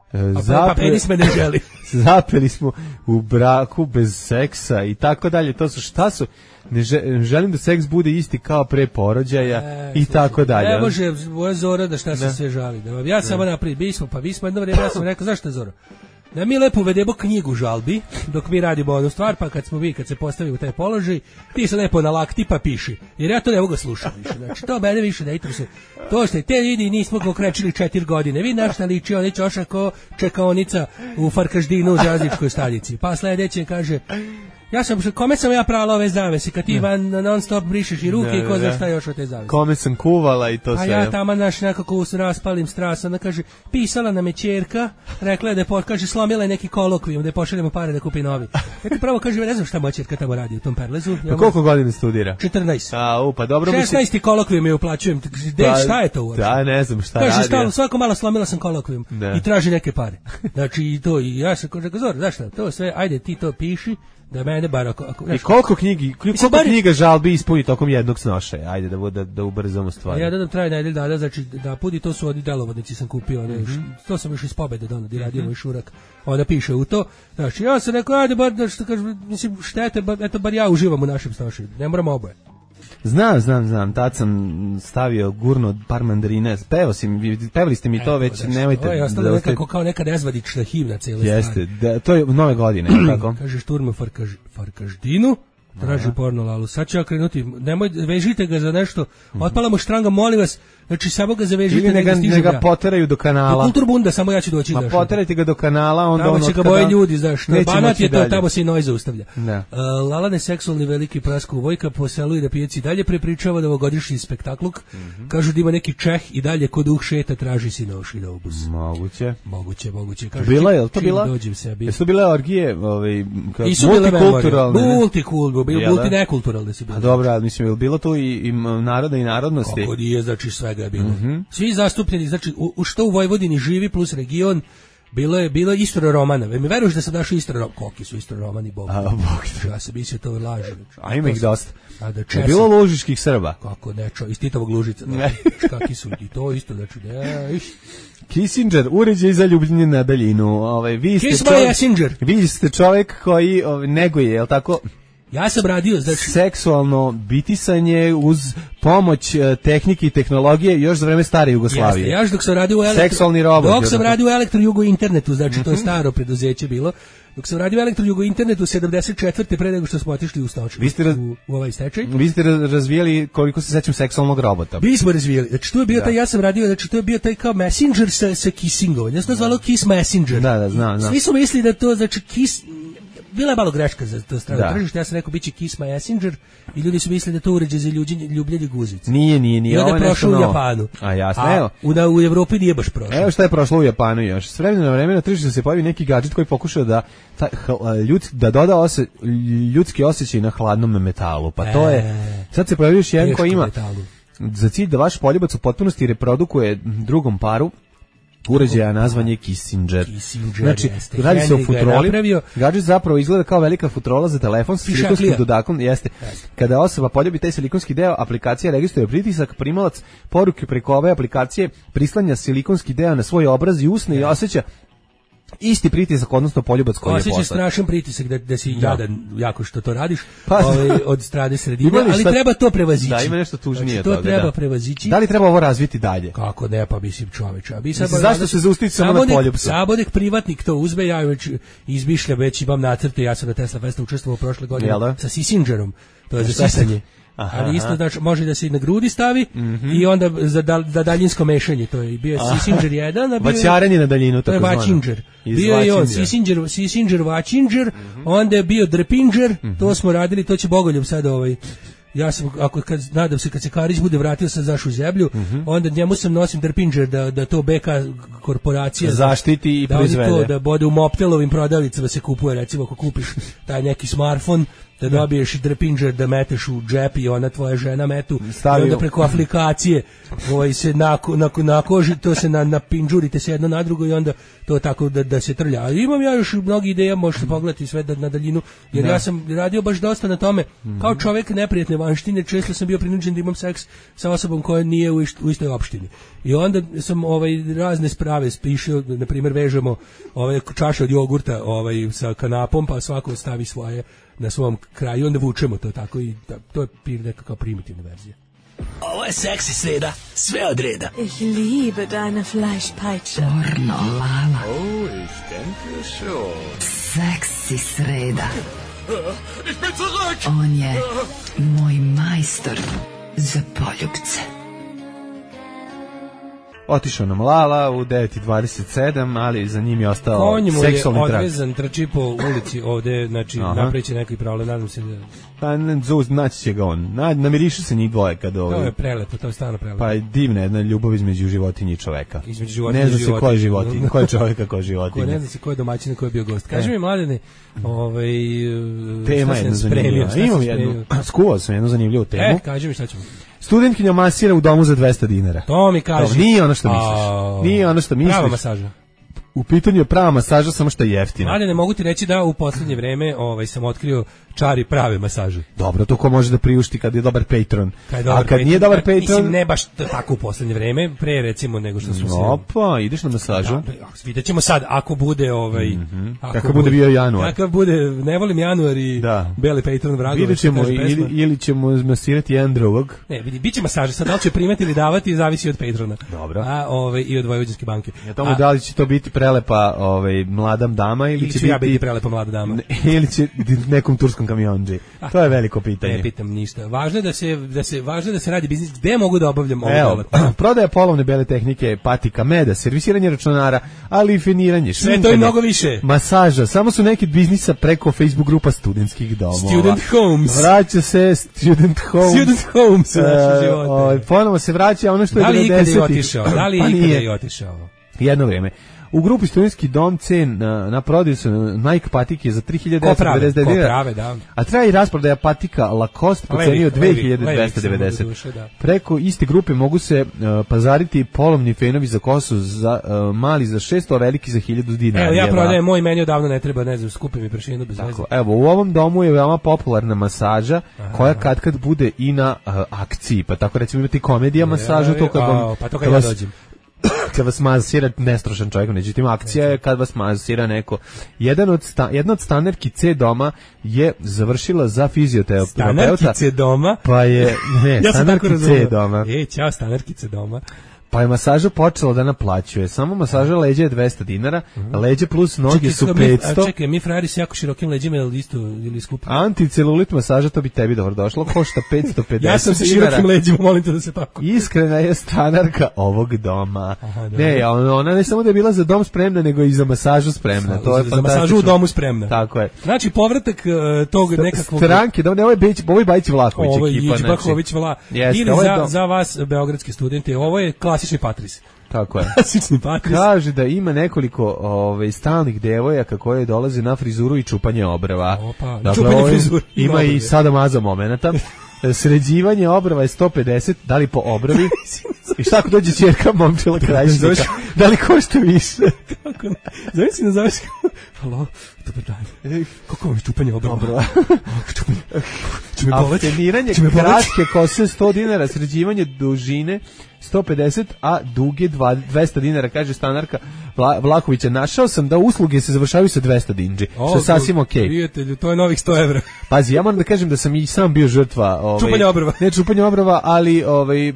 S7: Pa penis me ne želi.
S3: Zapeli smo u braku bez seksa i tako dalje. To su šta su? Ne želim da seks bude isti kao pre porođaja i tako dalje.
S7: Ne može moja Zora da šta se sve žali. Ja samo naprijed, vi smo jedno vrijeme, ja sam rekao, zašto je Zora? Da mi lepo uvedemo knjigu žalbi, dok mi radimo onu stvar, pa kad se postavimo u taj položaj, ti se lepo nalakti pa piši. Jer ja to ne mogu slušati više. Znači, to mene više ne interesuje. To što je te vidi, nismo ga okrećili 4 godine. Vi našta liči, on je čoša ko čekaonica u Farkaždinu u železničkoj stanici. Pa sledeće kaže... Kome sam ja prala ove zavese, kad ti non stop brišeš i ruke i ko zna šta još od te zavese.
S3: Kome sam kuvala i to sve.
S7: A ja tamo nekako raspalim strasa, ona kaže, pisala nam je ćerka, rekla je da kaže, slomila je neki kolokvijum, da je pošaljemo pare da kupi novi. Ja ti pravo kaže, ne znam šta moja ćerka tamo radi u tom perlezu.
S3: Pa koliko godina studira?
S7: 14.
S3: Pa dobro.
S7: 16. kolokvijum je uplaćujem, šta je to uopšte?
S3: Da, ne znam šta radi.
S7: Kaže, svako malo slomila sam kolokvijum i traži neke pare. Znači i to, i ja sam kaže, Zor, znaš šta, to sve, ajde ti to piši. Da mene bar
S3: I koliko knjiga žalbi ispuni tokom jednog snošaja? Ajde da ubrzamo stvari.
S7: Ja dodam traje nedelj dana, znači da pudi, to su oni delovodnici sam kupio, to sam još iz Pobede donao, i radio moj šurak, onda piše u to. Znači ja sam rekao, ajde bar, što kažem, mislim, štete, eto bar ja uživam u našem snošaju, ne moram oboje.
S3: Znam, tad sam stavio gurno par mandarina, pevali ste mi to već, nemojte...
S7: To je ostalo nekako kao neka nezvadična himna cijele stvari.
S3: Jeste, to je nove godine, tako?
S7: Kaže šturma Farkaždinu, traži porno lalu, sad ću ja krenuti, vežite ga za nešto, otpala mu štranga, molim vas, znači samo ga zavežite.
S3: Ili ne ga poteraju do kanala.
S7: Do Kulturbunda, samo ja ću doći.
S3: Ma poterajte ga do kanala, onda
S7: tamo će ga boje ljudi, znaš, Banat je to, tamo se i noj zaustavlja. Lalane seksualni veliki Prasko Vojka po selu i na pijaci dalje prepričava novogodišnji spektakluk, kažu da ima neki Čeh i dalje kod šeta traži si na ošinobus. Moguće.
S3: Bila je to bila? Jesu bile orgije,
S7: multinekulturalne su bile.
S3: A dobro, ali mislim, je bilo tu i naroda i narodnosti?
S7: Kako nije, znači svega je bilo. Svi zastupljeni, znači što u Vojvodini živi plus region, bilo je Istro Romana. Mi veruješ da sam našao Istro Romana? Koliki su Istro Romani, Bog. Ja se mislio to laže.
S3: A ima ih dosta. Je bilo lužiških Srba?
S7: Kako nečo, iz Titovog Lužica. Kakvi su i to isto, znači
S3: Kissinger, uređaj za ljubljenje na daljinu. Vi ste čovjek koji neguje, je li tako?
S5: Ja sam radio, znači
S3: seksualno bitisanje uz pomoć tehnike i tehnologije još za vreme stare Jugoslavije.
S5: Jeste, ja dok sam radio u
S3: seksualni robot.
S5: Dok sam radio u Elektrojugo internetu, znači to je staro preduzeće bilo. Dok sam radio u Elektrojugo internetu 74. pre nego što smo otišli u stoč. U ovaj stečaj.
S3: Vi ste razvijali, koliko se sećam, seksualnog robota.
S5: Mi smo razvijali. Znači to je bio taj, ja sam radio, znači to je bio taj kao Messenger sa kissingom. Ja sam to zvalo Kiss Messenger.
S3: Da, znam.
S5: Svi su mislili da to znači Kiss. Bila je malo greška za to strano tržište, ja sam rekao biće Kiss Messenger i ljudi su mislili da to uređaj za ljubljenje guzica.
S3: Nije.
S5: I onda je prošlo u Japanu.
S3: A jasno, evo.
S5: U Evropi nije baš prošlo.
S3: Evo šta je prošlo u Japanu još. S vremena na vreme na tržištu se pojavi neki gadžet koji pokušao da doda ljudski osjećaj na hladnom metalu. Pa to je, sad se pojavio još jedan koji ima za cilj da vaš poljubac u potpunosti reprodukuje drugom paru uređaja, nazvan je Kissinger. Znači, radi se o futroli. Gadžet zapravo izgleda kao velika futrola za telefon sa silikonskim dodakom. Jeste. Kada osoba poljubi taj silikonski deo, aplikacija registruje pritisak, primalac poruke preko ove aplikacije prislanja silikonski deo na svoj obraz i usne i osjeća isti pritisak, odnosno poljubac koji je poslat.
S5: Osjećaš strašan pritisak da si jadan jako što to radiš od strane sredine, ali treba to prevazići.
S3: Da, ima nešto tužnije toga.
S5: To treba prevazići.
S3: Da li treba ovo razviti dalje?
S5: Kako ne, pa mislim čoveče.
S3: Zašto se zaustaviti samo na poljubcu?
S5: Samo nek privatnik to uzme, ja već izmišljam, već imam nacrte, ja sam na Tesla Festu učestvovao prošle godine sa Kissingerom, to je za sisanje. Ali isto znači može da se i na grudi stavi i onda za daljinsko mešanje, to je bio Kissinger 1, a bio
S3: vaćarenje na daljinu,
S5: to je Vačinger. Bio je on Kissinger Vačinger, onda je bio Drepinger, to smo radili, to će Bogoljub sad ja sam, nadam se kad se Karić bude vratio sa zašu zemlju, onda njemu sam nosim Drepinger da to BK korporacija
S3: zaštiti i proizvede.
S5: Da bude u Moptelovim prodavnicama se kupuje, recimo ako kupiš taj neki smartfon, da dobiješ Drepinger da meteš u džep i ona tvoja žena metu i onda preko aplikacije se na koži to se napinđurite se jedno na drugo i onda to tako da se trlja. Ali imam ja još mnogi ideja, možete pogledati sve na daljinu, jer ja sam radio baš dosta na tome. Kao čovjek neprijatne vanštine, često sam bio prinuđen da imam seks sa osobom koja nije u istoj opštini. I onda sam razne sprave spišao, na primjer vežemo čaše od jogurta sa kanapom, pa svako stavi svoje na svom kraju, onda vučemo to tako i to je nekakva primitivna verzija. Ovo je seksi sreda, sve od reda.
S8: Ich liebe deine Fleischpeitsche.
S9: Pornolala.
S6: Oh, ich denke schon.
S9: Seksi sreda.
S6: Ich bin zurück.
S9: On je moj majstor za poljubce.
S3: Otišao nam Lala u 9:27, ali za njim je ostao seksualni trag.
S5: On je odvezan, trči po ulici ovde, znači napreće neki problem, nadam se da...
S3: Pa naći će ga on, namirišu se njih dvoje kad
S5: To je prelepo, to je stvarno prelepo.
S3: Pa je divna jedna ljubav između životinje i čoveka.
S5: Između životinje
S3: ne zna se ko je životinje, ko je čoveka, ko je životinje.
S5: Ne zna se ko je domaćin, ko je bio gost. Kaži mi, Mladene,
S3: tema jedna zanimljiva. Imam jednu, skuvao sam jednu zanimljivu temu.
S5: Kaži mi šta ćemo.
S3: Studentkinja masira u domu za 200 dinara.
S5: To mi kaži.
S3: Nije ono što misliš. Nije ono što misliš.
S5: Prava masaža.
S3: U pitanju je prava masaža, samo što je jeftina.
S5: Mladene, mogu ti reći da u poslednje vreme sam otkrio čari prave masaže.
S3: Dobro, to ko može da priušti kad je dobar patron. A kad nije dobar patron...
S5: Mislim, ne baš tako u poslednje vreme, pre recimo nego što su se...
S3: Opa, ideš na masažu?
S5: Vidjet ćemo sad, ako bude...
S3: Kakav bude bio januar.
S5: Kakav bude, ne volim januar i beli patron vrago.
S3: Vidjet ćemo, ili ćemo masirati jedan drugog.
S5: Ne, vidi, bit će masaže, sad da li će primati ili davati, zavisi od patrona.
S3: Dobro.
S5: I od Vojvođanske banke.
S3: Ja tomu da li će to biti prelepa mlada dama ili će
S5: biti prelepa mlada dama.
S3: Ili će nekom turskom kamionđi. To je veliko pitanje.
S5: Ne pitam ništa. Važno je da se radi biznis. Gde mogu da obavljam ovu delatnost?
S3: Prodaja polovne bele tehnike, patika, meda, servisiranje računara, ali i feniranje,
S5: sve to i mnogo više.
S3: Masaža, samo su neki biznisa preko Facebook grupa studentskih domova.
S5: Student Homes.
S3: Vraća se Student Homes.
S5: Student Homes u naše živote.
S3: Ponovo se vraća ono što je 90-ih.
S5: Da li ikada je otišao?
S3: Jedno vrijeme. U grupi Studentski dom cen na prodaju su Nike patike za 3.999 dinara, a traje i rasprodaja patika Lacoste po ceni od 2.290. Preko iste grupe mogu se pazariti polovni fenovi za kosu za mali za 600, a veliki za 1.000 dinara.
S5: Evo ja prodajem moj, meni odavno ne treba, ne znam, skupim mi prašinu bez veze.
S3: Evo, u ovom domu je veoma popularna masaža koja kad bude i na akciji, pa tako recimo imati komedija masažu, to kad
S5: ja dođem.
S3: kad vas masira nestrošan čovjek, međutim akcija je kad vas masira neko. Jedna od stanerki C doma je završila za fizioterapeuta.
S5: Stanerki C doma?
S3: Pa je, ne, ja stanerki C doma.
S5: Ćao, stanerki C doma.
S3: Pa je masaža počela da naplaćuje. Samo masaža leđa je 200 dinara, leđe plus noge su 500.
S5: Čekaj, mi frajeri s jako širokim leđima ili skupi?
S3: Anticelulit masaža, to bi tebi dobro došlo, košta 550 dinara.
S5: Ja sam sa širokim leđima, molim te da se tako.
S3: Iskrena je stanarka ovog doma. Ne, ona ne samo da je bila za dom spremna, nego i za masažu spremna. To je
S5: za masažu u domu spremna.
S3: Tako je.
S5: Znači, povratak tog nekakvog...
S3: Stranke, da ovo je Bajić Vlahović ekipa.
S5: Ovo je Ić Vlahović ili za vas, beogradske studente, ovo je klasični Patris.
S3: Tako je.
S5: Klasični Patris.
S3: Kaže da ima nekoliko stalnih devojaka koje dolaze na frizuru i čupanje obrva.
S5: Opa,
S3: dakle,
S5: čupanje frizure.
S3: Ima i sada maza momenata. Sređivanje obrva je 150, da li po obravi? I šta ako dođe ćerka momčila krajišnika? Da li košta više?
S5: Kako ne? Zove si nazoveš kao, halo, dobar dan. Kako vam je čupanje obrva?
S3: Afteniranje kratke kose 100 dinara, sređivanje dužine 150, a duge 200 dinara, kaže stanarka Vlahovića. Našao sam da usluge se završavaju sa 200 dinđi, što je sasvim okej.
S5: Prijatelju, to je novih 100 evra.
S3: Pazi, ja moram da kažem da sam i sam bio žrtva
S5: čupanja obrva.
S3: Ne čupanja obrva, ali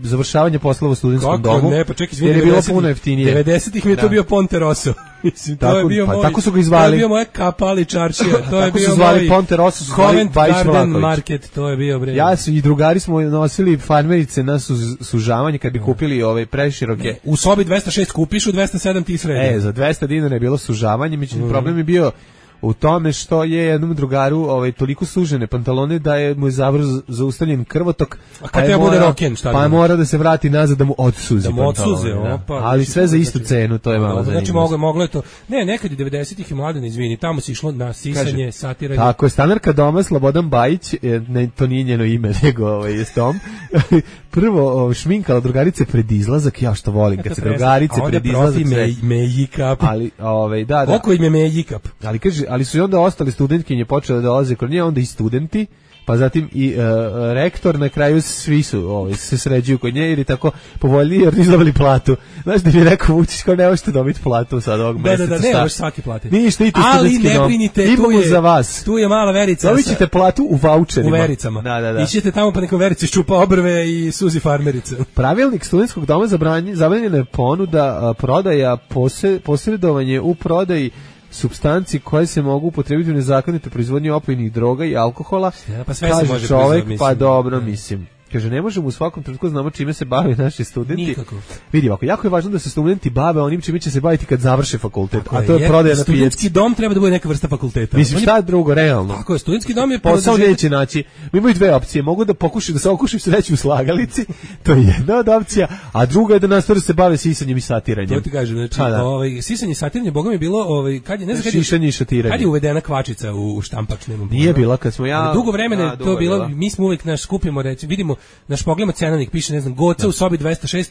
S3: završavanje poslova u studentskom domu.
S5: Kako ne, pa čekaj,
S3: jer je bilo puno jeftinije.
S5: 90-ih mi je to bio Ponte Rosso. Mislim, to je bio
S3: pa,
S5: moj,
S3: tako su ga izvali.
S5: To je bio moja kapali čaršija. To je
S3: tako
S5: bio
S3: su zvali Ponte Rosso, su zvali Bajić Vlahović.
S5: Market, to je bio bre.
S3: Ja i drugari smo nosili farmerice na sužavanje kad bi kupili preširoke.
S5: U sobi 206 kupiš, u 207 ti sredi.
S3: Za 200 dinara je bilo sužavanje, međutim problem je bio u tome što je jednom drugaru toliko sužene pantalone da je mu zaustavljen krvotok, pa je mora da se vrati nazad da mu odsuzi pantalone. Ali sve za istu cenu, to je malo zanimljivo.
S5: Znači moglo je to. Ne, nekad i 90-ih je Mladen, izvini, tamo se išlo na sisanje, satiranje.
S3: Tako je, stanarka doma Slobodan Bajić, to nije njeno ime, nego je Tom. Prvo šminkala drugarice pred izlazak, ja što volim kad se drugarice pred izlazak. Ali da.
S5: Koliko im je Mejikap?
S3: Ali kaže, ali su i onda ostali studentkinje počele da dolaze kod nje, onda i studenti, pa zatim i rektor, na kraju svi su se sređuju kod nje jer je tako povoljniji jer nisu dobili platu. Znaš da mi je rekao Vučić kao ne možete dobiti platu sad ovog meseca.
S5: Da, ne možeš svaki platiti.
S3: Ništa, idite studentski dom.
S5: Ali ne brinite,
S3: za vas.
S5: Tu je mala Verica.
S3: Dobit ćete platu u vaučerima.
S5: U Vericama.
S3: Da.
S5: Ićete tamo pa neko Verica ščupa obrve i suzi farmerice.
S3: Pravilnik studentskog doma zabranjena je ponuda, prodaja, posredovanje u prodaji supstanci koje se mogu upotrebiti u nezakonitoj proizvodnji opojnih droga i alkohola.
S5: Pa sve
S3: kaže
S5: se može
S3: čovjek, pa dobro, mislim. Kaže, ne možemo u svakom trenutku znamo čime se bave naši studenti.
S5: Nikako.
S3: Vidi ovako, jako je važno da se studenti bave onim čime će se baviti kad završe fakultet, a to je prodaja na pijaci.
S5: Studentski dom treba da bude neka vrsta fakulteta.
S3: Mislim, šta drugo, realno?
S5: Tako je, studentski dom je
S3: posao neće naći. Mi imaju dve opcije, mogu da pokušaju da se okušaju sreću u slagalici, to je jedna od opcija, a druga je da nastave se bave sisanjem i satiranjem.
S5: To ti kažem, znači, sisanje i satiranje, boga mi je bilo, kad je, ne znam
S3: šišanje i šatiranje.
S5: Kad je uvedena kvačica u štampač, nema.
S3: Nije bila kad smo
S5: dugo vremena je to bilo, mi smo uvek naš skupimo, recimo, vidimo, naš pogledamo cenovnik, piše, ne znam, Goca u sobi 206,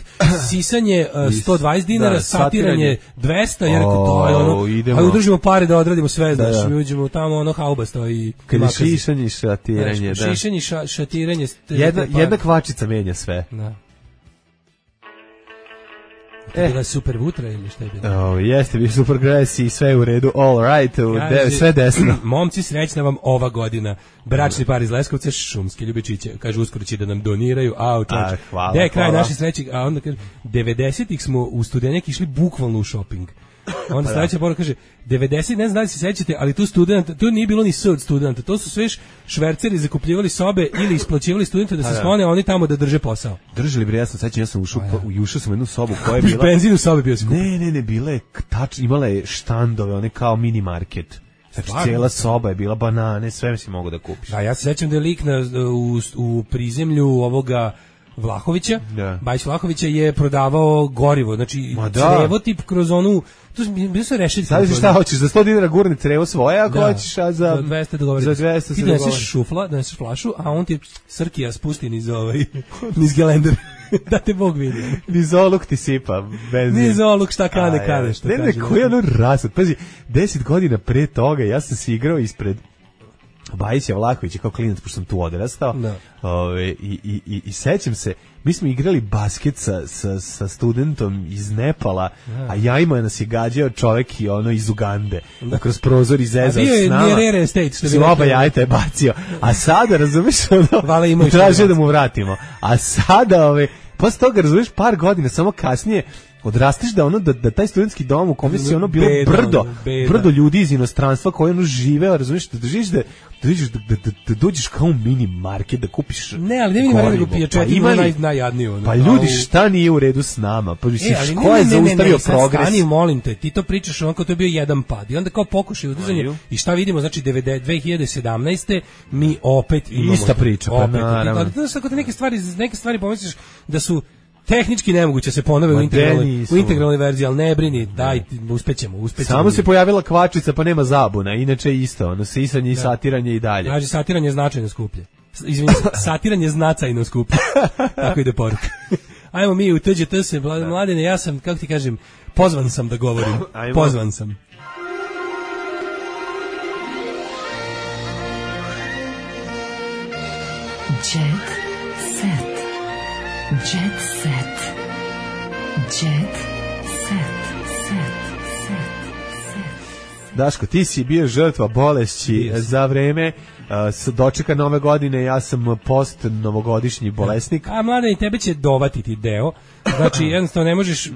S5: sisanje 120 dinara, satiranje 200, jer to je ono, a udržimo pare da odradimo sve, znaš, mi uđemo tamo, ono, haubasto i
S3: makazi. Šišanje i šatiranje, da.
S5: Šišanje i šatiranje.
S3: Jedna kvačica menja sve.
S5: Da. Bila super vutra ili šta je bilo?
S3: Jeste, bio super gres i sve u redu, all right, sve desno.
S5: Momci, srećna vam ova godina. Bračni par iz Leskovca, šumske ljubičiće, kaže, uskoro će da nam doniraju,
S3: hvala.
S5: Gde je kraj naše sreće? A onda kaže, 90-ih smo u Studenjak išli bukvalno u shopping. Onda sledeća poruka kaže 90, ne znam da li se sećate, ali tu nije bilo ni od studenta, to su sve šverceri zakupljivali sobe ili isplaćivali studente da se sklone, a oni tamo da drže posao.
S3: Držali bre, ja sam ušao u jednu sobu koja je bila
S5: benzin u sobi bio.
S3: Ne, bile imala je štandove, one kao mini market. Znači, cijela soba je bila, banane, sve si mogu da kupiš.
S5: A ja se sećam da je lik u prizemlju ovoga Vlahovića, Bajić Vlahovića je prodavao gorivo, znači crevotip kroz onu, to bi se rešili.
S3: Sad šta hoćeš, za 100 dinara gurni crevo svoje, ako hoćeš, a za
S5: 200 dogovoriti.
S3: Za 200 se
S5: ti doneseš flašu, a on ti Srkija spusti niz gelender. Da te Bog vidi.
S3: Niz oluk ti sipa benzin.
S5: Niz oluk šta kane, što kaže.
S3: Ne, koji je ono rasad. Pazi, 10 godina pre toga ja sam se igrao ispred Bajić Vlahović kao klinac, pošto sam tu odrastao. I sećam se, mi smo igrali basket sa studentom iz Nepala, a jajima nas je gađao čovek i ono iz Ugande. Kroz prozor izezao s nama. A bio je State, što bi rekao. Oba jajta je bacio. A sada, razumeš, tražio da mu vratimo. A sada, posle toga, razumeš, par godina, samo kasnije, odrastiš da taj studentski dom u kome si ono bilo brdo ljudi iz inostranstva koji ono žive, razumiješ, da dođeš kao u mini market da kupiš
S5: ne, ali ne mini market da kupije četiri najjadniju.
S3: Pa ljudi, šta nije u redu s nama? Pa ko je zaustavio progres?
S5: Stani, molim te, ti to pričaš onako, to je bio jedan pad i onda kao pokušaj udizanje i šta vidimo, znači 2017. mi opet imamo
S3: ista priča, pa naravno.
S5: Ako te neke stvari pomisliš da su tehnički nemoguće se ponove u integralnoj verziji, ali ne brini, daj, uspećemo.
S3: Samo se pojavila kvačica, pa nema zabuna, inače isto, ono, sisanje i satiranje i dalje.
S5: Znači, satiranje je značajno skuplje. Izvini, satiranje je znacajno skuplje. Tako ide poruka. Ajmo mi u TGT se, Mladene, ja sam, kako ti kažem, pozvan sam da govorim. Pozvan sam.
S9: Jet set. Jet set. Jet set.
S3: Daško, ti si bio žrtva bolesti za vreme dočeka nove godine, ja sam post-novogodišnji bolesnik.
S5: A Mladen, i tebe će dovatiti deo. Znači, jednostavno ne možeš,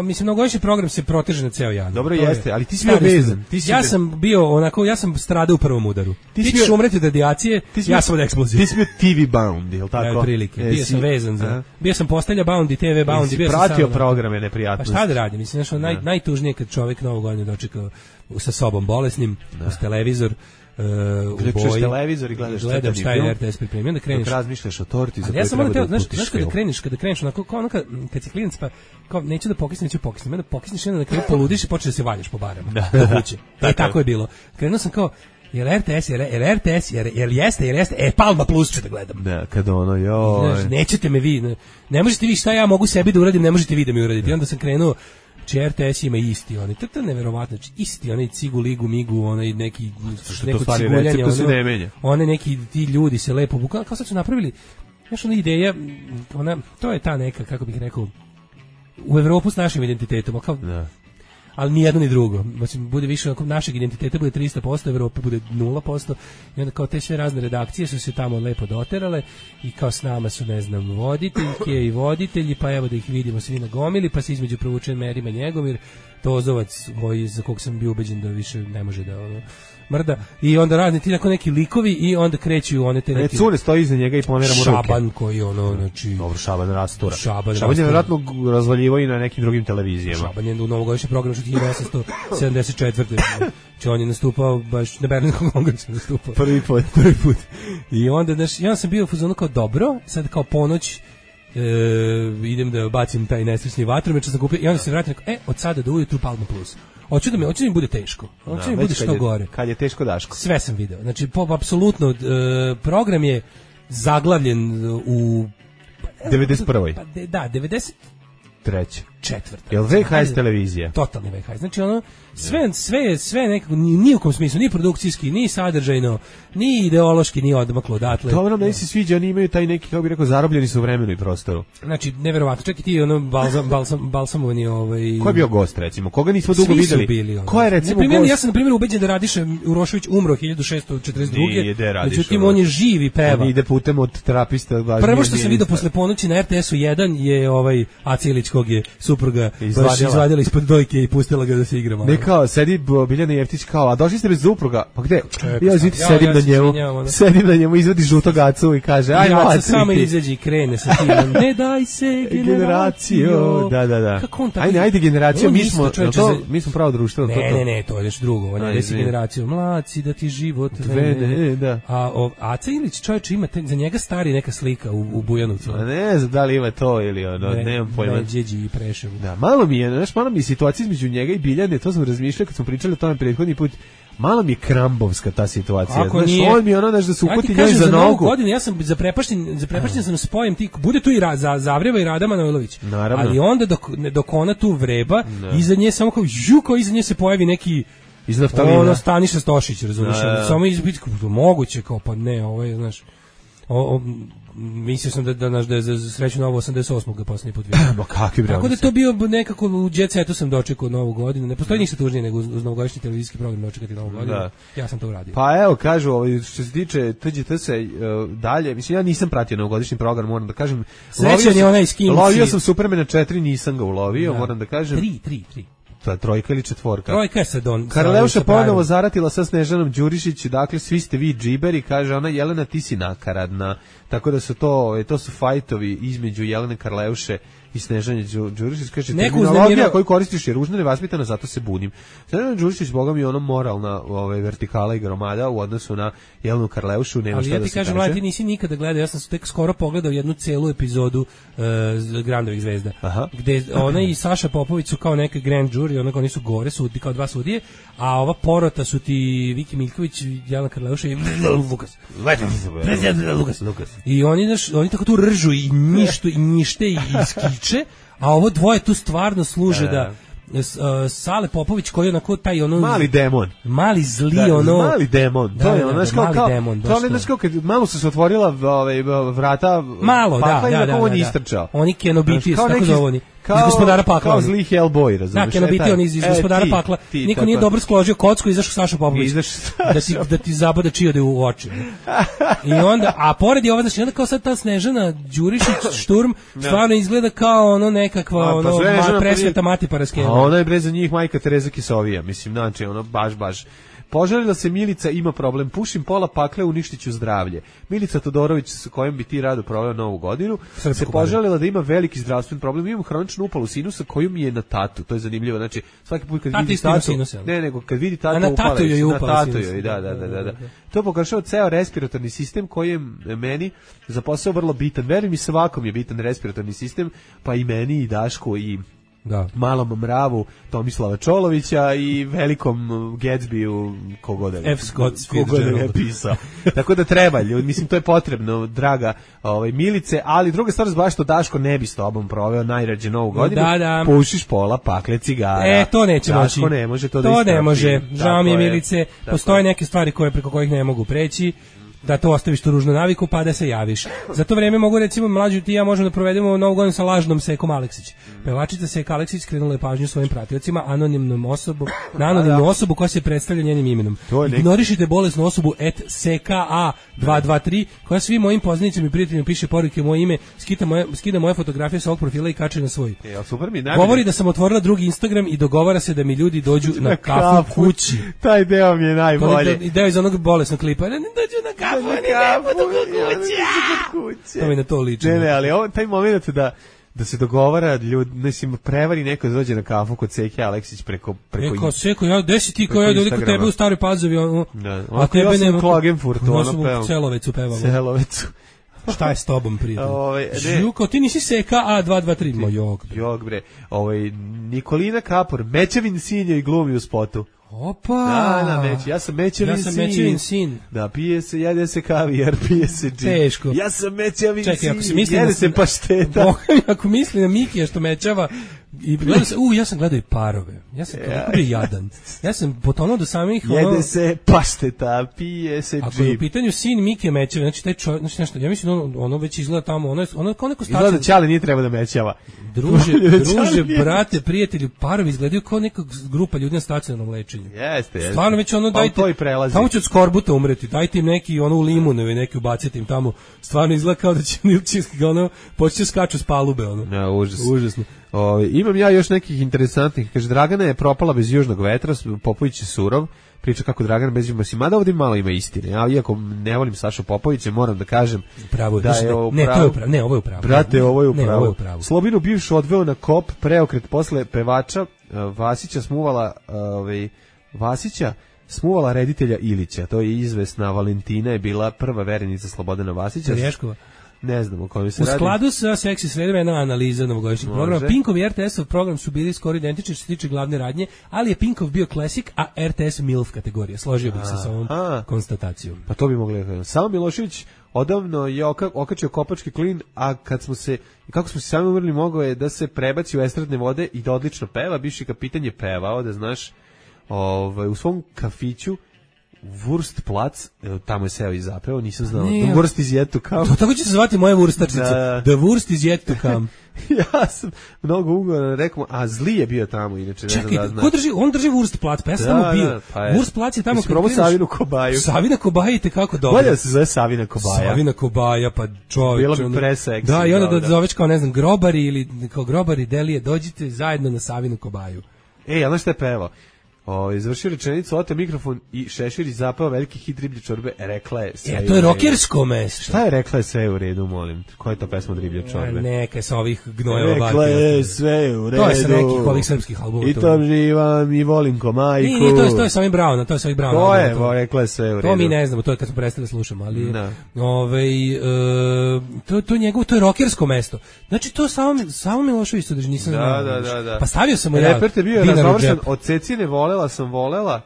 S5: mislim, novogodišnji program se proteže na ceo januar.
S3: Dobro jeste, ali ti si bio vezan.
S5: Ja sam bio onako, ja sam stradao u prvom udaru. Ti ćeš umreti od radijacije, ja sam od eksplozije.
S3: Ti si bio TV bound, je li tako?
S5: Prilike, bio sam vezan za, bio sam postelja bound i TV bound.
S3: Jesi pratio programe neprijatnosti?
S5: Pa šta da radim, mislim, najtužnije kad čovjek novu godinu dočeka sa sobom bolesnim, uz televizor,
S3: Gledaš televizor i
S5: gledam šta je RTS pripremio, onda kreneš.
S3: Dok razmišljaš o torti za koju
S5: ja
S3: treba da
S5: pustiš. Znaš kada kreneš onako, kao ono kad si klinac, pa kao neću da pokisnem, onda pokisneš jedno na kraju poludiš i počneš da se valjaš po barama. Do kuće. Tako je bilo. Krenuo sam kao, jel jeste, Palma Plus ću da gledam.
S3: Da, kada ono, joj.
S5: Nećete me vi, ne možete vi šta ja mogu sebi da uradim, ne možete vi da mi uradite. I onda sam krenuo, RTS ima isti, oni, to je neverovatno, isti, onaj cigu, ligu, migu, onaj neki, neko ciguljanje, one neki ti ljudi se lepo bukali, kao sad su napravili, znaš, ona ideja, to je ta neka, kako bih rekao, u Evropu s našim identitetom, kao, ali ni jedno ni drugo. Znači, bude više našeg identiteta bude 300%, Evrope bude 0%. I onda kao te sve razne redakcije su se tamo lepo doterale i kao s nama su, ne znam, voditeljke i voditelji, pa evo da ih vidimo svi na gomili, pa se između provučen Merima Njegomir, Tozovac, za kog sam bio ubeđen da više ne može da mrda, i onda razni ti neki likovi i onda kreću one te neki...
S3: Cure stoji iza njega i pomera mu ruke.
S5: Šaban koji znači...
S3: Dobro, Šaban rastura. Šaban je vjerojatno razvaljivo i na nekim drugim televizijama.
S5: Šaban je u novogodišnjem programu što 1874. Znači on je nastupao baš na Berlinskom kongresu nastupao.
S3: Prvi put.
S5: I onda, ja sam bio u fazonu kao dobro, sad kao ponoć idem da bacim taj nesrećni vatromet što sam kupio i onda se vratim od sada do ujutru Palma Plus. Hoću da mi bude teško. Hoću da mi bude što gore.
S3: Kad je teško, Daško?
S5: Sve sam video. Znači, apsolutno, program je zaglavljen u...
S3: 91.
S5: Pa, da, 93. Četvrta.
S3: Jel VHS televizija?
S5: Totalni VHS. Znači, ono, sve nekako, ni u kom smislu, ni produkcijski, ni sadržajno, ni ideološki, ni odmaklo odatle.
S3: Dobro, meni se sviđa, oni imaju taj neki, kako bih rekao, zarobljeni su u vremenu i prostoru.
S5: Znači, neverovatno. Čak i ti, balsamovani,
S3: Ko je bio gost, recimo? Koga nismo dugo videli?
S5: Svi su bili,
S3: Ko je, recimo, gost?
S5: Ja sam, na primjer, ubeđen da Radiša Urošević umro 1642. Međutim, on je živ i peva.
S3: On ide putem od terapista.
S5: Prvo što sam vidio posle ponoći na RTS-u 1 je Aca Ilić, kog je supruga izvadila ispod dojke i pustila ga da se igra malo.
S3: Ne kao, sedi Biljana Jeftić kao, a došli ste bez supruga, pa gde? Sedim na njemu, izvadi žutog Acu i kaže, aj
S5: Aca samo izađi i krene sa tim, ne daj se generacijo.
S3: Da. Ajde generacijo, mi smo pravo društvo.
S5: Ne, to je nešto drugo, on je desi generaciju, mlaci da ti život vene. A Aca Ilić, čovječe, ima za njega stari neka slika u Bujanovcu.
S3: Ne znam da li ima to ili nemam pojma.
S5: Đeđi i Preševu.
S3: Da, malo mi je situacija između njega i Biljane, to sam razmišljao kad smo pričali o tome prethodni put. Malo mi je krambovska ta situacija. Znaš, on mi da se uputi njoj za nogu.
S5: Ja sam zaprepašten sam spojem ti, bude tu i Zavreva i Rada Manojlović.
S3: Naravno.
S5: Ali onda dok ona tu vreba, iza nje samo kao iza nje se pojavi neki
S3: Iz naftalina.
S5: Ono Staniša Stošić, razumiješ, samo izbiti, moguće, kao pa ne, znaš, mislio sam da je za sreću novo 88. ga posljednji put vidio.
S3: Ma kakvi bre.
S5: Tako da to bio nekako u Jet Setu sam dočekao Novu godinu. Ne postoji ništa tužnije nego uz novogodišnji televizijski program dočekati Novu godinu. Da. Ja sam to uradio.
S3: Pa evo, kažu, što se tiče TGT se dalje, mislim, ja nisam pratio novogodišnji program, moram da kažem.
S5: Srećan je onaj skinci.
S3: Lovio sam Supermana 4, nisam ga ulovio, moram da kažem.
S5: 3.
S3: To trojka ili četvorka?
S5: Trojka je sad on.
S3: Karleuša ponovo zaratila sa Snežanom Đurišić, dakle svi ste vi džiberi, kaže ona, Jelena ti si nakaradna, tako da su to su fajtovi između Jelene Karleuše i Snežanje Đurišić, kaže terminologija koju koristiš je ružna, nevaspitana, zato se bunim. Snežana Đurišić, boga mi je ono moralna vertikala i gromada u odnosu na Jelenu Karleušu, nema šta da se kaže.
S5: Ali ja ti kažem, mladi, ti nisi nikada gledao, ja sam tek skoro pogledao jednu celu epizodu Grandovih zvezda, gde ona i Saša Popović su kao neke grand jury, onako oni su gore, sudi, kao dva sudije, a ova porota su ti Viki Miljković, Jelena Karleuša i Lukas. I oni tako tu ržu i njište i skiče, a ovo dvoje tu stvarno služe da Sale Popović koji je onako taj
S3: mali demon,
S5: mali zli
S3: mali demon, to je ono kao kad malo se otvorila vrata
S5: malo,
S3: on istrčao,
S5: oni Kenobiti tako zovoni iz Gospodara pakla,
S3: kao zli Hellboy, razumiješ?
S5: Da, Kenobiti on iz Gospodara pakla, niko nije dobro skložio kocku, izašao Saša Popović da ti zabada čijode u oči. I onda, a pored je ova, znači onda kao sad ta Snežana Đurišić Šturm stvarno izgleda kao ono nekakva presveta Mati Paraskeva.
S3: A ona je bre za njih majka Tereza Kisovija, mislim, znači ono baš. Požalila se Milica, ima problem, pušim pola pakle, uništiću zdravlje. Milica Todorović, sa kojom bi ti rado proveo Novu godinu, se požalila da ima veliki zdravstveni problem, imam hroničnu upalu sinusa koju mi je na tatu, to je zanimljivo, znači svaki put kad vidi tatu, nego kad vidi tatu upala, na tatu joj, da. To pogoršava ceo respiratorni sistem koji je meni za posao vrlo bitan, verujem mi svakom je bitan respiratorni sistem, pa i meni i Dašku i malom mravu Tomislava Čolovića i velikom Gatsbyu kogoda je pisao. Tako da treba, ljudi, mislim to je potrebno, draga Milice, ali druga stvar baš što Daško ne bi s tobom proveo najrađe Novu godinu, pušiš pola pakle cigara.
S5: To neće moći.
S3: Daško ne može
S5: to ne može. Žao mi je, Milice, postoje neke stvari preko kojih ne mogu preći. Da to ostaviš tu ružnu naviku pa da se javiš. Za to vreme mogu recimo mlađu ti ja možemo da provedemo Novu godinu sa lažnom Sekom Aleksić. Pevačica Seka Aleksić skrenula je pažnju svojim pratiocima na anonimnu osobu koja se predstavlja njenim imenom. Ignorišite bolesnu osobu @SKA223 koja svim mojim poznanicima i prijateljima piše poruke moje ime, skida moje fotografije sa ovog profila i kače na svoj. Govori da sam otvorila drugi Instagram i dogovara se da mi ljudi dođu na kafu kući.
S3: Taj deo mi je najbolji.
S5: Deo iz onog bolesnog klipa. Ne dođu na kafu. To mi na to liči.
S3: Ne, ali taj moment da se dogovara ljudi, mislim, prevari neko da dođe na kafu kod Seke Aleksić preko
S5: kao Seko, gde si ti, kao ja dođe kod tebe u Staroj Pazovi,
S3: a tebe nema Klagenfurtu,
S5: u Celovecu pevamo.
S3: Celovecu.
S5: Šta je s tobom, prijatelj? Žuko, ti nisi Seka A223.
S3: Jog bre. Nikolina Kapor, Mečevin sin je i glumi u spotu.
S5: Opa!
S3: Ja sam Mečevin sin. Da, jede se kavijar, pije se džin.
S5: Teško.
S3: Ja sam Mečevin sin, jede se pašteta.
S5: Ako misli na Mikija što mečava, i gledao se, ja sam gledao i Parove. Ja sam kako je jadan. Ja sam potonuo do samih
S3: jede se pašteta, pije se džin.
S5: Ako je u pitanju sin Mikija mečeva, znači taj čovjek, znači nešto, ja mislim ono već izgleda tamo, ono kao neko stačno.
S3: Izgleda Ćale nije treba da mečava.
S5: Druže, brate, prijatelju, Parovi izgledaju kao neka grupa ljudi na stacionarnom lečenju.
S3: Jeste.
S5: Stvarno već dajte, tamo će od skorbuta umreti, dajte im neki u limun ili neki ubacite im tamo. Stvarno izgleda kao da će Nilčinski početi skaču s palube. Užasno.
S3: Imam ja još nekih interesantnih. Kaže, Dragana je propala bez južnog vetra, Popović je surov, priča kako Dragana bez južnog vetra, mada ovdje malo ima istine. Ja, iako ne volim Sašu Popovića, moram da kažem da je ovo pravo. Brate, ovo je u pravu. Slobinu bivšu odveo na kop, preokret posle pevača Vasića smuvala reditelja Ilića. To je izvesna Valentina, je bila prva verenica Slobodana Vasića.
S5: Rješkova.
S3: Ne znam o kojoj se radi.
S5: U skladu sa Seksi sredima jedna analiza novogodišnjeg programa. Pinkov i RTS-ov program su bili skoro identični što se tiče glavne radnje, ali je Pinkov bio Classic, a RTS MILF kategorija. Složio bih se sa ovom konstatacijom.
S3: Pa to bi mogli. Samo Milošević odavno je okačio kopački klin, a kako smo se sami umrli, mogao je da se prebaci u estradne vode i da odlično peva. Bivši kapitan je pevao, da znaš, u svom kafiću Wurstplatz, tamo je seo i zapeo, nisam znao. The Wurst is yet to come.
S5: To tako će se zvati moje wurstarčice. The Wurst is yet to come.
S3: Ja sam mnogo ugovoran rekao, a Zli je bio tamo, inače ne znam da znam.
S5: Čekaj, on drži Wurstplatz, pa ja sam tamo bio. Wurstplatz je tamo
S3: kad kreneš. Savinu Kobaju.
S5: Savina Kobaja te kako dobro.
S3: Bolje da se zove Savina Kobaja.
S5: Savina Kobaja, pa čovjek.
S3: Bilo bi preseksi.
S5: Da, i onda da zoveš kao, ne znam, grobari ili kao grobari Delije, dođite zajedno na Savinu Kobaju.
S3: Ej, a znaš šta je pevao? Izvršio rečenicu, ote mikrofon i Šešir i zapao veliki hit Riblje čorbe, rekla je sve.
S5: Ja, to je rokersko mesto.
S3: Šta je rekla je sve u redu, molim? Koja je to pesma od Riblje čorbe?
S5: Neka je sa ovih gnojeva
S3: barke. Rekla je sve u redu.
S5: To je sa nekih ovih srpskih albuma.
S3: I to živam i volim ko majku.
S5: Nije, to je sa ovim Browna, to je sa ovim Browna.
S3: To je, rekla je sve u redu.
S5: To mi ne znamo, to je kad smo prestali slušamo, ali to je njegovo, to je rokersko mesto. Znači to samo Milošević to drži, nisam znao.
S3: Da.
S5: Pa stavio sam mu ja.
S3: Reper te bio razvršen od Cecine volela sam volela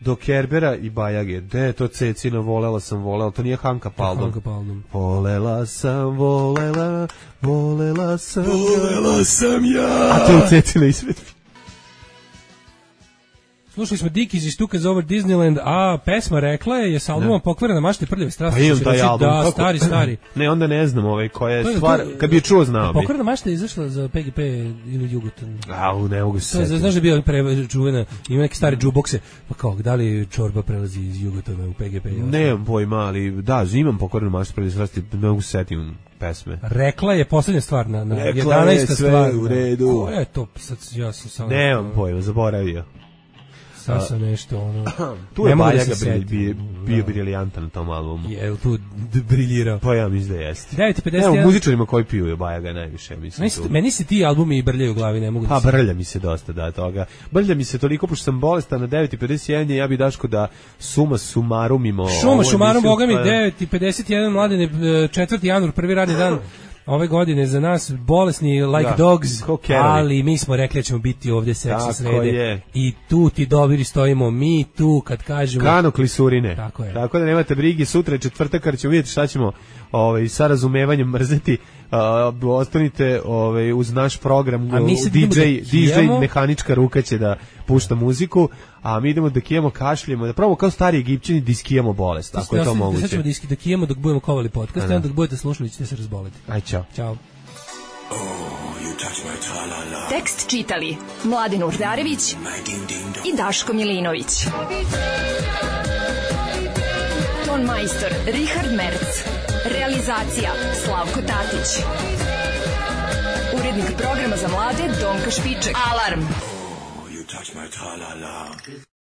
S3: do Kerbera i Bajage. De, to Cecina volela sam volela, to nije Hanka Paldom. Volela sam ja. A to je Cecina izvedbi.
S5: Slušali smo Dickies i Stukas over Disneyland, a pesma rekla je sa albumom Pokvarena mašta i prljave strasti.
S3: Pa imam taj album.
S5: Da, stari.
S3: Ne, onda ne znam koja je stvar, kad bi je čuo znao bi.
S5: Pokvarena mašta je izašla za PGP ili Jugoton.
S3: Ne mogu se setiti.
S5: Znaš da je bio čuvena, ima neke stare džubokse, pa kao, da li čorba prelazi iz Jugotona u PGP?
S3: Nemam pojma, ali da, imam Pokvarenu maštu i prljave strasti, ne mogu se setiti pesme.
S5: Rekla je poslednja stvar na 11. stvar.
S3: U redu.
S5: Koja je to? Sad ja sam samo...
S3: Nemam pojma, zaboravio.
S5: Sad sam nešto,
S3: tu je Bajaga bio briljantan na tom albumu.
S5: Je tu briljirao?
S3: Pa ja mislim da jeste.
S5: 9:51.
S3: Evo, muzičarima koji piju je Bajaga najviše, mislim.
S5: Meni se ti albumi brljaju u glavi, ne mogu da se...
S3: Pa brlja mi se dosta, da, toga. Brlja mi se toliko, pošto sam bolestan na 9:51, ja bi Daško da suma sumarumimo...
S5: Šumarum, boga mi, 9:51, Mladene, 4. januar, prvi radni dan ove godine za nas bolesni like dogs, ali mi smo rekli da ćemo biti ovdje seksi srede i tu ti dobiri stojimo mi tu kad kažemo
S3: Kano klisurine.
S5: Tako
S3: da nemate brigi, sutra je četvrtak kad ćemo vidjeti šta ćemo sa razumevanjem mrzeti. Ostanite uz naš program. DJ mehanička ruka će da pušta muziku, a mi idemo da kijemo, kašljemo, da probamo kao stari Egipćani da iskijemo bolest, ako je to moguće.
S5: Sad ćemo da kijemo dok budemo kovali podcast, a dok budete slušali ćete se razboleti.
S3: Aj, čao.
S5: Ćao.
S4: Tekst čitali Mladen Urdarević i Daško Milinović. Ton majstor Richard Merc. Realizacija Slavko Tatić. Urednik programa za mlade Donka Špiček. Alarm!